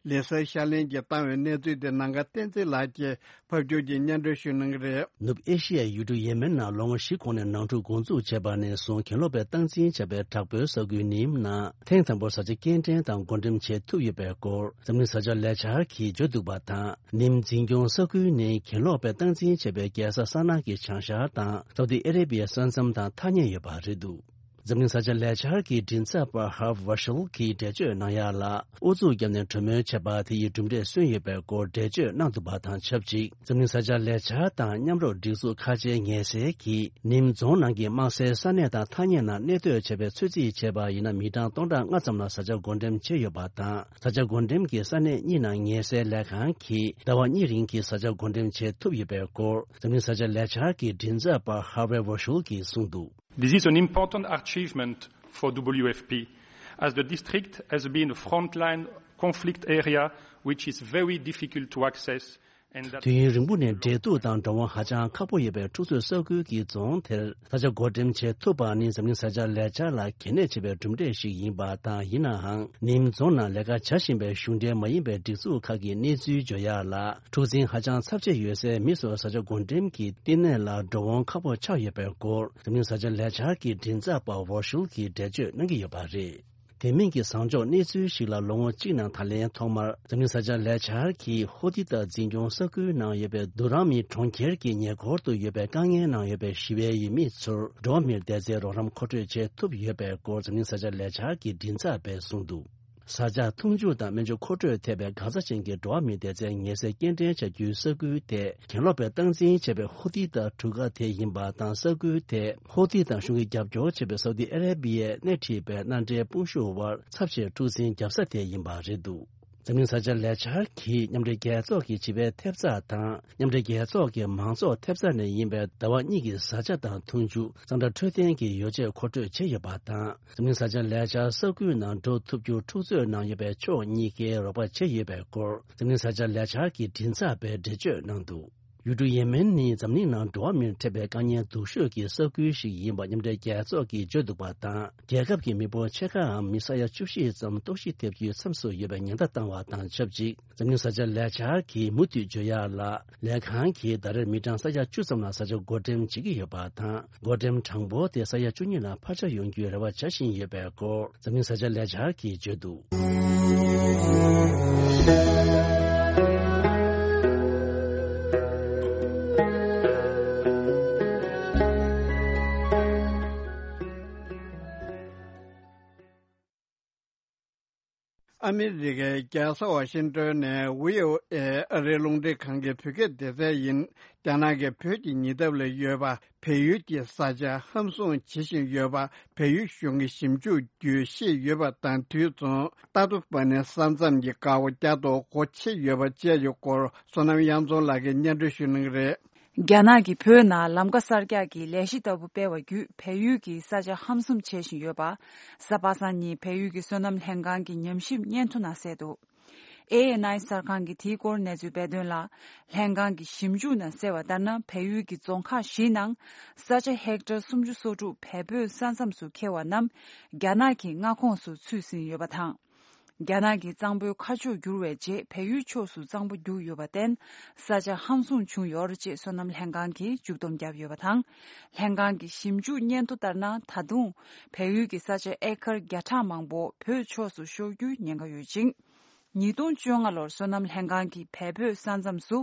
ལི་སར་ཤར་གླིང་གིས་བཏང་བའི་གནས་ཚུལ་དེ་ནམ་མཁའ་བསྟན་འཛིན་ལགས་ཀྱིས་ཕབ་སྒྱུར་གྱིས་སྙན་སྒྲོན་ཞུ་གནང་གི་རེད། ནུབ་ཨེ་ཤི་ཡའི་ཡུལ་གྲུ་ཡེ་མེན་ནང་ལོ་ངོ་བཞི་གོང་ནས་ནང་འཁྲུག་འགོ་འཛུགས་བྱས་པ་ནས་བཟུང་གྱེན་ལོག་པས་སྟངས་འཛིན་བྱས་པའི་དྲག་པོའི་ས་ཁུལ་ནིམ་ནང་ཐེངས་དང་པོར་བཟའ་བཅའ་སྐྱེལ་འདྲེན་དང་བགོ་འགྲེམས་བྱེད་ཐུབ་ཡོད་པའི་སྐོར་འཛམ་གླིང་བཟའ་བཅའ་ལས་འཆར་གྱིས་བརྗོད་འདུག་པ་དང་། ནིམ་འཛིན་སྐྱོང་ས་ཁུལ་ནི་གྱེན་ལོག་པས་སྟངས་འཛིན་བྱས་པའི་རྒྱལ་ས་ས་ན་གི་བྱང་ཤར་དང་སའུ་ཏི་ཨ་རེ་བྷི་ཡའི་ས་མཚམས་དང་ཐག་ཉེ་ཡོད་པ་རེད་འདུག་འཛམ་གླིང་བཟའ་བཅའ་ལས་འཆར་གྱི་མགྲིན་ཚབ་པ་ཧརབ་ཝར་ཤལ་གྱིས་འགྲེལ་བརྗོད་གནང་ཡག་ལ། ཨུ་ཚུགས་བརྒྱབ་ནས་གྲོས་མོལ་བྱས་པ་དེ་ཡི་གྲུབ་འབྲས་སོན་ཡོད་པའི་སྐོར་འགྲེལ་བརྗོད་གནང་འདུག་པ་དང་ཆབས་ཅིག་འཛམ་གླིང་བཟའ་བཅའ་ལས་འཆར་དང་མཉམ་རུབ་སྒྲིག་འཛུགས་ཁ་ཆེའི་ངལ་སེལ་གྱིས་ནིམ་རྫོང་ནང་གི་དམག་སའི་ས་གནས་དང་ཐག་ཉེ་ན་གནས་སྡོད་བྱས་པའི་ཚོད་རྩིས་བྱས་པ་ཡིན་ན་མི་གྲངས་སྟོང་ཕྲག་ལྔ་ཙམ་ལ་བཟའ་བཅའ་བགོ་འགྲེམས་བྱས་ཡོད་པ་དང་། བཟའ་བཅའ་བགོ་འགྲེམས་ཀྱི་ས་གནས་གཉིས་ནང་ངལ་སེལ་ལས་ཁང་གིས་ཟླ་བ་གཉིས་རིང་གི་བཟའ་བཅའ་བགོ་འགྲེམས་བྱེད་ཐུབ་ཡོད་པའི་སྐོར་འཛམ་གླིང་བཟའ་བཅའ་ལས་འཆར་གྱི་མགྲིན་ཚབ་པ་ཧར་ཝེ་ཝར་ཤུལ་གྱིས་གསུངས་འདུག This is an important achievement for W F P, as the district has been a frontline conflict area which is very difficult to access, and that དུས་ཡུན་རིང་པོ་ནས་འབྲེལ་གཏུག་དང་འགྲོ་འོང་ཧ་ཅང་ཁག་པོ་ཡོད་པའི་འཁྲུག་རྩོད་ས་ཁུལ་གྱི་རྫོང་དེར་བཟའ་བཅའ་བགོ་འགྲེམས་བྱེད་ཐུབ་པ་ནི་འཛམ་གླིང་བཟའ་བཅའ་ལས་འཆར་ལ་གལ་གནད་ཆེ་བའི་གྲུབ་འབྲས་ཤིག་ཡིན་པ་དང་། ཡིན་ནའང་ནིམ་རྫོང་ནང་ལས་ཀ་བྱ་བཞིན་པའི་གཞུང་འབྲེལ་མ་ཡིན་པའི་སྒྲིག་འཛུགས་ཁག་གི་གནས་ཚུལ་བརྗོད་ཡག་ལ། འཁྲུག་འཛིང་ཧ་ཅང་ཚབས་ཆེ་ཡོད་སའི་མི་ཚོར་བཟའ་བཅའ་བགོ་འགྲེམས་ཀྱི་བསྟི་གནས་ལ་འགྲོ་འོང་ཁག་པོ་ཆགས་ཡོད་པའི་སྐོར་འཛམ་གླིང་བཟའ་བཅའ་ལས་འཆར་གྱི་མགྲིན་ཚབ་པ་ཝོ་ཤུལ་གྱིས་འགྲེལ་བརྗོད་གནང་གི་ཡོད་པ་རེད། དེ་མིན་གྱི་བཟང་ཕྱོགས་གནས་ཚུལ་ཞིག་ལ། ལོ་ངོ་གཅིག་ནང་ད་ལན་ཐོག་མར་འཛམ་གླིང་བཟའ་བཅའ་ལས་འཆར་གྱིས་ཧོ་ཏི་ཏ་འཛིན་སྐྱོང་ས་ཁུལ་ནང་ཡོད་པའི་དུ་རང་མི་གྲོང་ཁྱེར་གྱི་ཉེ་འཁོར་དུ་ཡོད་པའི་དཀའ་ངལ་ནང་ཡོད་པའི་ཞི་བའི་ཡུལ་མི་ཚོར་འགྲོ་བ་མིའི་བདེ་རྩའི་རོགས་རམ་མཁོ་སྤྲོད་བྱེད་ཐུབ་ཡོད་པའི་སྐོར་འཛམ་གླིང་བཟའ་བཅའ་ལས་འཆར་གྱི་མགྲིན་ཚབ་པས་གསུངས་འདུག་བཟའ་བཅའ་འཐུང་ཆུ་དང་སྨན་བཅོས་མཁོ་སྤྲོད་ཐེ་བའི་འགག་རྩ་ཅན་གྱི་འགྲོ་བ་མིའི་བདེ་རྩའི་ངལ་སེལ་སྐྱེལ་འདྲེན་བྱ་རྒྱུའི་ས་ཁུལ་དེ་གྱེན་ལོག་པས་སྟངས་འཛིན་བྱས་པའི་ཧོ་ཏི་ཏ་གྲུ་ཁ་དེ་ཡིན་པ་དང་། ས་ཁུལ་དེ་ཧོ་ཏི་ཏ་གཞུང་གིས་རྒྱབ་སྐྱོར་བྱེད་པའི་སའུ་ཏི་ཨ་རེ་བྷི་ཡས་སྣེ་ཁྲིད་པའི་མནའ་འབྲེལ་དཔུང་ཤུགས་དབར་ཚབས་ཆེའི་འཁྲུག་འཛིང་བརྒྱབ་ས་དེ་ཡིན་པ་རེད་འདུག་འཛམ་གླིང་བཟའ་བཅའ་ལས་འཆར་གྱིས་མཉམ་འབྲེལ་རྒྱལ་ཚོགས་ཀྱི་བྱིས་པའི་ཐེབས་རྩ་དང་། མཉམ་འབྲེལ་རྒྱལ་ཚོགས་ཀྱི་མང་ཚོགས་ཐེབས་རྩ་ནས་ཡིན་པའི་ཟླ་བ་གཉིས་ཀྱི་བཟའ་བཅའ་དང་འཐུང་ཆུ། གཙང་སྦྲ་འཕྲོད་བསྟེན་གྱི་ཡོ་བྱད་མཁོ་སྤྲོད་བྱས་ཡོད་པ་དང་། འཛམ་གླིང་བཟའ་བཅའ་ལས་འཆར་ས་ཁུལ་ནང་འགྲོ་ཐུབ་རྒྱུར་འཁྲུག་རྩོད་ནང་ཡོད་པའི་ཕྱོགས་གཉིས་ཀས་རོགས་པ་བྱས་ཡོད་པའི་སྐོར་འཛམ་གླིང་བཟའ་བཅའ་ལས་འཆར་གྱི་མགྲིན་ཚབ་པས་འགྲེལ་བརྗོད་གནང་འདུག་ཡུལ་གྲུ་ཡེ་མེན་ནི་འཛམ་གླིང་ནང་འགྲོ་བ་མིར་འཕྲད་པའི་དཀའ་ངལ་སྡུག་ཤོས་ཀྱི་ས་ཁུལ་ཞིག་ཡིན་པ་མཉམ་འབྲེལ་རྒྱལ་ཚོགས་ཀྱིས་བརྗོད་འདུག་པ་དང་། རྒྱལ་ཁབ་ཀྱི་མི་འབོར་ཕྱེད་ཀའམ་མི་ས་ཡ་བཅུ་བཞི་ཙམ་ལྟོགས་ཤི་ཐེབས་རྒྱུའི་མཚམས་སུ་ཡོད་པའི་ཉེན་བརྡ་བཏང་བ་དང་ཆབས་ཅིག་འཛམ་གླིང་བཟའ་བཅའ་ལས་འཆར་གྱིས་མུ་མཐུད་བརྗོད་ཡག་ལ། ལས་ཁང་གིས་ཟླ་རེར་མི་གྲངས་ས་ཡ་བཅུ་ཙམ་ལ་བཟའ་བཅའ་བགོ་འགྲེམས་བྱེད་ཀྱི་ཡོད་པ་དང་། བགོ་འགྲེམས་གྲངས་འབོར་དེ་ས་ཡ་བཅུ་གཉིས་ལ་འཕར་ཆག་ཡོང་རྒྱུའི་རེ་བ་བྱ་བཞིན་ཡོད་པའི་སྐོར། འཛམ་གླིང་བཟའ་བཅའ་ལས་འཆར་གྱིས་བརྗོད་འདུག་ཨ་མི་རི་ཀའི་རྒྱལ་ས་ཝ་ཤིང་ཏོན་ནས་བྷི་ཨོ་ཨེ་ཨ་རིའི་རླུང་འཕྲིན་ཁང་གི་བོད་སྐད་སྡེ་ཚན་ཡིན། རྒྱ་ནག་གིས་བོད་ཀྱི་ཉེ་འདབས་ལ་ཡོད་པ། བལ་ཡུལ་གྱི་ས་ཆ་ཧམ་བཟུང་བྱེད་བཞིན་ཡོད་པ། བལ་ཡུལ་གཞུང་གིས་ཞིབ་འཇུག་བརྒྱུད་ཤེས་ཡོད་པ་དང་། དུས་མཚུངས་ཏ་ཏོ་པ་ནི་ས་མཚམས་ཀྱི་འགག་སྒོ་བསྐྱར་དུ་སྒོ་ཕྱེ་ཡོད་པ་བཅས་ཀྱི་སྐོར། བསོད་ནམས་དབྱངས་འཛོམས་ལགས་ཀྱིས་སྙན་སྒྲོན་ཞུ་གནང་གི་རེད། རྒྱ་ནག་གིས་བོད་ནང་ལམ་ཀ་གསར་རྒྱག་གི་ལས་གཞི་ལྟ་བུ་སྤེལ་བ་བརྒྱུད། བལ་ཡུལ་གྱི་ས་ཆ་ཧམ་བཟུང་བྱེད་བཞིན་ཡོད་པ། གཟའ་པ་སངས་ཉིན་བལ་ཡུལ་གྱི་སོ་ནམ་ལྷན་ཁང་གི་ཉམས་ཞིབ་སྙན་ཐོ་ནང་གསལ་འདུག་ཨེ་ཨེན་ཨའི་གསར་ཁང་གིས་དེའི་སྐོར་གནས་ཚུལ་སྤེལ་དོན་ལ། ལྷན་ཁང་གི་ཞིབ་འཇུག་ནང་གསལ་བ་ལྟར་ན། བལ་ཡུལ་གྱི་རྫོང་ཁག་བཞིའི་ནང་ས་ཆ་ཧེག་ཊར་སུམ་ཅུ་སོ་དྲུག་བལ་བོད་ས་མཚམས་སུ་འཁེལ་བ་རྣམས་རྒྱ་ནག་གི་མངའ་ཁོངས་སུ་ཚུད་ཟིན་ཡོད་པ་དང་། རྒྱ་ནག་གིས་གཙང་པོའི་ཁ་ཕྱོགས་བསྒྱུར་བའི་རྗེས། བལ་ཡུལ་ཕྱོགས་སུ་གཙང་པོ་རྒྱུགས་ཡོད་པར་བརྟེན། ས་ཆ་ཧམ་བཟུང་བྱུང་ཡོད་རེད་ཅེས་སོ་ནམ་ལྷན་ཁང་གིས་མཇུག་སྡོམ་བརྒྱབ་ཡོད་པ་དང་། ལྷན་ཁང་གི་ཞིབ་འཇུག་སྙན་ཐོ་ལྟར་ན། ད་དུང་བལ་ཡུལ་གྱི་ས་ཆ་ཨེ་ཀར་བརྒྱ་ཕྲག་མང་པོ་བོད་ཕྱོགས་སུ་ཤོར་རྒྱུའི་ཉེན་ཁ་ཡོད་ཅིང་། ཉིས་སྟོང་བཅོ་ལྔ་ལོར་སོ་ནམ་ལྷན་ཁང་གིས་བལ་བོད་ས་མཚམས་སུ་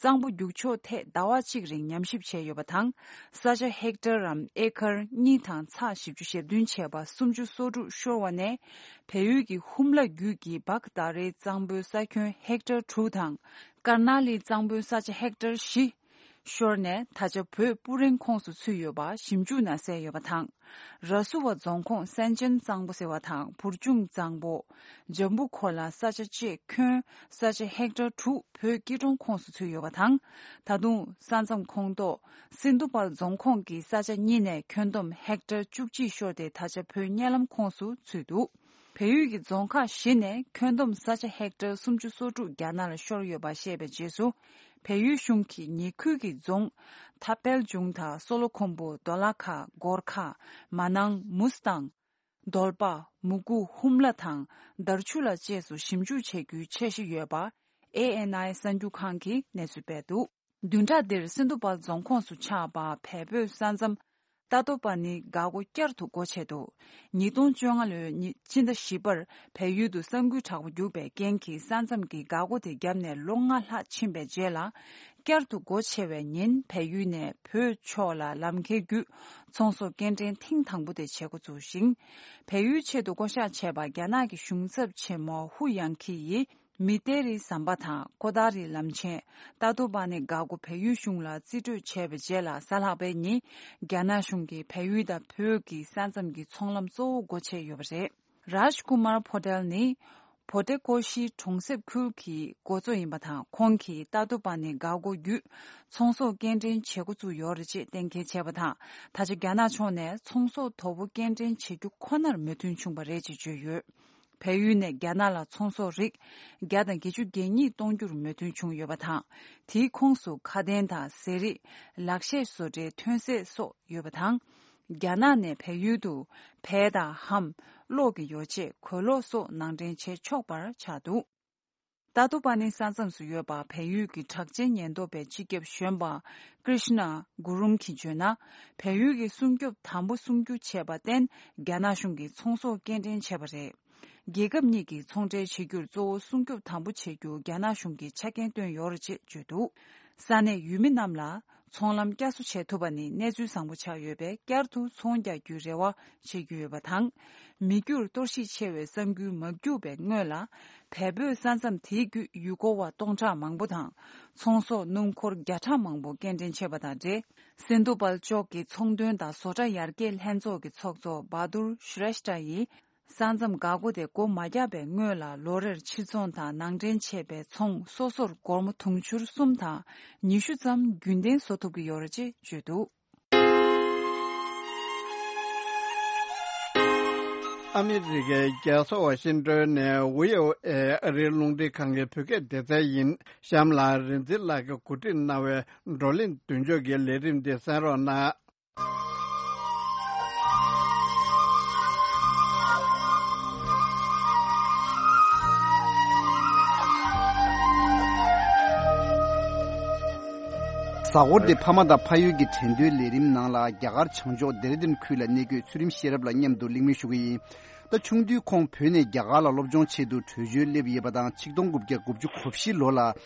གཙང་པོ་རྒྱུག་ཕྱོགས་ཐད་ཟླ་བ་གཅིག་རིང་ཉམས་ཞིབ་བྱས་ཡོད་པ་དང་། ས་ཆ་ཧེག་ཊར་རམ་ཨེ་ཀར་གཉིས་དང་ཚེག་བཞི་བཅུ་ཞེ་བདུན་བྱས་པ་སུམ་ཅུ་སོ་དྲུག་ཤོར་བ་ནས། བལ་ཡུལ་གྱི་ཧུམ་ལ་རྒྱུད་ཀྱི་བག་དྷ་རའི་གཙང་པོའི་ས་ཁྱོན་ཧེག་ཊར་དྲུག་དང་། ཀར་ན་ལིའི་གཙང་པོའི་ས་ཆ་ཧེག་ཊར་བཞི་ཤོར་ནས། ད་ཆ་བོད་སྤུ་རིང་ཁོངས་སུ་ཚུད་ཡོད་པ་ཞིབ་འཇུག་ནང་གསལ་ཡོད་པ་དང་། ར་སུ་བ་རྫོང་ཁོངས་སན་ཅན་གཙང་པོ་ཟེར་བ་དང་། བུར་ཅུང་གཙང་པོ། ཇམ་བུ་ཁོ་ལ་ས་ཆ་བཅས་ཁྱོན་ས་ཆ་ཧེག་ཊར་དྲུག་བོད་སྐྱིད་གྲོང་ཁོངས་སུ་ཚུད་ཡོད་པ་དང་། ད་དུང་ས་མཚམས་ཁོངས་གཏོགས་སིན་དྷུ་པལ་རྫོང་ཁོངས་ཀྱི་ས་ཆ་གཉིས་ནས་ཁྱོན་བསྡོམས་ཧེག་ཊར་བཅུ་གཅིག་ཤོར་ཏེ། ད་ཆ་བོད་གཉའ་ལམ་ཁོངས་སུ་ཚུད་འདུག་བལ་ཡུལ་གྱི་རྫོང་ཁག་བཞི་ནས་ཁྱོན་བསྡོམས་ས་ཆ་ཧེག་ཊར་སུམ་ཅུ་སོ་དྲུག་རྒྱ་ནག་ལ་ཤོར་ཡོད་པ་བཤད་པའི་རྗེས་སུ། བལ་ཡུལ་གཞུང་གིས་ཉེ་ཁུལ་གྱི་རྫོང་ཐ་པལ་ཇུང་དང་། སོ་ལོ་ཁོམ་བུ། དོ་ལ་ཁ། གོར་ཁ། མ་ནང་། མུས་དང་། དོལ་པ། མུ་གུ། ཧུམ་ལ་དང་དར་ཆུ་ལ་བཅས་སུ་ཞིབ་འཇུག་བྱེད་རྒྱུའི་འཆར་གཞི་ཡོད་པ། ཨེ་ཨེན་ཨའི་གསར་འགྱུར་ཁང་གིས་གནས་ཚུལ་སྤེལ་འདུག་བདུན་ཕྲག་འདིར་སིན་དྷུ་པལ་རྫོང་ཁོངས་སུ་ཆགས་པ་བལ་བོད་ས་མཚམས་ཏ་ཏོ་པ་ནི་འགག་སྒོ་བསྐྱར་དུ་སྒོ་ཕྱེ་འདུག་ཉིས་སྟོང་བཅོ་ལྔ་ལོའི་ཉི་སྤྱི་ཟླ་བཞི་པར་བལ་ཡུལ་དུ་ས་འགུལ་དྲག་པོ་རྒྱུག་པའི་རྐྱེན་གྱིས། ས་མཚམས་ཀྱི་འགག་སྒོ་དེ་བརྒྱབ་ནས་ལོ་ལྔ་ལྷག་ཕྱིན་པའི་རྗེས་ལ། བསྐྱར་དུ་སྒོ་ཕྱེ་བའི་ཉིན། བལ་ཡུལ་ནས་བོད་ཕྱོགས་ལ་ལམ་ཁའི་བརྒྱུད་ཚོང་ཟོག་སྐྱེལ་འདྲེན་ཐེངས་དང་པོ་དེ་བྱེད་འགོ་བཙུགས་ཤིང་། བལ་ཡུལ་ཆེད་དུ་བསྐོ་གཞག་བྱས་པ་རྒྱ་ནག་གི་གཞུང་ཚབ་ཆེན་མོ་ཧུ་ཡང་ཁི་ཡིས། མི་ཏེ་རི་ཟམ་པ་དང་ཀོ་ཏ་རི་ལམ་ཆེན། ཏ་ཏོ་པ་ནི་འགག་སྒོ་བལ་ཡུལ་གཞུང་ལ་རྩིས་སྤྲོད་བྱས་པའི་རྗེས་ལ། གཟའ་ལྷག་པའི་ཉིན་རྒྱ་ནག་གཞུང་གིས་བལ་ཡུལ་དང་བོད་ཀྱི་ས་མཚམས་ཀྱི་ཚོང་ལམ་གཙོ་བོ་སྒོ་ཕྱེ་ཡོད་པ་རེད། རཱཇ་ཀུ་མར་ཕོ་ཏེལ་ནི་བྷོ་ཏེ་ཀོ་ཤི་གྲོང་གསེབ་ཁུལ་གྱི་འགོ་གཙོ་ཡིན་པ་དང་། ཁོང་གིས་ཏ་ཏོ་པ་ནི་འགག་སྒོ་བརྒྱུད་ཚོང་ཟོག་སྐྱེལ་འདྲེན་བྱེད་འགོ་བཙུགས་ཡོད་རེད་ཅེས་གཏན་འཁེལ་བྱས་པ་དང་། ད་ཆ་རྒྱ་ནག་ཕྱོགས་ནས་ཚོང་ཟོག་དོ་པོ་སྐྱེལ་འདྲེན་བྱེད་རྒྱུ་ཁོ་ནར་མོས་མཐུན་བྱུང་བ་རེད་ཅེས་བརྗོད་ཡོད། བལ་ཡུལ་ནས་རྒྱ་ནག་ལ་ཚོང་ཟོག་རིགས་བརྒྱ་དང་བརྒྱད་ཅུ་གྱ་གཉིས་གཏོང་རྒྱུར་མོས་མཐུན་བྱུང་ཡོད་པ་དང་། དེའི་ཁོངས་སུ་ཁ་དན་དང་ཟས་རིགས། ལག་ཤེས་བཟོ་གྲྭའི་ཐོན་རྫས་སོགས་ཡོད་པ་དང་། རྒྱ་ནག་ནས་བལ་ཡུལ་དུ་བལ་དང་ལྷམ། གློག་གི་ཡོ་བྱད། གོས་ལོག་སོགས་ནང་འདྲེན་བྱེད་ཆོག་པར་ཆགས་འདུག་ཏ་ཏོ་པ་ནི་ས་མཚམས་སུ་ཡོད་པ། བལ་ཡུལ་གྱི་གྲགས་ཅན་ཉེན་རྟོག་པའི་སྤྱི་ཁྱབ་གཞོན་པ་ཀྲིཤ་ན་གུ་རུམ་གྱིས་བརྗོད་ན། བལ་ཡུལ་གྱི་སྲུང་སྐྱོབ་དམ་པོ་སྲུང་རྒྱུ་བྱས་པར་བརྟེན། རྒྱ་ནག་གཞུང་གིས་ཚོང་ཟོག་སྐྱེལ་འདྲེན་བྱས་པ་རེད། རྒྱལ་ཁབ་གཉིས་ཀྱི་ཚོང་འབྲེལ་བྱེད་རྒྱུར་གཙོ་བོ་སྲུང་སྐྱོབ་དམ་པོ་བྱེད་རྒྱུ་རྒྱ་ནག་གཞུང་གིས་ཆ་རྐྱེན་བཏོན་ཡོད་རེད་ཅེས་བརྗོད་འདུག་ས་གནས་ཡུལ་མི་རྣམས་ལ་ཚོང་ལམ་བསྐྱར་གསོ་བྱེད་ཐུབ་པ་ནི་གནས་ཚུལ་བཟང་པོ་ཆགས་ཡོད་པས། བསྐྱར་དུ་ཚོང་རྒྱག་རྒྱུའི་རེ་བ་བྱེད་ཀྱི་ཡོད་པ་དང་། མི་འགྱུར་གཏོར་བཤིག་ཆེ་བའི་གསར་འགུལ་མ་རྒྱུག་པའི་སྔོན་ལ། བལ་བོད་ས་མཚམས་དེའི་བརྒྱུད་ཡུལ་སྐོར་བ་སྟོང་ཕྲག་མང་པོ་དང་། ཚོང་ཟོག་སྣུམ་འཁོར་བརྒྱ་ཕྲག་མང་པོ་སྐྱེལ་འདྲེན་བྱས་པ་དང་འབྲེལ། སིན་དྷུ་པལ་ལྕོག་གི་ཚོང་དོན་དང་བཟོ་གྲྭ་ཡར་རྒྱས་ལྷན་ཚོགས་ཀྱི་ཚོགས་གཙོ་བྷ་དུར་ཤྲེཤྟ་ཡིས། ས་མཚམས་འགག་སྒོ་དེ་སྒོ་མ་བརྒྱབ་པའི་སྔོན་ལ་ལོ་རེར་ཕྱིར་ཚོང་དང་ནང་འདྲེན་བྱས་པའི་ཚོང་སོ་སོར་སྒོར་མོ་དུང་ཕྱུར་གསུམ་དང་ཉི་ཤུ་ཙམ་རྒྱུན་ལྡན་བཟོ་ཐུབ་ཀྱི་ཡོད་རེད་ཅེས་བརྗོད་འདུག་ཨ་མི་རི་ཀའི་རྒྱལ་ས་ཝ་ཤིང་ཏོན་ནས་བྷི་ཨོ་ཨེ་ཨ་རིའི་རླུང་འཕྲིན་ཁང་གི་བོད་སྐད་སྡེ་ཚན་ཡིན། གཤམ་ལ་རིག་འཛིན་ལགས་ཀྱིས་གོ་སྒྲིག་གནང་བའི་བགྲོ་གླེང་མདུན་ལྕོག་གི་ལས་རིམ་འདི་གསན་རོགས་གནང་། གཟའ་འཁོར་འདི་ཕ་མ་དང་ཕ་ཡུལ་གྱི་དྲན་རྟེན་ལས་རིམ་ནང་ལ། རྒྱ་གར་བྱང་ཕྱོགས་ལྡེ་ར་ལྡུན་ཁུལ་ལ་གནས་འཁོད་ཚུལ་ཁྲིམས་ཤེས་རབ་ལགས་མཉམ་དུ་གླེང་མོལ་ཞུ་གི་ཡིན། ད་ཆུང་དུས་ཁོང་བོད་ནས་རྒྱ་གར་ལ་སློབ་སྦྱོང་ཆེད་དུ་བྲོས་བྱོལ་སླེབས་ཡོད་པ་དང་། ཆིག་སྟོང་དགུ་བརྒྱ་དགུ་བཅུ་གོ་བཞི་ལོ་ལ་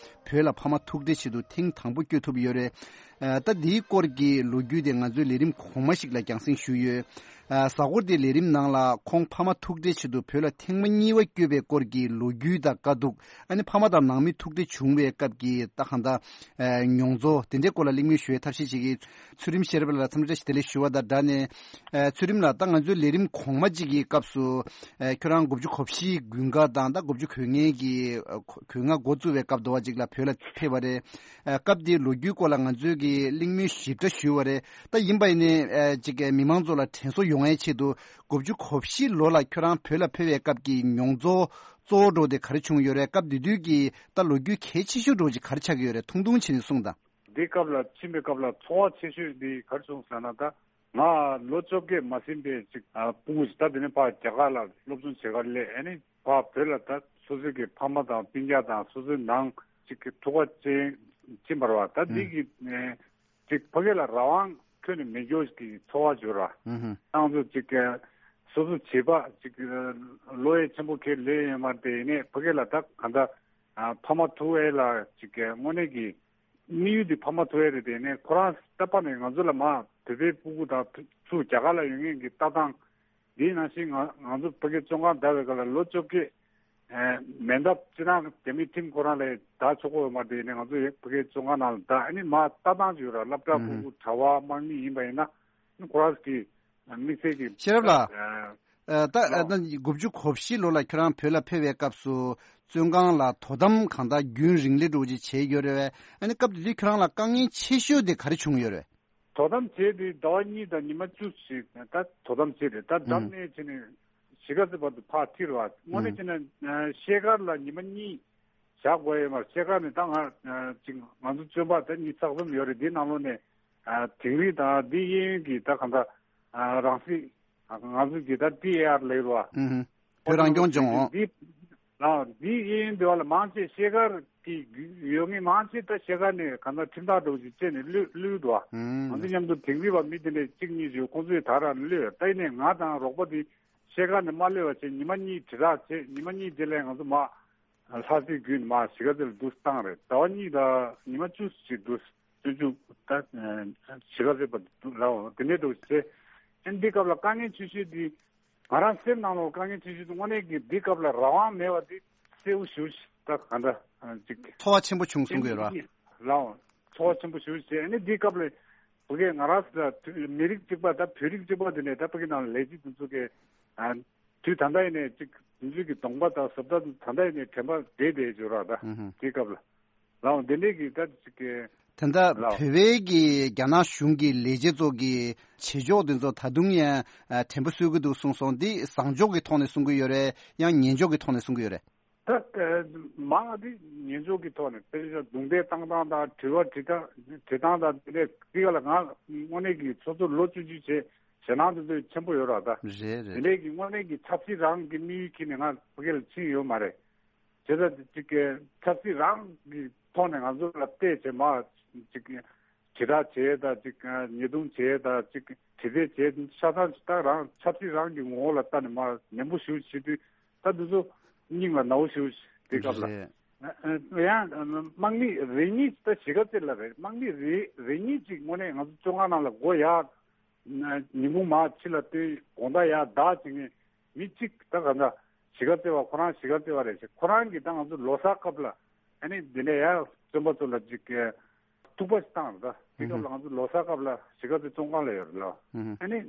བོད་ལ་ཕ་མ་ཐུག་འཕྲད་ཆེད་དུ་ཐེངས་དང་པོ་བསྐྱོད་ཐུབ་ཡོད་རེད། ཨ། ད་འདིའི་སྐོར་གྱི་ལོ་རྒྱུས་དེ་ང་ཚོའི་ལས་རིམ་གོང་མ་ཞིག་ལ་རྒྱང་སྲིང་ཞུས་ཡོད། ཨ། གཟའ་འཁོར་འདིའི་ལས་རིམ་ནང་ལ་ཁོང་ཕ་མ་ཐུག་འཕྲད་ཆེད་དུ་བོད་ལ་ཐེངས་མ་གཉིས་པ་བསྐྱོད་པའི་སྐོར་གྱི་ལོ་རྒྱུས་དང་དཀའ་སྡུག་ཨ་ནི་ཕ་མ་དང་ནང་མི་ཐུག་འཕྲད་བྱུང་བའི་སྐབས་ཀྱི་ད་གང་ལྟར། ཨ། མྱོང་ཚོར་དེ་འདྲའི་སྐོར་ལ་གླེང་མོལ་ཞུ་བའི་ཐབས་ཤེས་བྱེད་ཀྱི། ཚུལ་ཁྲིམས་ཤེས་རབ་ལགས་ལ་འཚམས་འདྲི་བཀྲ་ཤིས་བདེ་ལེགས་ཞུ་བ་དང་སྦྲགས་ནས། ཨ། ཚུལ་ཁྲིམས་ལགས། ད་ང་ཚོའི་ལས་རིམ་གོང་མ་གཅིག་གི་སྐབས་སུ། ཨ། ཁྱོད་རང་དགུ་བཅུ་གོ་བཞི་དགུན་ཁ་དང་ད་དགུ་བཅུ་གོ་ལྔའི་གི་གོ་ལྔ་འགོ་བཙུགས་པའི་སྐབས་དུ་བ་གཅིག་ལ་བོད་ལ་ཕེབས་པ་རེད། ཨ། སྐབས་དེའི་ལོ་རྒྱུས་སྐོར་ལ་ང་ཚོས་གི་གླེང་མོལ་ཞིབ་ཕྲ་ཞུས་པ་རེད། ད་ཡིན་པ་ཡིན་ནའི། ཨ། ཅིག་གི་མི་མང་ཚོ་ལ་དྲན་གསོ་ཡོང་ཡའི་ཆེད་དུ། དགུ་བཅུ་གོ་བཞི་ལོ་ལ་ཁྱོད་རང་བོད་ལ་ཕེབས་པའི་སྐབས་ཀྱི་མྱོང་ཚོར་གཙོ་བོ་འདྲ་བོ་དེ་ག་རེ་བྱུང་ཡོད་རེད། སྐབས་དེ་དུས་ཀྱི་ད་ལོ་རྒྱུས་གལ་ཆེ་ཤོས་འདྲ་བོ་ཅིག་ག་རེ་ཆགས་ཀྱི་ཡོད་རེད། ཐུང་ཐུང་བྱས་ནས་གསུངས་དང་། འདི་སྐབས་ལ་ཕྱིན་པའི་སྐབས་ལ་ཚོར་བ་ཆེ་ཤོས་འདི་ག་རེ་བྱུང་ཟེར་ན། ད་ང་ལོ་བཅོ་བརྒྱད་མ་ཟིན་པའི་ཅིག་ཨ། སྤུ་གུ་ཞིག་ད་དེ་ནས་ཕར་རྒྱ་གར་ལ་སློབ་སྦྱོང་བྱེད་གར་སླེབས། ཨ་ནི་ཕར་བོད་ལ་ད་སོ་སོའི་གི་ཕ་མ་དང་སྤུན་ཀྱག་དང་སོ་སོའི་ནང་ཅིག་གི་ཐུག་པ་ཅན་ཕྱིན་པ་རེད་བ། ད་འདི་གི་ཨ། ཅིག་ཕ་གི་ལ་རང་དབང་ཁྱོན་ནས་མེད་འགྱོ་གི་ཚོར་བ་བྱུང་ར། ཨུ་ཧུ། ཏང་ཙུའུ་ཅིག་གི་སོ་སོ་བྱེད་པ་ཅིག་ལོ་ཡས་ཆེན་པོ་ཁེལ་ལས་ཡོད་མ་རེད། དེ་ནས་ཕ་གི་ལ་ད་གང་ལྟར་ཨ། ཕ་མ་ཐུག་ཡས་ལ་ཅིག་གི་དངོས་གནས་ཀྱི་དམིགས་ཡུལ་དེ་ཕ་མ་ཐུག་ཡས་རེད། དེ་ནས་ཁོ་རང་ལྟ་བ་ནས་ང་ཚོ་ལ་མ་བོད་པའི་སྤུ་གུ་དང་ཚུར་རྒྱ་གར་ལ་ཡོང་མཁན་གྱི་ལྟ་སྟངས། དེའི་ནང་བཞིན་ང་ང་ཚོ་ཕ་གིའི་བཙོན་ཁང་བསྡད་པའི་སྐབས་ལ་ལོ་བཅོ་བརྒྱད་ཨེ་མེད་འདབ་སྤྱིར་བཏང་རྒྱ་མིའི་ཁྲིམས་ཁོ་རང་ལ་བསྡད་ཆོག་གི་ཡོད་མ་རེད། དེ་ནས་ང་ཚོ་ཡང་ཕ་གིའི་བཙོན་ཁང་ནང་ལ་བསྡད། ཨ་ནི་མ་ལྟ་སྟངས་ཅིག་ཡོད་ར། སློབ་གྲྭ་ཕྲུ་གུ་གྲྭ་པ་དམངས་མི་ཡིན་པ་ཡིན་ན། ཨ་ནི་ཁོ་རང་གི་དམིགས་བསལ་གྱི་ཤེས་རབ་ལགས། ཨ་ཨ་ད་ཨ་ད་དགུ་བཅུ་གོ་བཞི་ལོ་ལ་ཁྱོད་རང་བོད་ལ་ཕེབས་པའི་སྐབས་སུ་བཙོན་ཁང་ལ་དོ་དམ་གང་དག་རྒྱུན་རིང་ལས་འགྲོ་ཅིག་བྱས་ཡོད་རེད་བས། ཨ་ནི་སྐབས་དེ་དུས་ཁྱོད་རང་ལ་དཀའ་ངལ་ཆེ་ཤོས་དེ་ག་རེ་བྱུང་ཡོད་རེད། དོ་དམ་བྱས་ཏེ་ཟླ་བ་གཉིས་དང་ཉི་མ་བཅུ་ཞིག་ད་དོ་དམ་བྱས་ཏེ། ད་ད་ཨུམ་ནས་བྱས་ནས་གཞིས་ཀ་རྩེ་བར་དུ་ཕར་ཁྲིད་ར་བ། དངོས་གནས་ཨུམ་བྱས་ན་ཤེལ་དཀར་ལ་ཉི་མ་གཉིས་བཞག་དགོས་ཡོད་མ་རེད། ཤེལ་དཀར་ནས་ད་ང་ཅིག་ང་ཚོ་བཙོན་པ་ད་གཉིས་ཆ་གསུམ་ཡོད་རེད། དེའི་ནང་ལོགས་ནས་དིང་རི་དང་འདི་གཡས་གཡོན་གྱི་ད་གང་ལྟར་རང་སྲིད། ང་ཚོ་གི་ད་ཊི་ཨེ་ཨར་ལབ་ར་བ། ཨུམ་བོད་རང་སྐྱོང་ལྗོངས། འདི་ལ་འདི་གཡས་གཡོན་འདི་བ་ལ་མང་ཆེ་ཤེལ་དཀར་གྱི་ཡོད་ངེས། མང་ཆེ་ད་ཤེལ་དཀར་ནས་གང་ལྟར་ཁྲིམས་ཐག་འདྲ་བོ་ཞིག་བཅད་ནས་གློད་གློད་འདུག་བ། ང་ཚོ་མཉམ་དུ་དིང་རི་བ་མི་དེ་འདྲས་གཅིག་གཉིས་ཞིག་ཁོང་ཚོས་ད་རང་གློད། ད་ཡིན་ནས་ང་དང་རོགས་པ་དེ་ཤེལ་དཀར་ནས་མ་གློད་པ་བྱས། ཉི་མ་གཉིས་དྲིལ་བསྒྲགས་བྱས། ཉི་མ་གཉིས་རྗེས་ལ་ང་ཚོ་མར་ལྷ་སའི་བརྒྱུད་ནས་མར་གཞིས་ཀ་རྩེ་ལ་འདུག་བཏང་རེད། ཟླ་བ་གཉིས་དང་ཉི་མ་བཅུ་ཞིག་འདུག་བཙོན་འཇུག་ད་གཞིས་ཀ་རྩེ་བར་དུ་འདུག་ལ། འོ་དེ་འདྲས་འདུག་བྱས། ཨ་ནི་འདི་སྐབས་ལ་དཀའ་ངལ་ཆེ་ཤོས་འདི། ང་རང་སེམས་ནང་ལ་དཀའ་ངལ་ཆེ་ཤོས་དེ་དངོས་གནས་ཀྱི་འདི་སྐབས་ལ་རང་དབང་མེད་པ་དེ་གསལ་པོ་ཞེ་པོ་ཅིག་ད་ག་འདྲ་ཅིག་ཚོར་བ་ཆེན་པོ་བྱུང་གསུང་གི་ཡོད་ར། ལའོ། ཚོར་བ་ཆེན་པོ་ཞེ་པོ་ཅིག་ཨ་ནི་འདི་སྐབས་ལ་བོད་སྐད་ང་རང་ད་མི་རིགས་གཅིག་པ་ད་བོད་རིགས་གཅིག་པ་དེ་ནས་ད་ཕ་གི་ནང་ལ་ལས་བྱེད་དེ་ཚོ་གི་དུས་ད་ལྟ་ཡིན་ནས་ཅིག་དེ་ཚོ་གི་གདོང་པ་དང་བཟོ་ལྟ་ད་ལྟ་ཡིན་ནས་དྲན་པ་བདེ་བདེ་ཡོད་ར། ད་འདི་སྐབས་ལ། ལའོ་འདི་འདྲས་ཀྱི་ད་ཅིག་གི་དེ་འདྲ་ལའོ་བོད་པའི་གི་རྒྱ་ནག་གཞུང་གི་ལས་བྱེད་ཚོ་གི་བྱེད་ཕྱོགས་དེ་ཚོ་ད་དུང་ཡང་དྲན་པ་གསོས་ཀྱི་འདུག་གསུངས་སོང་། འདི་བཟང་ཕྱོགས་ཀྱི་ཐོག་ནས་གསུང་གི་ཡོད་རེད། ཡང་ངན་ཕྱོགས་ཀྱི་ཐོག་ནས་གསུང་གི་ཡོད་རེད། ད་མང་ང་འདི་ངན་ཕྱོགས་ཀྱི་ཐོག་ནས་དཔེ་ཆ་རྡུང་རྡེག་བཏང་སྟངས་དང་དྲི་བ་དྲི་སྟངས་དྲི་སྟངས་དང་དེ་འདྲས་འདི་ག་ལ་ང་དངོས་གནས་ཀྱི་སོ་སོ་ལོ་བཅུ་བཅུ་བྱས་ཞེད་སྣང་དེ་ཚོ་ཆེན་པོ་ཡོད་ར། ད་རེད་རེད། དེ་འདྲས་ཀྱི་དངོས་གནས་ཀྱི་ཆབ་སྲིད་རང་གི་དམིགས་ཡུལ་ཁྱེར་ནས་ང་ཕ་གི་ལ་ཕྱིན་ཡོད་མ་རེད། བྱས་ཙང་ཅིག་གི་ཆབ་སྲིད་རང་གི་ཐོག་ནས་ང་ཚོ་ལ་བལྟས་བྱས་མ་ཅིག་དྲིལ་བསྒྲགས་བྱས་དང་ཅིག་ཉེས་རྡུང་བྱས་དང་ཅིག་དྲི་རྩད་བྱས། ཆ་ཚང་ཅིག་ད་རང་ཆབ་སྲིད་རང་གི་ངོ་བོ་ལ་ལྟ་ནས་མ་ནན་པོ་ཞེ་པོ་བྱེད་དུས་ད་འདི་ཚོ་སྙིང་ལ་ན་བོ་ཞེ་པོ་དེ་སྐབས་ལ། རེད། ཡང་དམག་མི་རེ་གཉིས་ད་གཞིས་ཀ་རྩེ་ལ་རེད། དམག་མི་རེ་རེ་གཉིས་ཅིག་དངོས་གནས་ང་ཚོ་བཙོན་ཁང་ནང་ལ་སྒོ་ཡར་ཉིན་གུང་མར་ཕྱི་ལ་བཏོན། དགོང་དག་ཡར་བདག་བྱེད་མཁན་མི་གཅིག་ད་ག་འདྲ་གཞིས་ཀ་རྩེ་བ། ཁོ་རང་གཞིས་ཀ་རྩེ་བ་རེད་ཟེར། ཁོ་རང་གིས་ད་ང་ཚོ་ལོ་གསར་སྐབས་ལ་ཨ་ནི་འདི་ནས་ཡར་བཙོན་པ་ཚོ་ལ་ཅིག་ཐུག་པ་ཞིག་བཏང་རེད། ད་དེ་སྐབས་ལ་ང་ཚོ་ལོ་གསར་སྐབས་ལ་གཞིས་ཀ་རྩེ་བཙོན་ཁང་ལ་ཡོད་རེད་ལ། ཨ་ནི་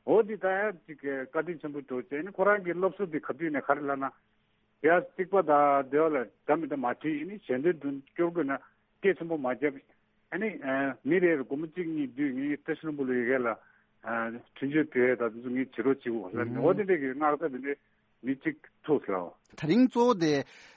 འོ་འདི་ད་ཡར་ཅིག་བཀའ་དྲིན་ཆེན་པོ་འགྲོ་བྱས། ཨ་ནི་ཁོ་རང་གི་སློབ་གསོ་འདི་ག་དུས་ནས་ག་རེ་ལབ་ན། ཡར་རྩིག་པ་དང་དེ་བ་ལ་འདྲ་མི་འདྲ་མ་བྲིས། ཨ་ནི་ཞལ་འདོན་དུ་སྐྱོར་དགོས་ན་སྐད་ཆེན་པོ་མ་བརྒྱབ། ཨ་ནི་མི་རེ་རེ་སྒོར་མོ་གཅིག་གཉིས་བསྡུས། ངས་བཀྲ་ཤིས་ལྷུན་པོ་ལགས་ཡ་གི་ལ་ ཨ་འཕྲིན་བཅོལ་དེ་ད་དེ་ཚོ་ངས་བྱེད་རོགས་བྱེད་དགོས་ལབ་ནས། འོ་དེ་འདྲས་ཀྱི་མངགས་ས་དེ་འདྲས་མི་གཅིག་ཐུག་ལ། ད་རིང་གཙོ་བོ་དེ་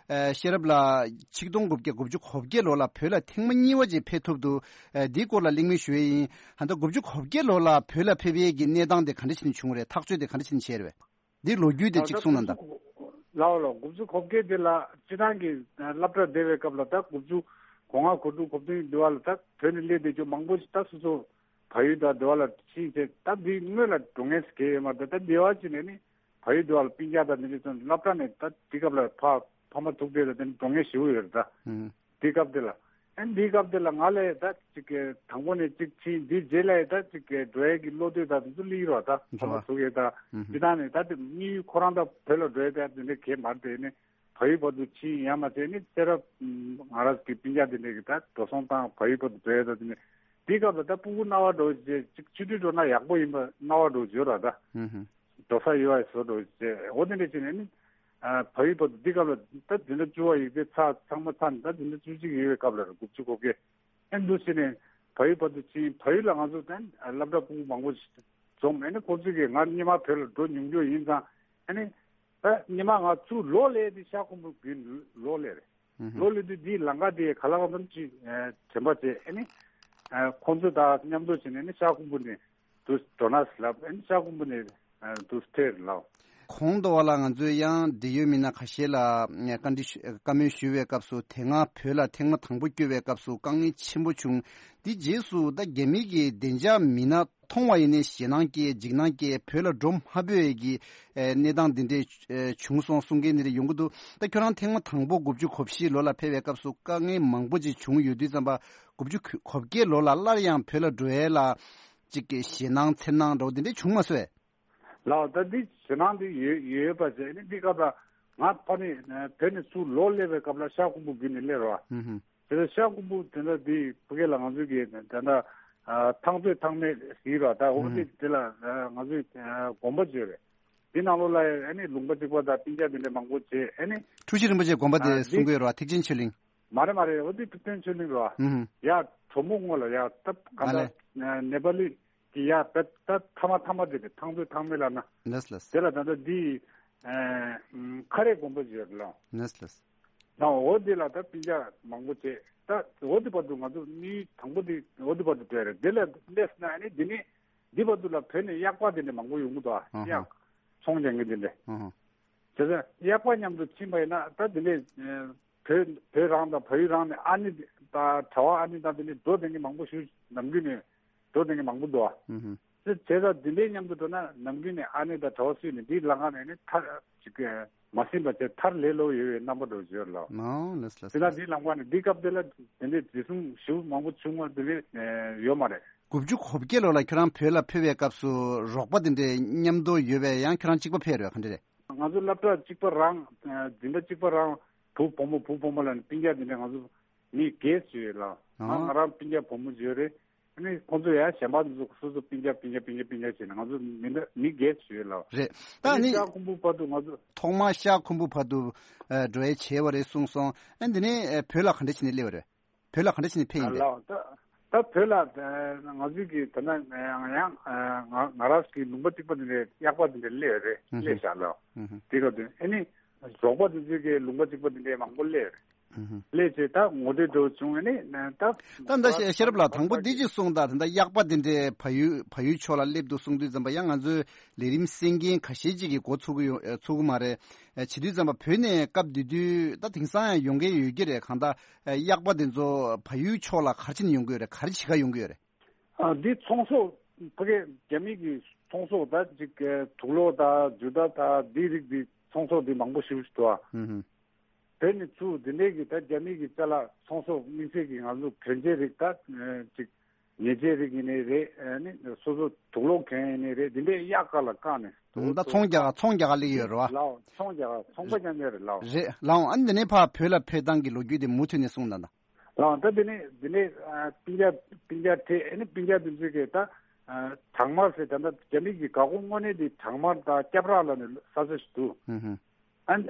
ཨ་ཤེས་རབ་ལགས་ཆིག་སྟོང་དགུ་བརྒྱ་དགུ་བཅུ་གོ་བརྒྱད་ལོ་ལ་བོད་ལ་ཐེངས་མ་གཉིས་པ་ཅིག་ཕེབས་ཐུབ་འདུག་ཨ་འདིའི་སྐོར་ལ་གླེང་མོལ་ཞུ་ཡས་ཡིན། ད་ལྟ་དགུ་བཅུ་གོ་བརྒྱད་ལོ་ལ་བོད་ལ་ཕེབས་ཡས་ཀྱི་གནས་སྟངས་དེ་ག་འདྲ་ཞིག་བྱུང་རེད། ཐག་གཅོད་དེ་ག་འདྲ་ཞིག་བྱས་རེད། འདི་ལོ་རྒྱུས་དེ་གཅིག་གསུངས་ན་ད། ལའོ་ལའོ། དགུ་བཅུ་གོ་བརྒྱད་དེ་ལ་སྤྱི་བཏང་གི་སློབ་གྲྭ་བསྡད་པའི་སྐབས་ལ་ད་དགུ་བཅུ་གོ་ལྔ་གོ་དྲུག་གོ་བདུན་དེ་བ་ལ་ད་བོད་ནས་སླེབས་བསྡད་རྒྱུ་མང་པོ་ཞིག་ད་སོ་སོ་བལ་ཡུལ་དང་དེ་བ་ལ་ཕྱིན་བྱས་ད་འདི་སྔོན་ལ་འགྲོ་མཁན་ཞིག་གས་ཡོད་མ་རེད། ད་འདི་བ་ཅིག་ནས་ནི་བལ་ཡུལ་དེ་བ་ལ་སྤུན་ཀྱག་དང་འདི་འདྲ་ཚོ་སློབ་གྲྭ་ནས་ད་འདི་སྐབས་ལ་ཕ་ཕ་མ་ཐུག་བསྡད་ད་དེ་འགྲོ་མཁན་ཞེ་པོ་ཡོད་རེད་ད། དེ་སྐབས་དེ་ལ། ཨ་ནི་འདིའི་སྐབས་དེ་ལ་ང་ལས་ད་ཅིག་གི་དང་པོ་ནས་ཅིག་ཕྱིན་འདིའི་རྗེས་ལ་ད་ཅིག་གི་འགྲོ་ཡས་ཀྱི་བློ་འདོད་ད་དེ་ཚོ་སླེབས་རོགས་ད་ཕ་མ་ཐུག་ཡས་ད། འདི་དག་ནས་ད་དེ་དམིགས་ཡུལ་ཁོ་རང་ད་བོད་ལ་འགྲོ་ཡས་ད་དེ་འདྲ་གས་མ་རེད་དེ་ནི་བལ་ཡུལ་བར་དུ་ཕྱིན་ཡང་མ་བྱས་ནི་ཚེ་རབས་ང་རང་གི་སྤུན་ཀྱག་དེ་འདྲ་གི་ད་འགྲོ་སོང་བཏང་བལ་ཡུལ་བར་དུ་འགྲོ་ཡས་ད་དེ་ནི་འདིའི་སྐབས་ལ་ད་སྤུ་གུ་རྣ་བ་འགྲོ་བྱས་ཅིག་ཆུ་ཊི་འགྲོ་ན་ཡག་པོ་ཡིན་པ་རྣ་བ་འགྲོ་བྱོས་ར་ད། འགྲོ་ས་ཡོད་པ་བཟོ་འགྲོ་བྱས་འོ་དེ་འདྲ་བྱས་ནས་ནི། ཨ་བལ་ཡུལ་བར་དུ་འདི་སྐབས་ལ་ད་འཛིན་གྲྭ་བཅུ་པ་ཡིག་ཚད་ཚང་མ་ཚར་ནས་ད་འཛིན་གྲྭ་བཅུ་གཅིག་ཡོད་པའི་སྐབས་ལ་རེད། དགུ་བཅུ་གོ་བརྒྱད། ཨེ་འདུག་བྱས་ནས་བལ་ཡུལ་བར་དུ་ཕྱིན། བལ་ཡུལ་ལ་ང་ཚོ་ད་སློབ་གྲྭ་ཕྲུ་གུ་མང་པོ་ཞིག་འཛོམས། ཨེ་ནི་ཁོང་ཚོས་ཀྱིས་ང་སྔོན་མ་བོད་ལ་འགྲོ་མྱོང་རྒྱུ་ཡིན་ཙང་། ཨེ་ནི་ད་སྔོན་མ་ང་ཚུར་ལོག་སླེབས་དུས་ཤར་ཁུམ་བུ་བརྒྱུད་ལོག་སླེབས་རེད། ལོག་སླེབས་དུས་འདིའི་ལམ་ཁ་དེ་ག་ལ་གང་འཚམ་ཅིག་དྲན་པ་བྱས། ཨེ་ནི་ཁོང་ཚོ་དང་མཉམ་དུ་བྱས་ནས་ནི་ཤར་ཁུམ་བུ་ནས། དུ་འགྲོ་ན་ལབ། ཨན་ཤར་ཁུམ་བུ་ནས་དུ་སྟེར་ལབ། གོང་དུ་བ་ལ་ང་ཚོས་ཡང་འབྲེལ་ཡོད་མི་སྣ་ཁ་ཤས་ལ་བཀའ་འདྲི་ཞུ་བཀའ་མོལ་ཞུ་བའི་སྐབས་སུ། དེ་སྔ་བོད་ལ་ཐེངས་མ་དང་པོ་བསྐྱོད་པའི་སྐབས་སུ་དཀའ་ངལ་ཆེན་པོ་བྱུང་། དེ་རྗེས་སུ་ད་རྒྱ་མི་གི་བདེ་འཇགས་མི་སྣ་མཐོང་བ་ཡིན་ནའི་ཞེད་སྣང་སྐྱེ་འཇིགས་སྣང་སྐྱེ་བོད་ལ་འགྲོ་མ་ཕོད་ཀྱི་གནས་སྟངས་འདི་འདྲས་བྱུང་སོང་གསུང་མཁན་འདི་འདྲས་ཡོང་གི་འདུག་ད་ཁྱོད་རང་ཐེངས་མ་དང་པོ་དགུ་བཅུ་གོ་བཞི་ལོ་ལ་ཕེབས་པའི་སྐབས་སུ་དཀའ་ངལ་མང་པོ་ཅིག་བྱུང་ཡོད་དུས་ཙམ་པ། དགུ་བཅུ་གོ་བརྒྱད་ལོ་ལ་སླར་ཡང་བོད་ལ་འགྲོ་ཡས་ལ་ཅིག་གི་ཞེད་སྣང་འཚེར་སྣང་འདྲ་བོ་དེ་འདྲས་བྱུང་མ་སོང་ངས། ལགས། ད་འདི་ཞེད་སྣང་འདི་ཡོད་ཡོད་པ་བྱས་ནི་འདི་སྐབས་ལ་ང་ཕ་ནི་བོད་ནས་ཚུར་ལོག་སླེབས་པའི་སྐབས་ལ་ཤར་ཁུམ་བུ་བརྒྱུད་ནས་སླེབས་རོགས། དེ་ལ་ཤར་ཁུམ་བུ་དེ་འདྲ་འདི་ཕ་གི་ལ་ང་ཚོའི་གི་དེ་འདྲ་ཐང་རྩོད་ཐང་མེད་ཟེར་རོགས། ད་འོ་དེ་དེ་ལ་ང་ཚོའི་དགོན་པ་བརྗོད་རེད། འདི་ནང་ལོགས་ལ་ཨ་ནི་ལུང་པ་གཅིག་པ་དང་སྤུན་ཀྱག་དེ་འདྲ་མང་པོ་བྱས། ཨ་ནི་འཁྲུལ་ཞིག་རིན་པོ་ཆེ་དགོན་པ་དེ་གསུང་གི་ཡོད་རེད་བ། ཐེག་ཆེན་ཆོས་གླིང་། མ་རེད་མ་རེད། འོ་དེ་ཐུབ་བསྟན་ཆོས་གླིང་རེད་བ། ཡ་གྲོ་མོ་སྔོན་ལ་ཡ་ད་ག་ད་ནེ་པ་ལི་གི་ཡ་ད་ད་ཐ་མ་ཐ་མ་དེ་རེད། ཐང་རྩོད་ཐང་མེད་ལ་ན། ལགས་ལགས། དེ་ལ་ད་ལྟ་འདི་ཁ་རས་དགོན་པ་ཅིག་ཡོད་རེད་ལགས། ལགས་ལགས། ད་འོ་དེ་ལ་ད་སྤུན་ཀྱག་མང་པོ་བྱས། ད་འོ་དེ་བར་དུ་ང་ཚོ་མི་དང་པོ་དེ་འོ་དེ་བར་དུ་བྲོས་རེད། དེ་ལ་སླེབས་ན་ཨ་ནི་འདི་ནི་འདི་བར་དུ་ལ་བོད་ནས་གཡག་པ་དེ་འདྲ་མང་པོ་ཡོང་གི་འདུག་ཨ། གཡག་ཚོང་རྒྱག་མཁན་དེ་འདྲ། བྱས་ཙང་གཡག་པ་མཉམ་དུ་ཕྱིན་པ་ཡིན་ན་ད་དེ་འདྲ་བོད་བོད་རང་དང་བལ་ཡུལ་རང་ནས་ཨ་ནེ་དང་གྲྭ་པ་ཨ་ནེ་དང་དེ་འདྲ་འགྲོ་བསྡད་མཁན་མང་པོ་ཞིག་ནམ་རྒྱུན་ནས་འགྲོ་བསྡད་མཁན་མང་པོ་འདུག་ཨ། དེ་བྱས་ཙང་དེ་འདྲའི་མཉམ་དུ་འགྲོ་ན་ནམ་རྒྱུན་ནས་ཨ་ནེ་དང་གྲྭ་པ་སུས་ནས་འདིའི་ལམ་ཁ་ནས་ནི་མཐར་ཅིག་མ་ཟིན་པ་བྱས་མཐར་ལེ་ལོ་ཡོད་པའི་རྣམ་པ་འདྲ་བོ་ཡོད་ལགས། ཨོ་ལགས་སོ་ལགས་སོ། དེ་ན་འདིའི་ལམ་ཁ་ནས་འདི་སྐབས་དེ་ལ་དེ་འདྲའི་འཛིན་བཟུང་ཞེ་པོ་མང་པོ་བྱུང་བ་དེ་འདྲའི་ཡོད་མ་རེད། དགུ་བཅུ་གོ་བརྒྱད་ལོ་ལ་ཁྱོད་རང་བོད་ལ་ཕེབས་པའི་སྐབས་སུ་རོགས་པ་དེ་འདྲའི་མཉམ་དུ་ཡོད་པས་ཡང་ཁྱོད་རང་གཅིག་པ་ཕེབས་རེད་བ། ག་འདྲ་རེད། ང་ཚོ་སློབ་གྲྭ་གཅིག་པ་རང་འཛིན་གྲྭ་གཅིག་པ་རང་བུ་བུ་མོ་བུ་བུ་མོ་ལ་ནི་སྤུན་ཀྱག་དེ་འདྲ་ང་ཚོ་མི་བརྒྱད་ཅིག་ཡོད་ལགས། ང་ང་རང་སྤུན་ཀྱག་བུ་མོ་ཅིག་ཡོད་རེད། ཨ་ནི་ཁོང་ཚོ་ཡང་གཞན་པ་ཚོ་སོ་སོ་སྤུན་ཀྱག་སྤུན་ཀྱག་སྤུན་ཀྱག་སྤུན་ཀྱག་བྱས་ནས་ང་ཚོ་མི་འདྲ་མི་བརྒྱད་ཅིག་ཡོད་ལགས། རེད། ད་ཨ་ནི་ནི་ཤར་ཁུམ་བུ་བར་དུ་ང་ཚོ་ཐོག་མར་ཤར་ཁུམ་བུ་བར་དུ་འགྲོ་ཡས་བྱས་པ་རེད་གསུངས་སོང་། ཨ་འདི་ནས་བོད་ལ་ག་འདྲ་བྱས་ནས་སླེབས་པ་རེད། བོད་ལ་ག་འདྲ་བྱས་ནས་ཕེབས་ཡིན་པས། ལགས། ད་ད་བོད་ལ་ང་ཚོའི་གི་ད་ན་ཡང་ང་ང་རང་གི་ལུང་པ་གཅིག་པ་དེ་འདྲའི་གཡག་པ་དེ་འདྲ་སླེབས་རེད། སླེབས་བཞག་ལགས། དེ་སྐབས་དུས་ཨ་ནི་རོགས་པ་དེ་ཚོའི་གི་ལུང་པ་གཅིག་པ་དེ་འདྲའི་མང་པོ་སླེབས་རེད། སླེབས་བྱས་ད་ངོ་འཕྲོད་འདྲ་བོ་བྱུང་། ཨ་ནི་ད་ད་ད་ཤེས་ཤེས་རབ་ལགས་དང་པོ་འདི་ཅིག་གསུངས་དང་། ད་ད་གཡག་པ་དེ་འདྲའི་བལ་ཡུལ་བལ་ཡུལ་ཕྱོགས་ལ་སླེབས་འདུག་གསུངས་དུས་ཙམ་པ་ཡང་ང་ཚོའི་ལས་རིམ་གསན་མཁན་ཁ་ཤས་ཅིག་གིས་གོ་ཚོད་ཀྱི་ཡོད་ཚོད་ཀྱི་མ་རེད། བྱེད་དུས་ཙམ་པ་བོད་ནས་སྐབས་དེ་དུས་ད་དེང་སང་ཡང་ཡོང་མཁན་ཡོད་ཀྱི་རེད། གང་ལྟར་གཡག་པ་དེ་ཚོ་བལ་ཡུལ་ཕྱོགས་ལ་ག་རེ་བྱས་ནས་ཡོང་གི་ཡོད་རེད། ག་རེ་བྱེད་ག་ཡོང་གི་ཡོད་རེད། ཨ་འདི་ཚོང་ཟོག་ཕ་གི་རྒྱ་མི་གི་ཚོང་ཟོག་ད་ཅིག་དུག་སློག་དང་ཇུ་ཏ་དང་འདི་རིགས་འདི་ཚོང་ཟོག་འདི་མང་པོ་ཞེ་པོ་ཞིག་འདུག་ཨ། ཧུམ་ཧུམ། དེ་ནི་ཚུར་འདི་འདྲའི་གི་ད་རྒྱ་མི་གི་ཅ་ལག་ཚོང་ཟོག་དམིགས་བསལ་གྱི་ང་ཚོ་གྱོན་ཆས་རིགས་ད་ཅིག་ཉལ་ཆས་རིགས་ཡིན་ནའི་རེད། ཨ་ནི་སོ་སོ་དུག་སློག་གྱོན་ཡིན་ནའི་རེད། འདི་འདྲའི་གཡག་ག་ལ་བཀག་ནས་ད་ཚོང་རྒྱག་ཚོང་རྒྱག་ག་སླེབས་ཡོད་རེད་བ། ལགས། ཚོང་རྒྱག་ཚོང་པ་རྐྱང་རྐྱང་རེད་ལགས། རེད་ལགས། ཨ་ནི་འདི་ནས་ཕར་བོད་ལ་ཕེབས་སྟངས་ཀྱི་ལོ་རྒྱུས་དེ་མུ་མཐུད་ནས་གསུངས་དང་ད། ལགས། ད་འདི་ནས་འདི་ནས་ཨ་སྤུན་ཀྱག་སྤུན་ཀྱག་ཁྲིད་ཨ་ནི་སྤུན་ཀྱག་དེ་ཚོས་ཀྱིས་ད་ཨ་བྲག་དམར་ཟེར། ད་ལྟ་རྒྱ་མི་གི་འགག་སྒོ་དངོས་གནས་དེ་བྲག་དམར་དང་སྐྱབས་ར་ལ་ནས་ས་ཆ་ཞིག་འདུག་ཧུམ་ཧུམ། ཨ་ནི་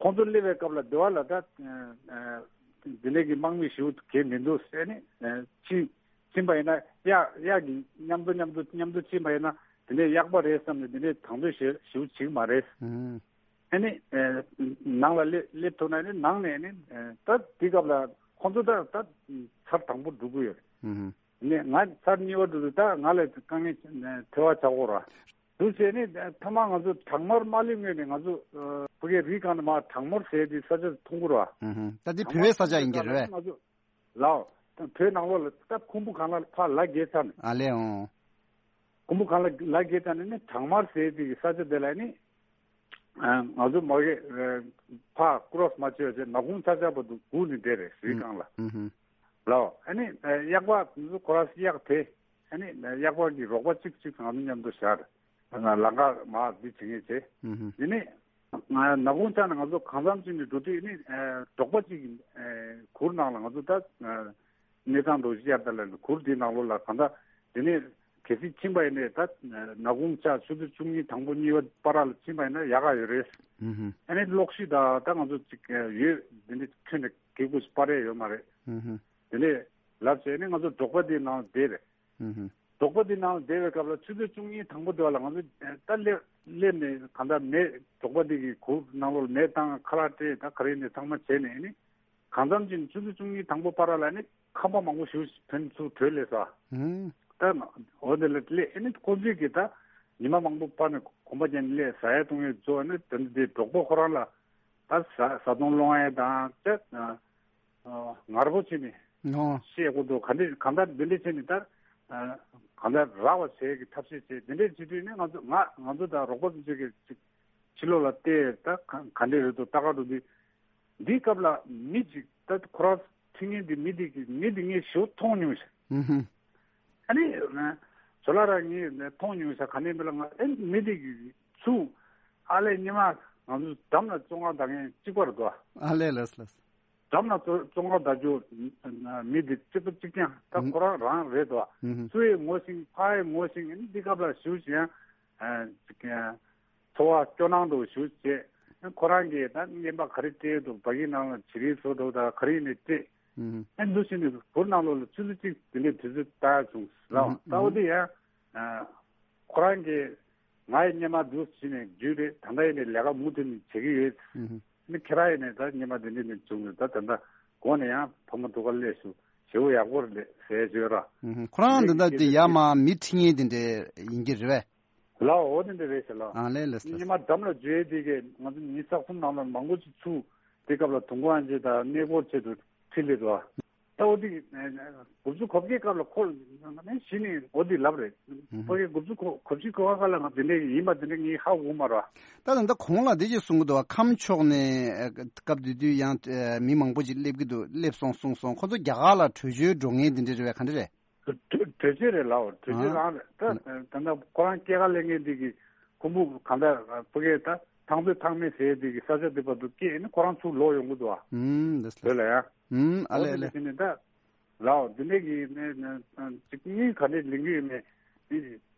ཁོང་ཚོ་སླེབས་པའི་སྐབས་ལ་སྡེ་བ་ལ་ད་ཨ་འདི་ནས་ཀྱི་དམག་མི་ཞིག་གས་མི་འདུག་ཟེར་ནས་ཨ་ཕྱི་ ཕྱིན་པ་ཡིན་ན་གཡག་གཡག་གི་མཉམ་དུ་མཉམ་དུ་མཉམ་དུ་ཕྱིན་པ་ཡིན་ན་དེ་ནས་གཡག་པ་རེད་བསམ་ནས་དེ་ནས་དང་དོད་ཞེ་ཞེ་པོ་བྱེད་ཀྱི་མ་རེད། ཨ་ནི་ནང་ལ་སླེབས་སླེབས་ཐུབ་ན་ནི་ནང་ནས་ནི་ད་དེ་སྐབས་ལ་ཁོང་ཚོ་ད་ད་ཚར་དང་པོ་འགྲོ་གི་ཡོད་རེད། ནས་ང་ཚར་གཉིས་པ་འགྲོ་དུས་ད་ང་ལ་དཀའ་ངལ་ཐེ་བ་ཆགས་ཀྱི་ཡོད་རེད། འདུག་བྱས་ནས་ཐ་མ་ང་ཚོ་བྲག་དམར་མ་སླེབས་སྔོན་ནས་ང་ཚོ་ཨ་ཕ་གིའི་རི་སྒང་ནས་མར་བྲག་དམར་ཟེར་དེ་ས་ཆ་མཐོང་གི་རེད་བ། ཨུ་ཧུ། ད་འདི་བྲག་བོད་པའི་ས་ཆ་ཡིན་གྱི་རེད་པས། དམར་ཟེར་དེ་སྒང་ལ་ང་ཚོ་ལའོ། ད་བོད་ནང་ལོགས་ལ་ད་ཁུམ་བུ་སྒང་ལ་ཕར་ལ་བརྒལ་ཚར་ནས། ཨ་ལས་འོང་། ཁུམ་བུ་སྒང་ལ་ལ་བརྒལ་ཚར་ནས་ནི་བྲག་དམར་ཟེར་དེ་གི་ས་ཆ་དེ་ལ་ནི་ཨ་ང་ཚོ་མ་གི་ཨ་ཕར་ཀོ་རོ་སི་མ་བྱས་བྱས་ནག་ཁུང་ཆག་ཆག་བར་དུ་སྒུག་ནས་བསྡད་རེད་རི་སྒང་ལ། ཨུ་ཧུ། ལའོ། ཨ་ནི་གཡག་པ་ང་ཚོ་ཁོ་ར་གཡག་དེ་ཨ་ནི་གཡག་པ་གི་རོགས་པ་གཅིག་གཅིག་ང་ཚོ་མཉམ་དུ་བཞག་རེད། ལམ་ཁ་མར་འདི་བྱེད་མཁན་བྱས། ཨུ་ཧུ། དེ་ནས་ང་ནག་ཁུང་ཆག་ནས་ང་ཚོ་གང་འཚམ་ཅིག་ནས་འགྲོ་དུས་ནི་ཨ་འབྲོག་པ་གཅིག་གི་ཨ་གུར་ནང་ལ་ང་ཚོ་ད་ཨ་གནས་ཚང་འགྲོ་བཞི་ཡར་ད་ལ་གུར་འདི་ནང་ལོགས་ལ་གང་ལྟར་དེ་ནས་གལ་སྲིད་ཕྱིན་པ་ཡིན་ནའི་ད་ནག་ཁུང་ཆག་ཆུ་ཚོད་བཅུ་གཉིས་དང་པོ་གཉིས་པ་བར་ལ་ཕྱིན་པ་ཡིན་ན་ཡག་ག་ཡོད་རེད། ཨུ་ཧུ། ཨ་ནི་གློག་ཤུགས་ད་ད་ང་ཚོ་ཅིག་ཡོད་དེ་འདྲ་ཁྱོན་ནས་གེ་ཁུ་སྤར་ཡས་ཡོད་མ་རེད། ཨུ་ཧུ། དེ་ནས་ལབ་བྱས་ནས་ང་ཚོ་འབྲོག་པ་འདི་ནང་བསྡད་རེད། ཨུ་ཧུ། འབྲོག་པ་འདི་ནང་བསྡད་པའི་སྐབས་ལ་ཆུ་ཚོད་བཅུ་གཉིས་དང་པོ་དེ་བ་ལ་ང་ཚོ་ད་སླེབས་སླེབས་ནས་གང་ལྟར་མེ་འབྲོག་པ་འདི་གི་གུར་ནང་ལོགས་ལ་མེ་བཏང་ཁ་ལག་སྤྲད་ད་ག་རེ་ནས་ཚང་མ་བྱས་ནས་ནི་གང་འཚམ་ཅིག་ཆུ་ཚོད་བཅུ་གཉིས་དང་པོ་བར་ལ་ནི་ཁང་པ་མང་པོ་ཞིག་ཕན་ཚུར་བྲོས་སླེབས་སོ། ཨུ། ད་འོ་དེ་ལ་སླེབས་ཨ་ནི་ཁོ་ཚོས་ཀྱི་ད་ཉི་མ་མང་པོ་བར་ནས་གོམ་པ་བརྒྱབ་ནས་སླེབས་ཟ་ཡ་བཏུང་ཡ་བཟོ་ཨ་ནི་དེ་འདྲ་དེ་འབྲོག་པ་ཁོ་རང་ལ་ད་ཟ་ཟ་འཐུང་སློང་ཡ་དང་ད། ངར་པོ་བྱས་ནས་ཨོ། བཤད་དགོས་འདུག་ག་འདྲ་གང་ལྟར་འདི་འདྲ་བྱས་ནས་ད་གང་ལྟར་རག་པ་བྱེད་ཀྱི་ཐབས་ཤེས་བྱས་འདི་འདྲ་བྱེད་དུས་ནི་ང་ཚོ་ང་ང་ཚོ་དང་རོགས་པ་ཚོ་ཚོས་ཀྱི་ཅིག་ཕྱི་ལོགས་ལ་བལྟས་ད་ག་ག་འདྲ་རེད་འདུག་ལྟ་ག་འགྲོ་དུས་འདིའི་སྐབས་ལ་མི་ཅིག་ད་ཁོ་རང་ཁྲིད་མཁན་འདི་མི་འདི་གི་མི་འདི་ངས་ཞེ་པོ་མཐོང་མྱོང་ཤག་ཨུ་ཧུ། ཨ་ནི་ཇོ་ལགས་རང་ངས་མཐོང་མྱོང་ཤག་ག་ནས་མི་ལ་ང་ཨེ་མི་འདི་གི་ཚུགས་ཨ་ལས་ཉི་མ་ང་ཚོ་འགྲམ་ལ་བཙོན་ཁང་བསྡད་མཁན་གཅིག་པ་རེད་དོ། ཨ་ལས་ལགས་ལགས། འགྲམ་ལ་བཙོན་ཁང་བསྡད་རྒྱུ་མི་འདི་གཅིག་པ་གཅིག་རྐྱང་ད་ཁོ་རང་རང་རེད་དོ། ཨུ་ཧུ། སུ་ཡིས་ངོ་ཤེས་ཕ་ཡིས་ངོ་ཤེས་ཨ་ནི་འདི་སྐབས་ལ་ཞུ་ཞིང་ཨ་འཚོ་བ་སྐྱོ་སྣང་དུ་ཞུ་བྱས། ཁོ་རང་གིས་ད་རྔན་པ་ག་རེ་སྤྲད་འདུག་བ་གི་ནང་ལ་བྱི་རིལ་བཟོ་འདུག་ད་ག་རེ་ཡིན་ནའི་སྤྲད། ཨུ་ཧུ། ཨེ་འདུག་བྱས་ནས་གུར་ནང་ལོགས་ལ་ཆུ་ཚོད་གཅིག་དེ་འདྲའི་དུས་ཚོད་བཏང་ཡ་བྱུང་ལགས། ཨུ་ཧུ། ད་འོ་དེ་ཡང་ཁོ་རང་གིས་ང་ཡི་སྔོན་མ་འདུག་བྱས་ནས་རྒྱུས་རེད་ད་ལྟ་ཡིན་ནའི་ལས་ཀ་མུ་མཐུད་ནས་བྱེད་ཀྱི་ཡོད། ཨུ་ཧུ། ནི་ཁྱེད་རང་ཡིན་ནའི་ད་སྔོན་མ་དེ་འདྲ་ནས་བྱུང་ནས་ད་ད་ལྟ་དགོང་ནས་ཡང་ཕ་མ་འདུག་ག་སླེབས་སོང་ཞེ་པོ་ཡག་པོ་རེད་ཟེར་བརྗོད་ར། ཨུ་ཧུ། ཁོ་རང་འདི་འདྲ་དེ་ཡར་མར་མི་ཁྲིད་མཁན་དེ་འདྲ་ཡིན་གྱི་རེད་པས། ལའོ་འོ་དེ་འདྲ་རེད་ཟེར་ལ། ཨ་ལས་ལས་ཟེར། ཉི་མ་འགྲམ་ལ་འཇུ་ཡས་དེ་གས་ང་ཚོ་ཉིན་གསུམ་ནང་ལ་མང་པོ་ཅིག་ཚུགས་དེ་སྐབས་ལ་དུང་ཁང་ཅིག་དང་གནས་སྐོར་ཆེད་དུ་ཁྲིད་སླེབས་འདུག་ད་འོ་དེ་དགུ་བཅུ་གོ་བརྒྱད་སྐབས་ལ་ཁོ་ནས་གཞི་ནས་འོ་དེ་ལབ་རེད། ཕ་གི་དགུ་བཅུ་གོ་གོ་བཞི་གོ་ལྔ་སྐབས་ལ་ང་དེ་འདྲ་ཡིན་པ་དེ་འདྲ་ངས་ཧ་གོ་མ་རེད། ད་ད་ལྟ་གོང་ལ་དེ་ཅིག་གསུང་གི་འདུག་ཁམས་ཕྱོགས་ནས་སྐབས་དེ་དུས་ཡང་མི་མང་པོ་ཅིག་སླེབས་ཀྱི་འདུག་སླེབས་སོང་གསུངས་སོང་ཁོ་ཚོ་རྒྱ་གར་ལ་བྲོས་བྱོལ་འགྲོ་མཁན་དེ་འདྲ་རེད་པས་ག་འདྲ་རེད། བྲོས་བྱོལ་རེད་ལའོ། བྲོས་བྱོལ་རང་རེད། ད་ད་ལྟ་ཁོ་རང་སྐྱེས་སྐར་ལེན་མཁན་འདི་གི་ཁུམ་བུ་གང་ལྟར་ཕ་གིར་ད་ཐང་རྩེ་ཐང་མེད་ཟེར་འདི་གི་ས་ཆ་འདི་བར་དུ་སྐྱེས་ནི་ཁོ་རང་ཚུར་ལོག་ཡོང་གི་འདུག་ཨ། ཨུམ་འདི་བོད་ལ་ཡ། ཨུམ་ཨ་ལེ་ཨ་ལེ། འོ་དེ་ནི་ད་ལའོ་འདི་ནས་གི་ནི་ཅིག་གཉིས་ག་འདྲས་ལེན་གི་ཡོད་མེད་འདི་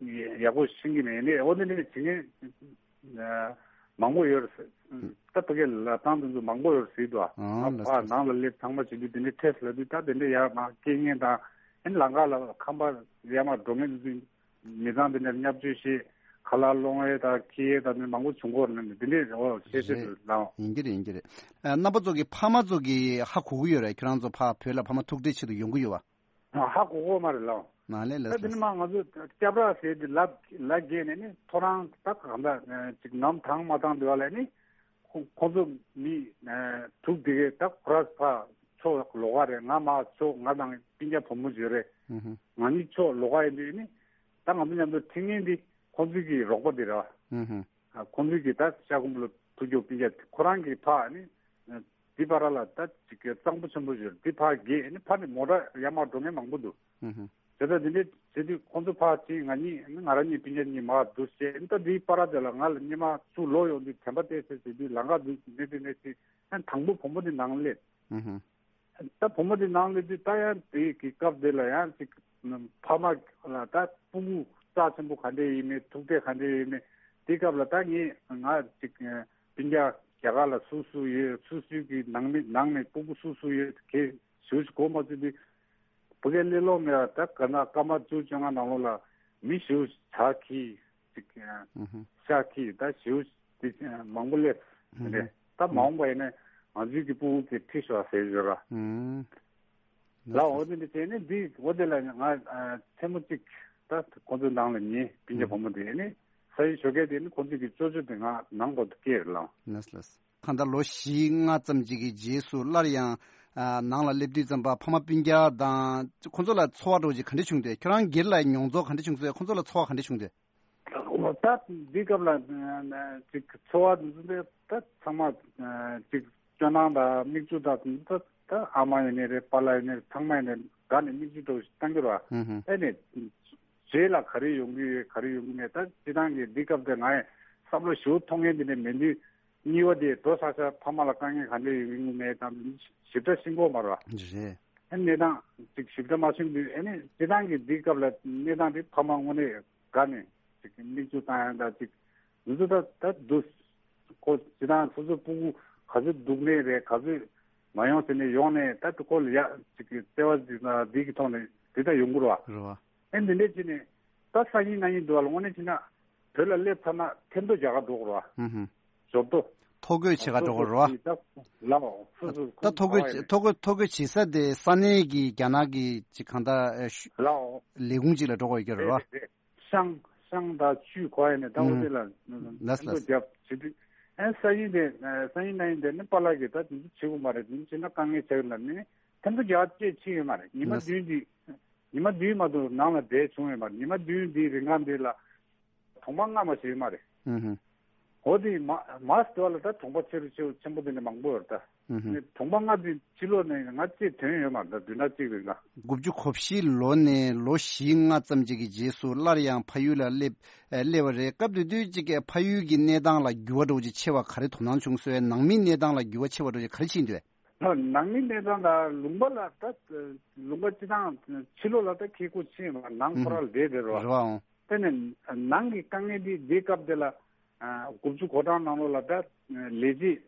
ཡག་པོ་ཤེས་ཀྱི་མེད་ནི་འོ་དེ་ནི་བྱེད་མཁན། མང་པོ་ཡོད་རེད། ད་ཕ་གིའི་ལབ་སྟངས་དེ་ཚོ་མང་པོ་ཡོད་རེད་ཟེར་འདུག་ཨ། ཨང་ལ་ཕར་ནང་ལ་སླེབས་ཚང་མ་བྱེད་དུས་དེ་འདྲའི་ཁྲེས་ལབ་དུས་ད་དེ་འདྲའི་ཡར་མར་སྐྱེལ་མཁན་དང་ཨ་ནི་ལམ་ཁ་ལ་ཁང་པ་ཡར་མར་འགྲོ་མཁན་དེ་ཚོ་མི་ཚང་དེ་འདྲར་བརྙས་བཅོས་བྱེད་ཁ་ལག་སློང་ཡས་དང་འཁྱེར་ཡས་དང་དེ་མང་པོ་བྱུང་གི་ཡོད་རེད་དེ་འདྲའི་འོ་ཤེས་ཤེས་རེད། དུ་ལའོ། ཡིན་གྱི་རེད་ཡིན་གྱི་རེད། རྣམ་པ་ཚོ་གི་ཕ་མ་ཚོ་གི་ཧ་གོ་གི་ཡོད་རེད་ཁྱོད་རང་ཚོ་ཕ་བོད་ལ་ཕ་མ་ཐུག་འཕྲད་ཆེད་དུ་ཡོང་གི་ཡོད་པ། ཧ་གོ་གོ་མ་རེད་ལགས། མ་ལས་ལས་ད་དེ་ནི་མ་ང་ཚོ་སྐྱབས་ར་ཟེར་དེ་ལབ་ལ་རྒྱས་ནས་ནི་ཐོ་རངས་ད་གང་ལྟར་ཅིག་ནམ་དང་མ་དང་དེ་བ་ལས་ནི་ཁོ་ཁོ་ཚོ་མི་དྲུག་དེ་གས་ད་ཁོ་ར་ཕ་ཕྱོགས་ལོགས་ཀ་རེད། ང་མ་ཕྱོགས་ང་དང་སྤུན་ཀྱག་བུ་མོ་བརྗོད་རེད། ང་གཉིས་ཕྱོགས་ལོགས་ཀ་ཡིན་དུས་ནི་ད་ང་ཚོ་མཉམ་དུ་ཁྲིད་མཁན་འདི་ཁོ་ཚོ་གི་རོགས་པ་དེ་རེད་བ། ཁོང་ཚོས་ཀྱིས་ད་ཤ་ཁུམ་ལ་ཐུག་རྒྱུ་སྤུན་ཀྱག་ཁོ་རང་གི་ཕ་ནི་འདི་པ་ར་ལ་ད་ཅིག་གཙང་པོ་ཆེན་པོ་ཞིག་འདི་ཕ་གི་ནི་ཕ་ནི་མོ་ཊ་ཡར་མར་འགྲོ་མཁན་མང་པོ་འདུག་དེ་ལྟར་འདི་འདྲའི་བྱེད་དུས་ཁོང་ཚོ་ཕ་གཅིག་ང་གཉིས་ང་རང་གཉིས་སྤུན་ཀྱག་གཉིས་མར་འདུག་བྱས་ད་འདི་པ་ར་དེ་ལ་ང་ལ་སྙེ་མ་ཚུར་ལོག་ཡོང་དུས་དྲན་པ་བལྟས་ཚེ་བྱེད་དུས་ལམ་ཁ་འདི་འདི་འདི་འདི་ཅིག་ཡང་དང་པོ་བུ་མོ་འདི་ནང་སླེབས། ད་བུ་མོ་དེ་ནང་ལ་དུས་ད་ཡང་དེ་གི་སྐབས་དེ་ལ་ཡང་ཅིག་ཕ་མ་ལ་ད་སྤུ་གུ་རྩ་ཆེན་པོ་ག་འདྲས་ཡིན་མིན་ཐུག་འཕྲད་ག་འདྲས་ཡིན་མིན་དེ་སྐབས་ལ་ད་ངས་ང་ཅིག་སྤུན་ཀྱག་རྒྱ་གར་ལ་སུ་སུ་ཡོད་སུ་སུ་གི་ནང་མི་ནང་ནས་སྤུ་གུ་སུ་སུ་ཡོད་གས་ཞུ་ཞིག་གོ་མ་ཚུད་དུས་ བུ་གའི་སླེབས་ལོང་མེད་པ། ད་ག་ན་སྐར་མ་བཅུ་བཅོ་ལྔ་ནང་ལོགས་ལ་མི་ཞེ་པོ་ཇ་འཁྱེར་ཅིག་ཨ་ཨུ་ཧུ། ཤ་འཁྱེར། ད་ཞེ་པོ་དེ་ཨ་མང་པོ་སླེབས་ཨུ་ཧུ། རེད། ད་མ་འོངས་པ་ཡིན་ན་ང་ཚོའི་གི་ཕྲུ་གུ་གི་ཁྲིད་ཤོག་ཟེར་ཡོད་ར། ཨུ། ལ་འོ་དེ་འདི་བྱས་ནས་འདི་འོ་དེ་ལ་ང་ཨ་མཚན་མོ་གཅིག་ད་ཁོ་ཚོའི་ནང་ལ་ཉལ། སྤུན་ཀྱག་བུ་མོ་དེ་ནི་ས་ཡི་ཞོགས་ཀས་དེ་ནི་ཁོ་ཚོའི་གི་ཅོ་ཅོ་དེ་ང་ནང་ལོགས་སུ་སྐྱེལ་རེད་ལ། ལགས་ལགས། གང་ལྟར་ལོ་བཞི་ལྔ་ཙམ་ཅིག་གི་རྗེས་སུ་སླར་ཡང་ཨ་ནང་ལ་སླེབས་དུས་ཙམ་པ་ཕ་མ་སྤུན་ཀྱག་དང་ཁོ་ཚོ་ལ་ཚོར་བ་འདྲ་བོ་ཅིག་ག་འདྲ་བྱུང་འདུག་ཁྱོད་རང་སྒེར་ལ་མྱོང་ཚོར་ག་འདྲ་བྱུང་སོང་། ཁོ་ཚོ་ལ་ཚོར་བ་ག་འདྲ་བྱུང་འདུག་ད་འདི་སྐབས་ལ་ཅིག་ཚོར་བ་འདི་ཚོ་ད་ཚང་མ་ཅིག་སྤྱོད་སྣང་དང་མིག་ཆུ་དང་ད་ད་ཨ་མ་ཡིན་ནའི་རེད། པཱ་ལགས་ཡིན་ནའི་རེད། ཚང་མ་ཡིན་ནའི་དགའ་ནས་མིག་ཆུ་འདྲ་བོ་ཞིག་བཏང་གི་རེད་བ། ཨེ་ནས་རྗེས་ལ་ག་རེ་ཡོང་གི་ཡོད་ག་རེ་ཡོང་གི་མེད། ད་སྤྱིར་བཏང་གི་འདི་སྐབས་དེ་ང་ཡི་བསམ་བློ་ཞེ་པོ་ཐོག་ངན་དེ་ནས་མེད་དུས། གཉིས་པ་དེ་འགྲོ་ས་ས་ཕ་མ་ལ་དཀའ་ངལ་ག་འདྲ་ཡོང་གི་མེད་དང་ཞིབ་ཕྲ་ཤེས་ཀྱི་ཡོད་མ་རེད་བ། རེད། ཨ་གནས་སྟངས་ཅིག་ཞིབ་ཕྲ་མ་ཤེས་དུས། ཨ་ནི་སྤྱིར་བཏང་གི་འདི་སྐབས་ལ་གནས་སྟངས་དེ་ཕ་མ་དངོས་གནས་དགའ་ནས་ཅིག་མིག་ཆུ་བཏང་ཡ་འདྲ་ཅིག་འདི་ཚོ་ད་ད་འདུག་ཁོ་སྤྱིར་བཏང་སོ་སོའི་ཕྲུ་གུ་ག་ཚོད་སྡུག་ནས་རེད། ག་ཚོད་མ་ཡོང་ཟེར་ནས་ཡོང་ནས་ད་ཁོ་ལ་ཡ་ཅིག་གི་བརྩེ་བ་ཅིག་དང་འདི་གི་ཐོག་ནས་དེ་ད་ཡོང་གི་རེད་བ། རེད་བ། ཨེ་འདི་འདྲས་བྱས་ནས་ད་སང་ཉིན་གནངས་ཉིན་འདུག་བ་ལ་དངོས་གནས་བྱས་ན་བོད་ལ་སླེབས་ཚར་ན་ཐེམ་ཐོ་རྒྱག་ག་འགྲོ་དགོས་རེད་བ། ཧུམ་ཧུམ། ཞོབ་ཏོ། ཐོ་འགོད་བྱེད་ག་འགྲོ་དགོས་རེད་བ། ད་ལའོ་སོ་སོ་ད་ཐོ་འགོད་ཁོ་ཐོ་འགོད་ཐོ་འགོད་བྱེད་ས་དེ་ས་གནས་ཀྱི་རྒྱ་ནག་གི་ཅིག་གང་ལྟར་ཨེ་ཤུ་ལའོ་ལས་ཁུངས་ཅིག་ལ་འགྲོ་དགོས་ཀྱི་རེད་བ། རེད་རེད། ཤང་ཤང་དང་ཆུས་གོ་ཡ་ནས་ད་འོ་ཨུམ། དེ་ལ་ལགས་ཐེམ་ཐོ་ལགས། རྒྱབ་བྱེད་དུས། ཨེ་སང་ཉིན་དེ་ཨེ་སང་ཉིན་གནངས་ཉིན་དེ་ནི་པཱ་ལགས་ཀྱིས་ད་དེ་ཚོ་བྱེད་དགོས་མ་རེད། དེ་ཚོ་བྱེད་ན་དཀའ་ངལ་ཆགས་ཀྱི་ལབ་ནས་ཐེམ་ཐོ་རྒྱག་བཅས་ཕྱིན་ཡོད་མ་རེད། ཉི་མ་ལགས། བདུན་དེ་ཉི་མ་བདུན་མ་གཏོགས་ནང་ལ་བསྡད་བྱུང་ཡོད་མ་རེད། ཉི་མ་བདུན་དེའི་རིང་ག་འདི་ལ་གྲོང་པ་ལྔ་མ་ཞིག་ཡོད་མ་རེད། ཨུ་ཧུ། འོ་དེ་མ་མ་སྟོད་ལ་ད་གྲོང་པ་ཆེ་རུ་ཆེ་རུ་ཆེན་པོ་དེ་འདྲ་མང་པོ་ཡོད་རེད་ད། ཨུ་ཧུ། ནི་གྲོང་པ་ལྔ་དེ་ཕྱི་ལོགས་ནས་ང་གཅིག་ཐོན་ཡོད་མ་རེད་ད། བདུན་ཕྲག་གཅིག་རིང་ལ། དགུ་བཅུ་གོ་བཞི་ལོ་ནས་ལོ་བཞི་ལྔ་ཙམ་ཅིག་གི་རྗེས་སུ་སླར་ཡང་ཕ་ཡུལ་ལ་སླེབས་ཨེ་སླེབས་པ་རེད། སྐབས་དེ་དུས་ཅིག་གི་ཕ་ཡུལ་གྱི་གནས་སྟངས་ལ་འགྱུར་བ་འདྲ་བོ་ཅིག་ཕྱིན་པ་ག་རེ་དོ་སྣང་བྱུང་སོང་། ནང་མིའི་གནས་སྟངས་ལ་འགྱུར་བ་ཕྱིན་པ་འདྲ་བོ་ཅིག་ག་རེ་ཕྱིན་འདུག་ནང་མིའི་གནས་སྟངས་དང་ལུང་པ་ལ་ད་ལུང་པ་སྤྱི་བཏང་ཕྱི་ལོགས་ལ་ད་ཁེ་ཁུ་ཕྱིན་པ་ནང་ཁོ་རང་ལ་བསྡད་བསྡད་རོགས། རེད་བའང་། དེ་ནས་ནང་གི་དཀའ་ངལ་འདི་འདི་སྐབས་དེ་ལ་དགུ་བཅུ་གོ་གྲངས་ནང་ལོགས་ལ་ད་ལས་བྱེད་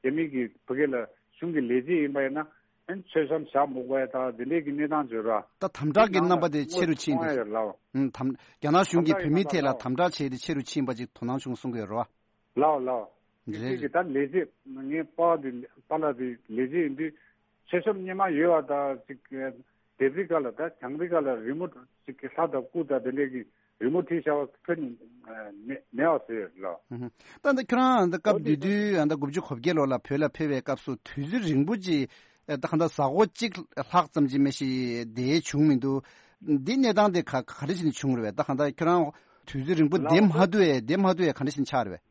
རྒྱ་མི་གི་བུ་གའི་ལ་གཞུང་གི་ལས་བྱེད་ཡིན་པ་ཡིན་ན་མཚོ་བྱམས་ཞག་མུག་པ་ཡ་ད་འདི་འདྲས་ཀྱི་གནས་སྟངས་བརྗོད་ར། ད་དམ་དྲག་གི་རྣམ་པ་དེ་ཆེ་རུ་ཕྱིན་འདུག་ཡོད་ལ། ཨུམ། དམ་རྒྱ་ནག་གཞུང་གིས་བོད་མིའི་ཐད་ལ་དམ་དྲག་བྱས་ཏེ་ཆེ་རུ་ཕྱིན་པ་ཅིག་དོ་སྣང་བྱུང་གསུང་གི་ཡོད་ར། ལའོ་ལའོ། རེད། ཅིག་གི་ད་ལས་བྱེད་ངའི་པ་དེ་པ་ལགས་དེ་ལས་བྱེད་ཡིན་དུས་མཚོ་བྱམས་སྔོན་མ་ཡོད་པ་ད་ཅིག་ལྡེབས་རིས་སྒང་ལ་ད་གྱང་རིས་སྒང་ལ་རི་མོ་ཅིག་གི་ལྷ་དང་སྐུ་དང་དེ་འདྲས་ཀྱི་རི་མོ་བྲིས་བཞག་པ་ཕུད་ནས་མེད་མེད་པ་བཟོས་ཡོད་ལོ། ཧུམ་ཧུམ། ད་ད་ཁྱོད་རང་ད་སྐབས་དེ་དུས་ད་དགུ་བཅུ་གོ་བརྒྱད་ལོ་ལ་བོད་ལ་ཕེབས་པའི་སྐབས་སུ་དུས་ཚོད་རིང་པོ་ཅིག་ད་གང་ལྟར་གཟའ་འཁོར་གཅིག་ལྷག་ཙམ་ཅིག་མ་གཏོགས་བསྡད་བྱུང་མི་འདུག་འདི་གནས་སྟངས་དེ་ག་ག་རེ་བྱས་ནས་བྱུང་རེད་པས། ད་གང་ལྟར་ཁྱོད་རང་དུས་ཚོད་རིང་པོ་བསྡད་མ་ཐུབ་པས་བསྡད་མ་ཐུབ་པས་ག་འདྲ་ཞིག་ཆགས་རེད་པས།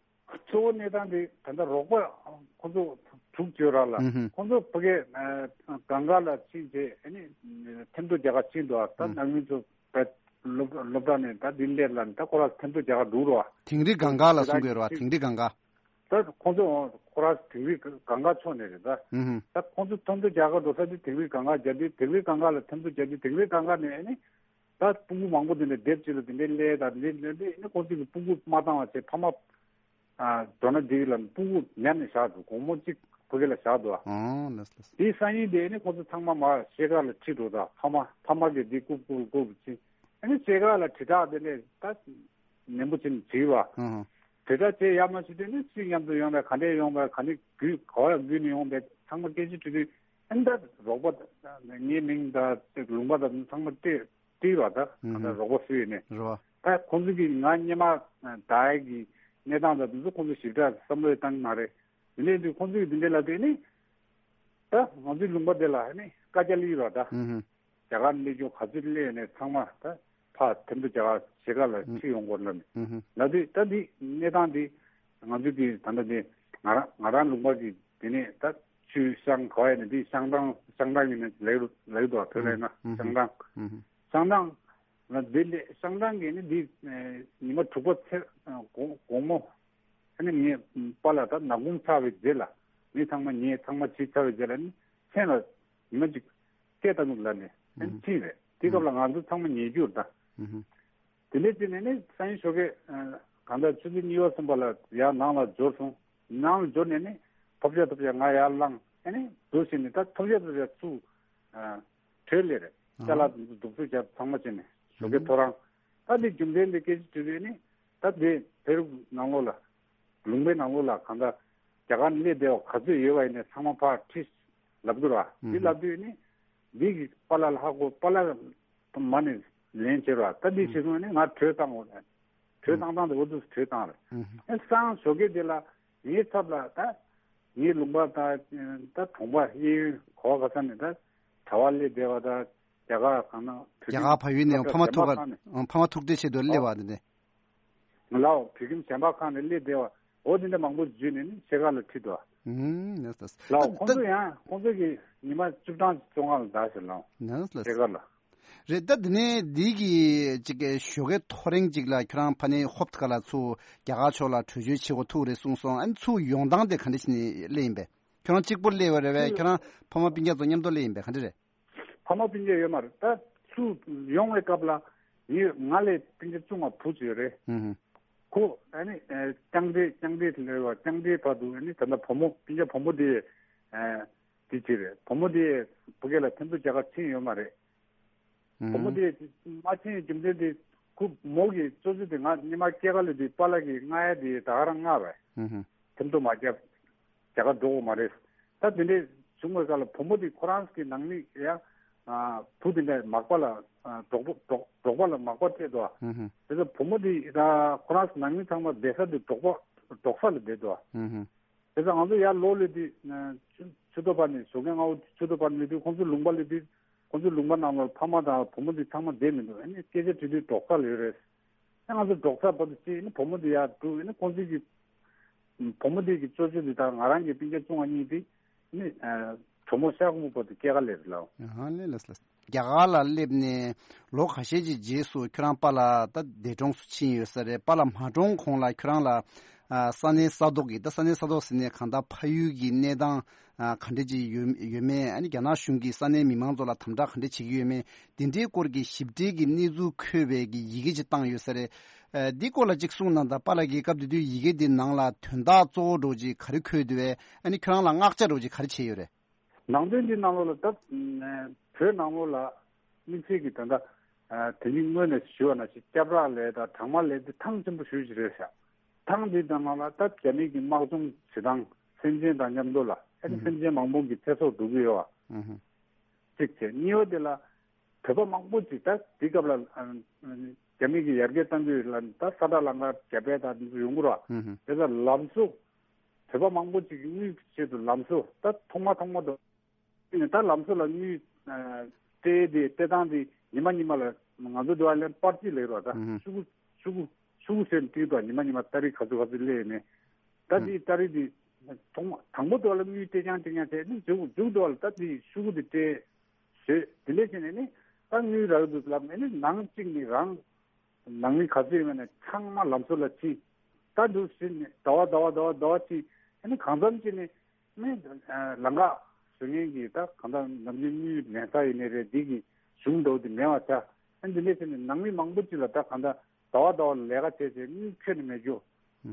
གཙོ་བོ་གནས་སྟངས་དེ་ད་ལྟ་རོགས་པ་ཁོ་ཚོ་དྲུག་བཅོས་ར་ལ། ཨུ་ཧུ། ཁོ་ཚོ་ཕ་གིའི་གང་ག་ལ་ཕྱིན་རྗེས་ཨ་ནི་ཐེམ་ཐོ་རྒྱག་ག་ཕྱིན་འདུག་ད་ཨུ། ནང་མི་ཚོ་བས་སློབ་སློབ་གྲྭ་ནས་ད་འདི་སླེབས་ལ་ད་ཁོ་ར་ཐེམ་ཐོ་རྒྱག་ག་འགྲོ་ར། དིང་རི་གང་ག་ལ་གསུང་གི་ཡོད་ར། དིང་རི་གང་ག་ད་ཁོ་ཚོ་ཁོ་ར་དིང་རི་གང་ག་ཕྱོགས་ནས་རེད་ད། ཨུ་ཧུ། ད་ཁོ་ཚོ་ཐེམ་ཐོ་རྒྱག་ག་འགྲོ་ས་དེ་དིང་རི་གང་ག་རྒྱག་དུས་དིང་རི་གང་ག་ལ་ཐེམ་ཐོ་རྒྱག་དུས་དིང་རི་གང་ག་ནས་ཨ་ནི། ད་སྤུ་གུ་མང་པོ་དེ་འདྲ་སྡེབ་གཅིག་ལ་དེ་འདྲའི་སླེབས་དང་འདི་འདྲ་འདི་ནི་ཁོ་ཚོ་གི་སྤུ་གུ་མ་བཏང་བ་བྱས་ཕ་མ་ཨ་མགྲོན་ན་འདི་ལ་སྤུ་གུ་ཉར་ནས་བཞག་འདུག་དགོང་མོ་གཅིག་ཕ་གི་ལ་བཞག་འདུག་ཨ། ཨོ་ལགས་ལགས། དེའི་སང་ཉིན་དེ་ནི་ཁོ་ཚོ་ཚང་མ་མར་ཤེལ་དཀར་ལ་ཁྲིད་འགྲོ་དང་ཕ་མ་ཕ་མ་གི་འདི་རྐུབ་རྐུབ་རྐུབ་ཕྱིན་ཨ་ནི་ཤེལ་དཀར་ལ་དྲིལ་བསྒྲགས་དེ་ནས་ད་ནན་པོ་བྱས་ནས་བྲིས་པ། ཨ་ཧ། དྲིལ་བསྒྲགས་བྱས་ཡ་མ་བྱས་དུས་ནི་སུ་མཉམ་དུ་ཡོང་བས་ག་འདྲས་ཡོང་བས་ག་ནས་རྒྱུད་ག་བ་ཡང་རྒྱུད་ནས་ཡོང་བས་ཚང་མ་སྐད་ཆ་དྲིས་དུས། ཨ་ནི་ད་རོགས་པ་ངའི་མིང་དང་ལུང་པ་དང་ཚང་མ་སྤྲད་སྤྲད་པ་ད་ཨ་ད་རོགས་པ་སུ་ཡིན་ནས་རེད་བ། ད་ཁོང་ཚོ་གིས་ང་སྔོན་མ་ད་ཡ་གི་གནས་སྟངས་དང་དེ་ཚོ་ཁོང་ཚོ་ཞིབ་ཕྲ་བསམ་བློ་བཏང་གི་མ་རེད། དེ་ནས་དུས་ཁོང་ཚོ་གིས་དེ་འདྲ་ལབ་དུས་ནི་ད་ང་ཚོའི་ལུང་པ་དེ་ལ་ནི་བཀའ་རྒྱ་སླེབས་པ་ད་ཨ་ཧུ། རྒྱ་གར་སླེབས་རྒྱུ་ག་ཚོད་སླེབས་ནས་ཚང་མ་ད་ཕར་ཐེམ་ཐོ་རྒྱ་གར་ཞེ་དགའ་ལ་ཁྲིད་ཡོང་དགོས་ལབ་ནས་ཨ་ཧུ། ལབ་དུས་ད་འདི་གནས་སྟངས་འདི་ང་ཚོ་གིས་ད་ལྟ་འདི་ང་རང་ང་རང་ལུང་པ་གི་དེ་ནས་ད་ཆུ་བཤམས་ག་བ་ཡིན་ན་འདི་བཤམས་སྟངས་བཤམས་སྟངས་ཡིན་ན་ལེགས་རུ་ལེགས་འདུག་བོད་ལ་ཡིན་ན་ཨ་ཧུ། བཤམས་སྟངས་ཨ་ཧུ། བཤམས་སྟངས་ལ་འདི་ལས་བཤམས་སྟངས་ཀྱི་ནི་འདི་ཨེ་ཉི་མ་དྲུག་པ་ཚེ་ཨ་དགོང་དགོང་མོ་ཨ་ནི་ངའི་པཱ་ལགས་ད་ནག་ཁུང་ཚར་བའི་རྗེས་ལ་མི་ཚང་མ་ཉལ་ཚང་མ་བྱས་ཚར་བའི་རྗེས་ལ་ནི་མཚན་ལ་ཉི་མ་གཅིག་སྐད་བཏང་འདུག་ལབ་ནས་ཨ་ནི་ཕྱིན་རེད། དེ་སྐབས་ལ་ང་ཚོ་ཚང་མ་ཉལ་རྒྱུ་རེད་ད། ཨ་ཧུ། དེ་ནས་བྱས་ནས་ནི་སང་ཉིན་ཞོགས་ཀས་ཨ་གང་ལྟར་ཆུ་ཚོད་གཉིས་པ་གསུམ་པ་ལ་ཡར་ནང་ལ་འབྱོར་སོང་། ནང་ལ་འབྱོར་ནས་ནི་ཐོབ་ཤ་ཐོབ་ཤ་ང་ཡར་བླངས་ཨ་ནི་འདུག་བྱས་ནས་ད་ཐོབ་ཤ་ཐོབ་ཤ་ཚུར་ཨ་བྲོས་སླེབས་རེད། ཅ་ལག་འདུག་འདུག་སྤྱོད་བྱས་ཚང་མ་བྱས་ནས་ཞོགས་ཀའི་ཐོ་རངས། ད་འདི་རྒྱུ་མཚན་འདི་སྐད་ཆ་དྲིས་པས་ནི། ད་འདི་བོད་རིགས་ནང་ལོགས་ལ། ལུང་པའི་ནང་ལོགས་ལ་གང་ལྟར་རྒྱ་གར་སླེབས་བསྡད་པ་ག་ཚོད་ཡོད་པ་ཡིན་ནའི་ཚང་མ་ཕར་ཁྲིད་ལབ་འདུག་ར། འདི་ལབ་དུས་ནི། འདི་གི་པཱ་ལགས་ལ་ཧ་གོ། པཱ་ལགས་མ་ནས་ལན་བྱེད་ར། ད་འདི་བྱེད་སོང་ནི་ང་གྲོས་བཏང་དགོས་རེད། གྲོས་བཏང་སྟངས་དེ་འོ་འདུག་གྲོས་བཏང་རེད། ཨེ་སང་ཞོགས་ཀས་དེ་ལ་ངའི་ཚབ་ལ་ད་ངའི་ལུང་པ་དང་ད་གྲོང་པ་གཡས་གཡོན་ག་བ་ག་ས་ནས་ད་གྲྭ་པ་སླེབས་བསྡད་པ་དང་། རྒྱ་གར་གང་ན་བོད་རྒྱ་གར་ཕ་ཡུལ་ནས་ཕ་མ་ཐུག་ག་ཕ་མ་ཐུག་འཕྲད་ཆེད་དུ་སླེབས་པ་དེ་འདྲ། ལའོ་བོད་ཁྱིམ་གཞན་པ་ཁག་ནས་སླེབས་བསྡད་པ་འོ་དེ་འདྲ་མང་པོ་བརྒྱུད་ནས་ནི་ཕྱེད་ཀ་ལ་ཁྲིད་དོ། ཨུམ་ལའོ་ད་ཁོང་ཚོ་ད་ཡང་ཁོང་ཚོ་གི་ཉི་མ་བཅུ་གྲངས་བཅོ་ལྔ་ལ་བསྡད་ཟེར་ལའོ། ཕྱེད་ཀ་ལ། རེད། ད་འདི་ནས་འདི་གི་ཅིག་གི་ཞོགས་ཀའི་ཐོ་རེངས་ཅིག་ལ་ཁྱོད་རང་ཕ་ནས་ཧོབ་ཁ་ལ་ཚུར་རྒྱ་གར་ཕྱོགས་ལ་བྲོས་བྱོལ་བྱེད་དགོས་ཐུག་རེད་གསུངས་སོང་། ཨ་ནི་ཚུར་ཡོང་སྟངས་དེ་ག་འདྲ་ཞིག་ནས་སླེབས་ཡིན་པས། ཁྱོད་རང་གཅིག་པོ་སླེབས་པ་རེད་པས། ཁྱོད་རང་ཕ་མ་སྤུན་ཀྱག་ཚོ་མཉམ་དུ་སླེབས་ཡིན་པས། ག་འདྲ་རེད། ཕ་མ་སྤུན་ཀྱག་ཡོད་མ་རེད། ད་ཚུར་ཡོང་བའི་སྐབས་ལ་ཡིན་ང་ལས་སྤུན་ཀྱག་བཅུ་ལྔ་བུ་ཅིག་ཡོད་རེད། ཧུམ་ཧུམ། ཁོ་ཨ་ནི་ཨེ་རྐྱང་འདྲེ་རྐྱང་འདྲེ་ལས་བ་རྐྱང་འདྲེ་བར་དུ་ཨ་ནི་ད་ལྟ་བུ་མོ་སྤུན་ཀྱག་བུ་མོ་དེ་ཨེ་དེ་ཅིག་རེད། བུ་མོ་དེ་བུ་སྐལ་ལ་ཐེམ་ཐོ་རྒྱག་ག་ཕྱིན་ཡོད་མ་རེད། ཧུམ། བུ་མོ་དེ་མ་ཕྱིན་རྒྱུ་མཚན་དེ་ཁོ་མོ་གི་གཙོ་ཆེ་དེ་ང་སྔོན་མ་སྐྱེས་སྐར་ལ་དེ་པཱ་ལགས་ཀྱིས་མངགས་ཡ་དེ་ད་ག་རང་མངགས་པས། ཧུམ་ཧུམ། ཐེམ་ཐོ་མ་རྒྱབ། རྒྱ་གར་འགྲོ་དགོས་མ་རེད། ད་དེ་འདྲས་བྱུང་བའི་སྐབས་ལ་བུ་མོ་དེ་ཁོ་རང་གི་ནང་མི་ཡ། ཨ། བུ་དེ་འདྲས་མག་པ་ལ། ཨ། འབྲོག་པ་འབྲོག་འབྲོག་པ་ལ་མག་པ་སྤྲད་འདུག་ཨ། ཧུམ་ཧུམ། དེ་ཚོ་བུ་མོ་དེ་ད་ཁོ་རང་ནང་མི་ཚང་མ་བསྡད་ས་དེ་འབྲོག་པ་འབྲོག་ས་ལ་བསྡད་འདུག་ཨ། ཧུམ་ཧུམ། དེ་ཚོ་ང་ཚོ་ཡར་ལོག་ལེ་དུས། ཨ། ཆུ་ཆུ་ཐོག་བར་ནས་ཞོགས་ཀས་སྔ་པོ་ཆུ་ཐོག་བར་ནས་དུས་ཁོང་ཚོ་ལུང་པ་ལ་དུས་ཁོང་ཚོ་ལུང་པ་ནང་ལ་ཕ་མ་དང་བུ་མོ་དེ་ཚང་མ་བསྡད་མི་འདུག་ཨ་ནི་སྐད་ཆ་དྲིས་དུས་འབྲོག་ས་ལ་ཡོད་རེད། ཨ་ང་ཚོ་འབྲོག་ས་བར་དུ་ཕྱིན་ནས་བུ་མོ་དེ་ཡར་འགྲོ་ཡིན་ན་ཁོང་ཚོ་གི་བུ་མོ་དེ་གི་གཙོ་ཆེ་དེ་དང་ང་རང་གི་སྤུན་ཀྱག་བཅོ་ལྔ་གཉིས་དེ་ནི་གྲོ་མོ་ཤ་ཁོ་མོ་བར་དུ་སྐྱེལ་ག་སླེབས་ལ། ཨ་ལས་ལ་ལ། རྒྱ་གར་ལ་སླེབས་ནས་ལོ་ཁ་ཤས་ཀྱི་རྗེས་སུ་ཁྱོད་རང་པཱ་ལགས་ད་འདས་གྲོངས་སུ་ཕྱིན་ཡོད་ས་རེད། པཱ་ལགས་མ་གྲོངས་གོང་ལ་ཁྱོད་རང་ལ་ས་གནས་ས་ཐོག་གི་ད་ས་གནས་ས་ཐོག་ཟེར་ནས་གང་ལྟར་ཕ་ཡུལ་གྱི་གནས་སྟངས་ག་འདྲ་ཅིག་ཡོད་ཡོད་མེད། ཨ་ནི་རྒྱ་ནག་གཞུང་གིས་ས་གནས་མི་མང་ཚོ་ལ་དམ་དྲག་ག་འདྲ་བྱེད་ཀྱི་ཡོད་མེད། དེ་འདྲའི་སྐོར་གྱི་ཞིབ་ཕྲའི་གི་གནས་ཚུལ་འཁོད་པའི་གི་ཡི་གེ་ཅིག་བཏང་ཡོད་ས་རེད། ཨ། འདི་སྐོར་ལ་ཅིག་གསུངས་གནང་དང་། པཱ་ལགས་ཀྱིས་སྐབས་དེ་དུས་ཡི་གེ་འདི་ནང་ལ་དོན་དག་གཙོ་བོ་འདྲ་ཅིག་ག་རེ་འཁོད་འདུག་པས། ཨ་ནི་ཁྱོད་རང་ལ་མངགས་བྱ་འདྲ་ཅིག་ག་རེ་བྱས་ཡོད་རེད། ནང་དོན་འདི་ནང་ལོགས་ལ་ད་བོད་ནང་ལོགས་ལ་དམིགས་བསལ་གྱི་ད་ལྟ་དེ་རིང་སྔོན་ནས་ཞུས་པ་ནང་བཞིན་སྐྱབས་ར་ལས་དང་གྲང་དམག་ལས་དེ་ཐང་ཆེན་པོ་ཞེ་པོ་ཅིག་རེད་ཤག་ཐང་འདི་ནང་ལ་ད་རྒྱ་མི་གི་དམག་སྦྱོང་བྱེད་སྟངས་སེམས་ཅན་དང་མཉམ་དུ་ལ་ཨ་ནི་སེམས་ཅན་མང་པོ་གི་ཚེ་སྲོག་འགྲོ་གི་ཡོད་པ། གཅིག་བྱས། གཉིས་པ་དེ་ལ་བོད་པ་མང་པོ་ཅིག་ད་དེ་སྐབས་ལ་རྒྱ་མི་གི་ཡར་རྒྱས་གཏང་རྒྱུ་ལ་ད་ས་ཁྲ་ལམ་ཁ་རྒྱ་བལ་དང་འདི་ཚོ་ཡོང་གི་རེད་པ། དེ་ཚོ་ལམ་བཟོ། བོད་པ་མང་པོ་ཅིག་གིས་དངུལ་གྱི་ཆེད་དུ་ལམ་བཟོ་ད་ཐོག་མ་ཐོག་མ་དུ་ནས་ད་ལམ་བཟོ་ལ་དངུལ་སྤྲད་དེ་སྤྲད་སྟངས་དེ་ཉི་མ་ཉི་མ་ལ་ང་ཚོ་འདི་བ་ལན་པར་ཅིག་ལེགས་རོགས་ད་ཤུ་གུ་ཤུ་གུ་ཤུ་གུ་ཟེར་ནས་བྲིས་དང་ཉི་མ་ཉི་མ་ཏ་རིག་ག་ཚོད་ག་ཚོད་སླེབས་ནས་ད་དེ་ཏ་རིག་དེ་ཐོག་མ་དང་པོ་དུ་བ་ལ་དངུལ་སྤྲད་རྐྱང་སྤྲད་རྐྱང་བྱས་ནས་མཇུག་མཇུག་དུ་བ་ལ་ད་དེ་ཤུ་གུ་དེ་སྤྲད། བཟོས། དེ་འདྲས་བྱས་ནས་ནི་ད་དངུལ་རག་འདུག་ལབ་ནས་ནི་ནང་གཅིག་ནས་རང་ནང་མི་ག་ཚོད་ཡོད་ན་ཚང་མ་ལམ་བཟོ་ལ་ཕྱིན། ད་འདུག་ཟེར་ནས་ཟླ་བ་ཟླ་བ་ཟླ་བ་ཟླ་བ་ཕྱིན། ཨ་ནི་གང་འཚམ་ཅིག་ནི་ནི་ལམ་ཁ་བཟོ་མཁན་གྱི་ད་གང་ལྟར་ནམ་རྒྱུན་དངུལ་ལེན་ས་ཡིན་ནའི་རེད། འདི་གི་གཞུང་འདྲ་བོ་དེ་མེད་པ་ཆགས། ཨ་ནི་འདི་འདྲས་བྱས་ནས་ནང་མི་མང་པོ་ཅིག་ལ་ད་གང་ལྟར་ཟླ་བ་ཟླ་བ་ལས་ཀ་བྱས་བྱས་དངུལ་ཁྱོན་ནས་མེད་རྒྱུ། ཨུ་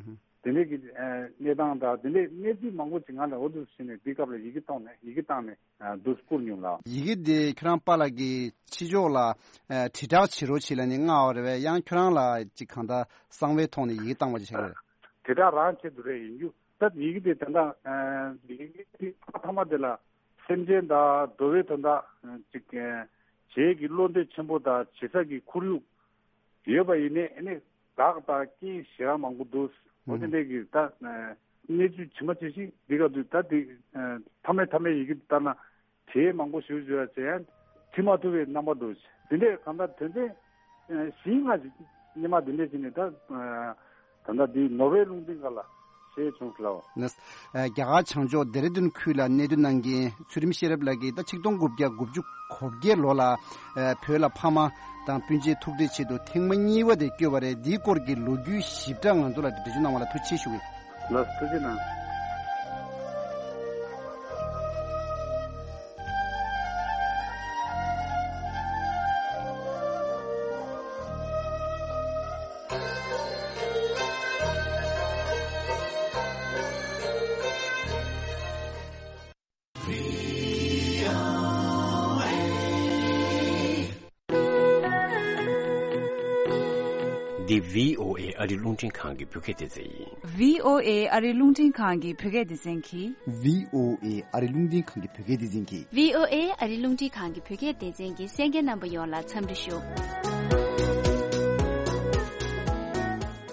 ཧུ། དེ་འདྲས་ཀྱི་ཨ་གནས་སྟངས་དང་དེ་འདྲས་གནས་ཚུལ་མང་པོ་ཅིག་ང་ལ་འོ་འདུག་ཟེར་ནས་དེ་སྐབས་ལ་ཡི་གེ་བཏང་ནས་ཡི་གེ་བཏང་ནས་ཨ་འདུག་བསྐུར་མྱོང་ལགས། ཡི་གེ་དེ་ཁྱོད་རང་པཱ་ལགས་ཀྱིས་ཕྱི་ཕྱོགས་ལ་ཨ་དྲིལ་བསྒྲགས་བྱེད་རོགས་བྱེད་ལབ་ནས་མངགས་པ་རེད་པས། ཡང་ཁྱོད་རང་ལ་ཅིག་གང་ལྟར་གསང་བའི་ཐོག་ནས་ཡི་གེ་བཏང་བ་ཅིག་བྱས་རེད། དྲིལ་བསྒྲགས་རང་ཆེད་དུ་རེད། ཡིན་རྒྱུ་ད་ཡི་གེ་དེ་ད་ལྟ་ཨ་ཡི་གེ་དེ་ཐོག་མཐའ་མ་དེ་ལ་སེམས་ཅན་དང་འགྲོ་བའི་དོན་དག་ཅིག་བྱེད་ཀྱི་བློ་འདོད་ཆེན་པོ་དང་བྱེད་ས་ཀྱི་ཁོར་ཡུག་ཡོད་པ་ཡིན་ནའི་ཨ་ནི་ལག་དང་རྐྱེན་ཞེ་དྲག་མང་པོ་འདུག་འོ་དེ་འདྲས་ཀྱི་ད་གནས་ཚུལ་ཇི་མ་ཇི་བཞིན་འདི་ག་དུས་ད་འདི་མཐའ་མའི་མཐའ་མའི་ཡི་གེ་ལྟར་ན་དེའི་མང་པོ་ཞིག་བརྗོད་ཡ་བྱས་ཡང་བྲི་མ་ཐུབ་པའི་རྣམ་པ་འདུག་དེ་འདྲས་གང་ལྟར་དོན་ཚན་བཞི་ལྔ་ཞིག་སྔོན་མ་འདི་འདྲས་བྱས་ནས་ད་ད་ལྟ་འདི་ནོར་ཝེ་ལུང་སྟེང་སྒང་ལ་ཞེས་བྱུང་ལོ། ནས། རྒྱ་གར་བྱང་ཕྱོགས་ལྡེ་ར་ལྡུན་ཁུལ་ལ་གནས་སྡོད་གནང་མཁན་ཚུལ་ཁྲིམས་ཤེས་རབ་ལགས་ཀྱིས་ད་ཆིག་སྟོང་དགུ་བརྒྱ་དགུ་བཅུ་གོ་བརྒྱད་ལོ་ལ་བོད་ལ་ཕ་མ་དང་སྤུན་མཆེད་ཐུག་འཕྲད་ཆེད་དུ་ཐེངས་མ་གཉིས་པ་དེ་བསྐྱོད་པ་རེད། འདིའི་སྐོར་གྱི་ལོ་རྒྱུས་ཞིབ་ཕྲ་ང་ཚོ་ལ་འགྲེལ་བརྗོད་གནང་བ་ལ་ཐུགས་རྗེ་ཆེ་ཞུ་གི། ལགས་སོ། ཐུགས་རྗེ་གནང་། འདི་བྷི་ཨོ་ཨེ་ཨ་རི་རླུང་འཕྲིན་ཁང་གི་བོད་སྐད་སྡེ་ཚན་ཡིན། བྷི་ཨོ་ཨེ་ཨ་རི་རླུང་འཕྲིན་ཁང་གི་བོད་སྐད་སྡེ་ཚན་གྱིས། བྷི་ཨོ་ཨེ་ཨ་རི་རླུང་འཕྲིན་ཁང་གི་བོད་སྐད་སྡེ་ཚན་གྱིས། བྷི་ཨོ་ཨེ་ཨ་རི་རླུང་འཕྲིན་ཁང་གི་བོད་སྐད་སྡེ་ཚན་གྱི་གསན་མཁན་རྣམ་པ་ཡོངས་ལ་འཚམས་འདྲི་ཞུ།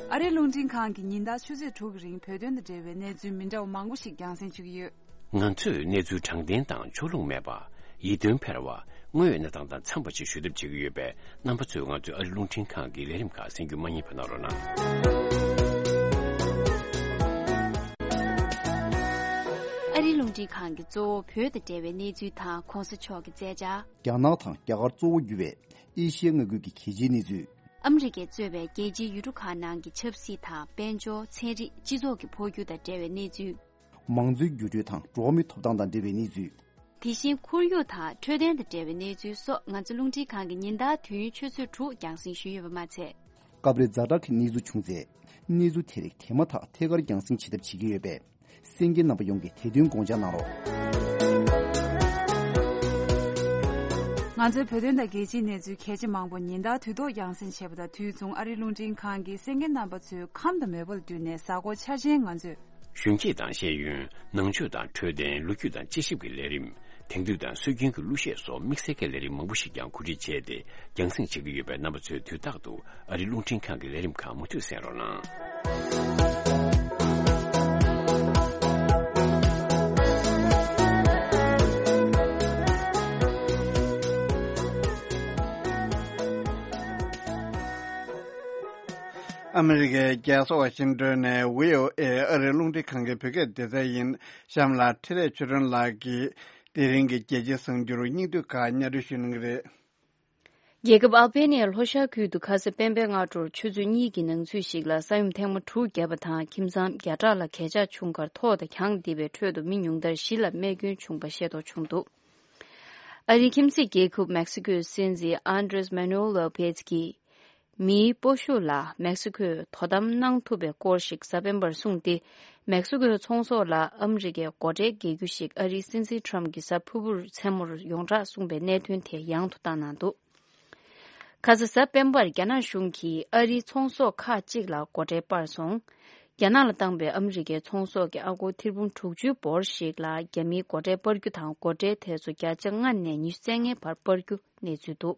ཨ་རི་རླུང་འཕྲིན་ཁང་གིས་ཉིན་ལྟར་ཆུ་ཚོད་དྲུག་གི་རིང་བོད་དོན་དང་འབྲེལ་བའི་གནས་ཚུལ་མི་འདྲ་བ་མང་པོ་ཞིག་རྒྱང་སྲིང་ཞུ་གི་ཡོད། ང་ཚོས་གནས་ཚུལ་དྲང་བདེན་དང་ཕྱོགས་ལྷུང་མེད་པ། ཡིད་རྟོན་འཕེར་བ། དངོས་ཡོད་གནས་སྟངས་དང་འཚམས་པ་ཞིག་ཞུ་ཐབས་བྱེད་ཀྱི་ཡོད་པས། རྣམ་པ་ཚོས་ང་ཚོའི་ཨ་རི་རླུང་འཕྲིན་ཁང་གི་ལས་རིམ་ཁག་གསན་རྒྱུ་མ་བསྙེལ་བ་གནང་རོགས་གནང་། ཨ་རི་རླུང་འཕྲིན་ཁང་གིས་གཙོ་བོ་བོད་དང་འབྲེལ་བའི་གནས་ཚུལ་དང་གོང་ས་མཆོག་གི་མཛད་འཆར། རྒྱ་ནག་དང་རྒྱ་གར་གཙོ་བོ་གྱུར་བའི་ཨེ་ཤི་ཡའི་མངའ་ཁུལ་གྱི་གལ་ཆེའི་གནས་ཚུལ། ཨ་མི་རི་ཀས་གཙོས་པའི་རྒྱལ་སྤྱིའི་ཡུལ་གྲུ་ཁག་ནང་གི་ཆབ་སྲིད་དང་། དཔལ་འབྱོར། ཚན་རིག་སྤྱི་ཚོགས་ཀྱི་འཕོ་འགྱུར་དང་འབྲེལ་བའི་གནས་ཚུལ། མང་གཙོའི་འགྱུར་འགྲོས་དང་འགྲོ་བ་མིའི་ཐོབ་ཐང་དང་འབྲེལ་བའི་གནས་ཚུལ། དེ་བཞིན་ཁོར་ཡུག་དང་འཕྲོད་བསྟེན་དང་འབྲེལ་བའི་གནས་ཚུལ་སོགས། ང་ཚོ་རླུང་འཕྲིན་ཁང་གིས་ཉིན་ལྟར་དུས་ཡུན་ཆུ་ཚོད་དྲུག་རྒྱང་སྲིང་ཞུས་ཡོད་པ་མ་ཚད། སྐབས་རེ་ཛ་དྲག་གི་གནས་ཚུལ་བྱུང་ཚེ། གནས་ཚུལ་དེ་རིགས་དེ་མ་ཐག་ཐད་ཀར་རྒྱང་སྲིང་བྱེད་ཐབས་བྱེད་ཀྱི་ཡོད་པས། གསན་མཁན་རྣམ་པ་ཡོངས་ཀྱིས་དེ་དོན་དགོངས་འཇགས་གནང་རོགས། ང་ཚོའི་བོད་དོན་དང་རྒྱལ་སྤྱིའི་གནས་ཚུལ་གལ་ཆེ་མང་པོ་ཉིན་ལྟར་དུས་ཐོག་རྒྱང་སྲིང་བྱེད་པ་དང་དུས་མཚུངས། ཨ་རིའི་རླུང་འཕྲིན་ཁང་གིས་གསན་མཁན་རྣམ་པ་ཚོའི་ཁམས་དང་མོས་པ་ལ་བསྟུན་ནས། གཟའ་འཁོར་འཆར་ཅན་ང་ཚོས། གཞོན་སྐྱེས་དང་ཤེས་ཡོན། ནང་ཆོས་དང་འཕྲོད་བསྟེན། ལོ་རྒྱུས་དང་དཔྱད་ཞིབ་ཀྱི་ལས་རིམ། དེང་དུས་དང་སྲོལ་རྒྱུན་གྱི་གླུ་གཞས་སོགས་དམིགས་བསལ་གྱི་ལས་རིམ་མང་པོ་ཞིག་ཀྱང་གོ་སྒྲིག་བྱས་ཏེ། རྒྱང་སྲིང་བྱེད་ཀྱི་ཡོད་པས། རྣམ་པ་ཚོས་དུས་རྟག་ཏུ་ཨ་རིའི་རླུང་འཕྲིན་ཁང་གི་ལས་རིམ་ཁག་མུ་མཐུད་གསན་རོགས་གནང་། ཨ་མི་རི་ཀའི་རྒྱལ་ས་ཝ་ཤིང་ཏོན་ནས་བྷི་ཨོ་ཨེ་ཨ་རིའི་རླུང་འཕྲིན་ཁང་གི་བོད་སྐད་སྡེ་ཚན་ཡིན། གཤམ་ལ་འཕྲིན་ལས་ཆོས་སྒྲོན་ལགས་ཀྱིས་དེ་རིང་གི་རྒྱལ་སྤྱིའི་གསར་འགྱུར་སྙིང་བསྡུས་ཁག་སྙན་སྒྲོན་ཞུ་གནང་གི་རེད། རྒྱལ་ཁབ་ཨལ་བྷེ་ནི་ཡའི་ལྷོ་ཤར་ཁུལ་དུ་ཁ་ས་སྤེན་པའི་སྔ་དྲོར་ཆུ་ཚོད་གཉིས་ཀྱི་ནང་ཚུད་ཞིག་ལ་ས་ཡོམ་ཐེངས་མ་དྲུག་བརྒྱབ་པ་དང་། ཁྱིམ་ཚང་བརྒྱ་ཕྲག་ལ་གས་ཆག་བྱུང་ཁར། ཐོག་དང་གྱང་རྡིབ་པའི་ཁྲོད་དུ་མི་ཉུང་མཐར་བཞི་ལ་རྨས་སྐྱོན་བྱུང་པ་ཤེས་རྟོགས་བྱུང་འདུག་ཨ་རིའི་ཁྱིམ་མཚེས་རྒྱལ་ཁབ་མེག་སི་ཀོའི་སྲིད་འཛིན་ཨན་ཌྲེས་མེ་ནུ་ཨེལ་ལོ་པེ་ཛི་གིས། མིའི་སྤོ་ཤུགས་ལ་མེག་སི་ཁོས་དོ་དམ་གནང་ཐུབ་པའི་སྐོར་ཞིག་གཟའ་སྤེན་པར་གསུངས་ཏེ། མེག་སི་ཁོའི་ཚོང་ཟོག་ལ་ཨ་མི་རི་ཀས་སྒོ་ཁྲལ་འགེལ་རྒྱུ་ཞིག་ཨ་རིའི་སྲིད་འཛིན་ཊམ་གྱིས་གཟའ་ཕུར་བུར་མཚན་མོར་ཡོངས་གྲགས་གསུངས་པའི་གནད་དོན་དེ་ཡང་དུ་བཏང་གནང་འདུག་ཁ་ས་གཟའ་སྤེན་པར་རྒྱ་ནག་གཞུང་གིས་ཨ་རིའི་ཚོང་ཟོག་ཁག་ཅིག་ལ་སྒོ་ཁྲལ་སྤར་སོང་། རྒྱ་ནག་ལ་བཏང་པའི་ཨ་མི་རི་ཀའི་ཚོང་ཟོག་གི་ཨ་སྒོར་ཐེར་འབུམ་དྲུག་ཅུའི་འབོར་ཞིག་ལ་རྒྱ་མིས་སྒོ་ཁྲལ་སྤར་རྒྱུ་དང་། སྒོ་ཁྲལ་དེ་ཚོ་བརྒྱ་ཆ་ལྔ་ནས་ཉི་ཤུ་རྩ་ལྔའི་བར་སྤར་རྒྱུ་གནས་ཚུལ་འདུག་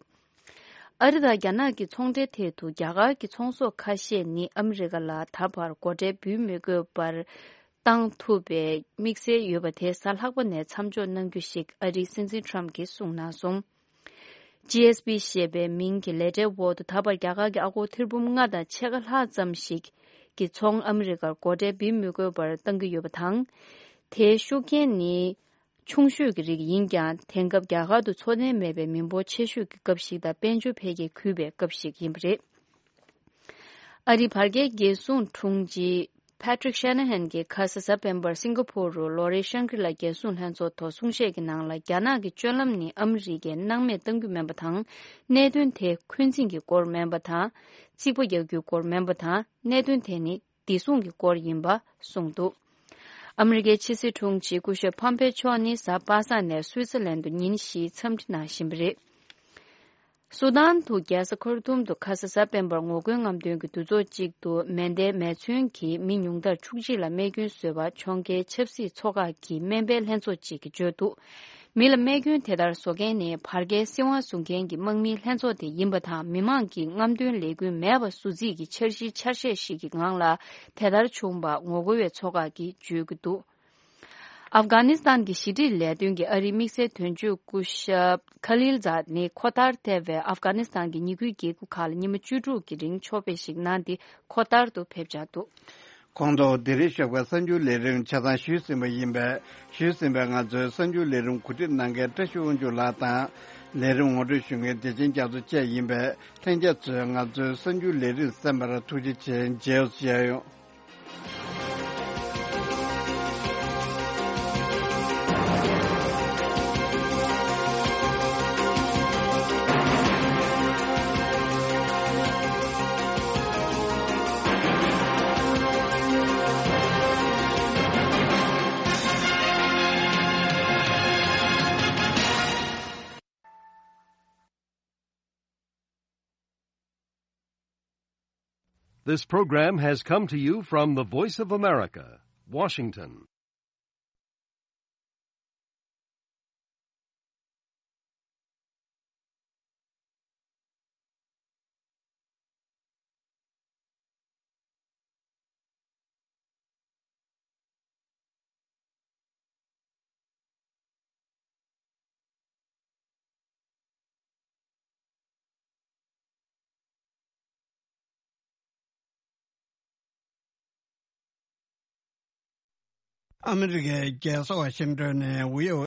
ཨ་རི་དང་རྒྱ་ནག་གི་ཚོང་འབྲེལ་ཐད་དུ་རྒྱ་གར་གྱི་ཚོང་ཟོག་ཁ་ཤས་ནི་ཨ་མི་རི་ཀ་ལ་ད་བར་སྒོ་ཁྲལ་འབུལ་མི་དགོས་པར་བཏང་ཐུབ་པའི་དམིགས་བསལ་ཡོད་པ་དེ་གཟའ་ལྷག་པ་ནས་མཚམས་འཇོག་གནང་རྒྱུ་ཞིག་ཨ་རིའི་སྲིད་འཛིན་ཊམ་གྱིས་གསུངས་གནང་སོང་། ཇི་ཨེས་པི་ཞེས་པའི་མིང་གི་ལས་གྲྭའི་འོག་ཏུ་ད་བར་རྒྱ་གར་གྱི་ཨ་སྒོར་ཐེར་འབུམ་ལྔ་དང་ཕྱེད་ཀ་ལྷག་ཙམ་ཞིག་གི་ཚོང་ཨ་མི་རི་ཀར་སྒོ་ཁྲལ་འབུལ་མི་དགོས་པར་བཏང་གི་ཡོད་པ་དང་། དེའི་ཤུགས་རྐྱེན་ནི། ཆུང་ཤོས་ཀྱི་རིགས་ཡིན་ཀྱང་། དེང་སྐབས་རྒྱ་གར་དུ་འཚོ་རྟེན་མེད་པའི་མི་འབོར་ཆེ་ཤོས་ཀྱི་སྐབས་ཤིག་དང་། དཔལ་འབྱོར་འཕེལ་རྒྱས་རྒུད་པའི་སྐབས་ཤིག་ཡིན་པ་རེད། ཨ་རིའི་བར་བརྒལ་རྒྱལ་སྲུང་དྲུང་ཆེ་Patrick Shanahan གྱིས་ཁ་ས་གཟའ་སྤེན་པར་སིང་ག་ཕོར་རུ་ལོ་རེའི་ཤང་ཀྲི་ལ་རྒྱལ་སྲུང་ལྷན་ཚོགས་ཐོག་གསུང་བཤད་ཀྱི་ནང་ལ། རྒྱ་ནག་གི་སྤྱོད་ལམ་ནི་ཨ་མི་རི་ཀས་སྣང་མེད་གཏང་རྒྱུ་མིན་པ་དང་། གནད་དོན་དེ་འཁོན་འཛིན་གྱི་སྐོར་མིན་པ་དང་། རྩིག་པ་རྒྱག་རྒྱུའི་སྐོར་མིན་པ་དང་། གནད་དོན་དེ་ནི། བདེ་སྲུང་གི་སྐོར་ཡིན་པ་གསུངས་འདུག་ཨ་མི་རི་ཀའི་ཕྱི་སྲིད་དྲུང་ཆེ་སྐུ་ཞབས་ཕམ་པེ་མཆོག་ནི་གཟའ་པ་སངས་ནས་སུའི་ཙི་ལན་དུ་ཉིན་བཞིའི་འཚམས་འདྲི་གནང་བཞིན་པ་རེད། སུ་དཱན་དུ་རྒྱལ་ས་ཁར་ཏུམ་དུ་ཁ་ས་གཟའ་སྤེན་པར་ངོ་རྒོལ་རྔམ་སྟོན་གྱི་འདུ་ཚོགས་གཅིག་ཏུ་མེ་མདའི་མེ་མཚོན་གྱིས་མི་ཉུང་མཐར་བཅུ་གཅིག་ལ་རྨས་སྐྱོན་བཟོས་པ། ཕྱོགས་འགལ་ཆབ་སྲིད་ཚོགས་ཁག་གི་སྨན་པའི་ལྷན་ཚོགས་གཅིག་གིས་བརྗོད་འདུག་མི་ལ་རྨས་སྐྱོན་དེ་ལྟར་བཟོ་མཁན་ནི་བར་བརྒལ་སྲིད་དབང་བཟུང་མཁན་གྱི་དམག་མིའི་ལྷན་ཚོགས་དེ་ཡིན་པ་དང་། མི་མང་གིས་རྔམ་སྟོན་ལས་འགུལ་མེད་པ་བཟོ་རྩིས་ཀྱི་འཆར་གཞིའི་འཆར་གཞི་ཞིག་གི་ངང་ལ་དེ་ལྟར་བྱུང་བ་ངོ་རྒོལ་བའི་ཚོགས་ཁག་གིས་བརྗོད་ཀྱི་འདུག་ཨབ་གྷ་ནི་སི་ཐན་གྱི་ཞི་འགྲིག་ལས་དོན་གྱི་ཨ་རིའི་དམིགས་བསལ་དོན་གཅོད་སྐུ་ཞབས་ཁ་ལིལ་ཛཱད་ནི་ཁོ་ཐར་ཐེ་བའི་ཨབ་གྷ་ནི་སི་ཐན་གྱི་ཉེ་ཁུལ་རྒྱལ་ཁབ་ཁག་ལ་ཉི་མ་བཅུ་དྲུག་གི་རིང་ཕྱོགས་ཕེབས་ཤིག་གནང་སྟེ་ཁོ་ཐར་དུ་ཕེབས་འཆར་འདུག་ཁོང་ཚོ་དེ་རིང་ཞོགས་པའི་གསར་འགྱུར་ལས་རིམ་ཆ་ཚང་ཞུས་ཟིན་པ་ཡིན་པས། ཞུས་ཟིན་པའི་ང་ཚོའི་གསར་འགྱུར་ལས་རིམ་གོ་སྒྲིག་གནང་མཁན་བཀྲ་ཤིས་དབང་ཕྱུག་ལགས་དང་། ལས་རིམ་ངོ་སྤྲོད་ཞུ་མཁན་བདེ་ཆེན་རྒྱ་མཚོ་བཅས་ཡིན་པས། ལྷན་རྒྱས་ཚོས་ང་ཚོའི་གསར་འགྱུར་ལས་རིམ་གསན་པར་ཐུགས་རྗེ་ཆེ། མཇལ་ཡོང་། This program has come to you from the Voice of America, Washington. ཨ་མི་རི་ཀའི་རྒྱལ་ས་ཝ་ཤིང་ཏོན་ནས་བྷི་ཨོ་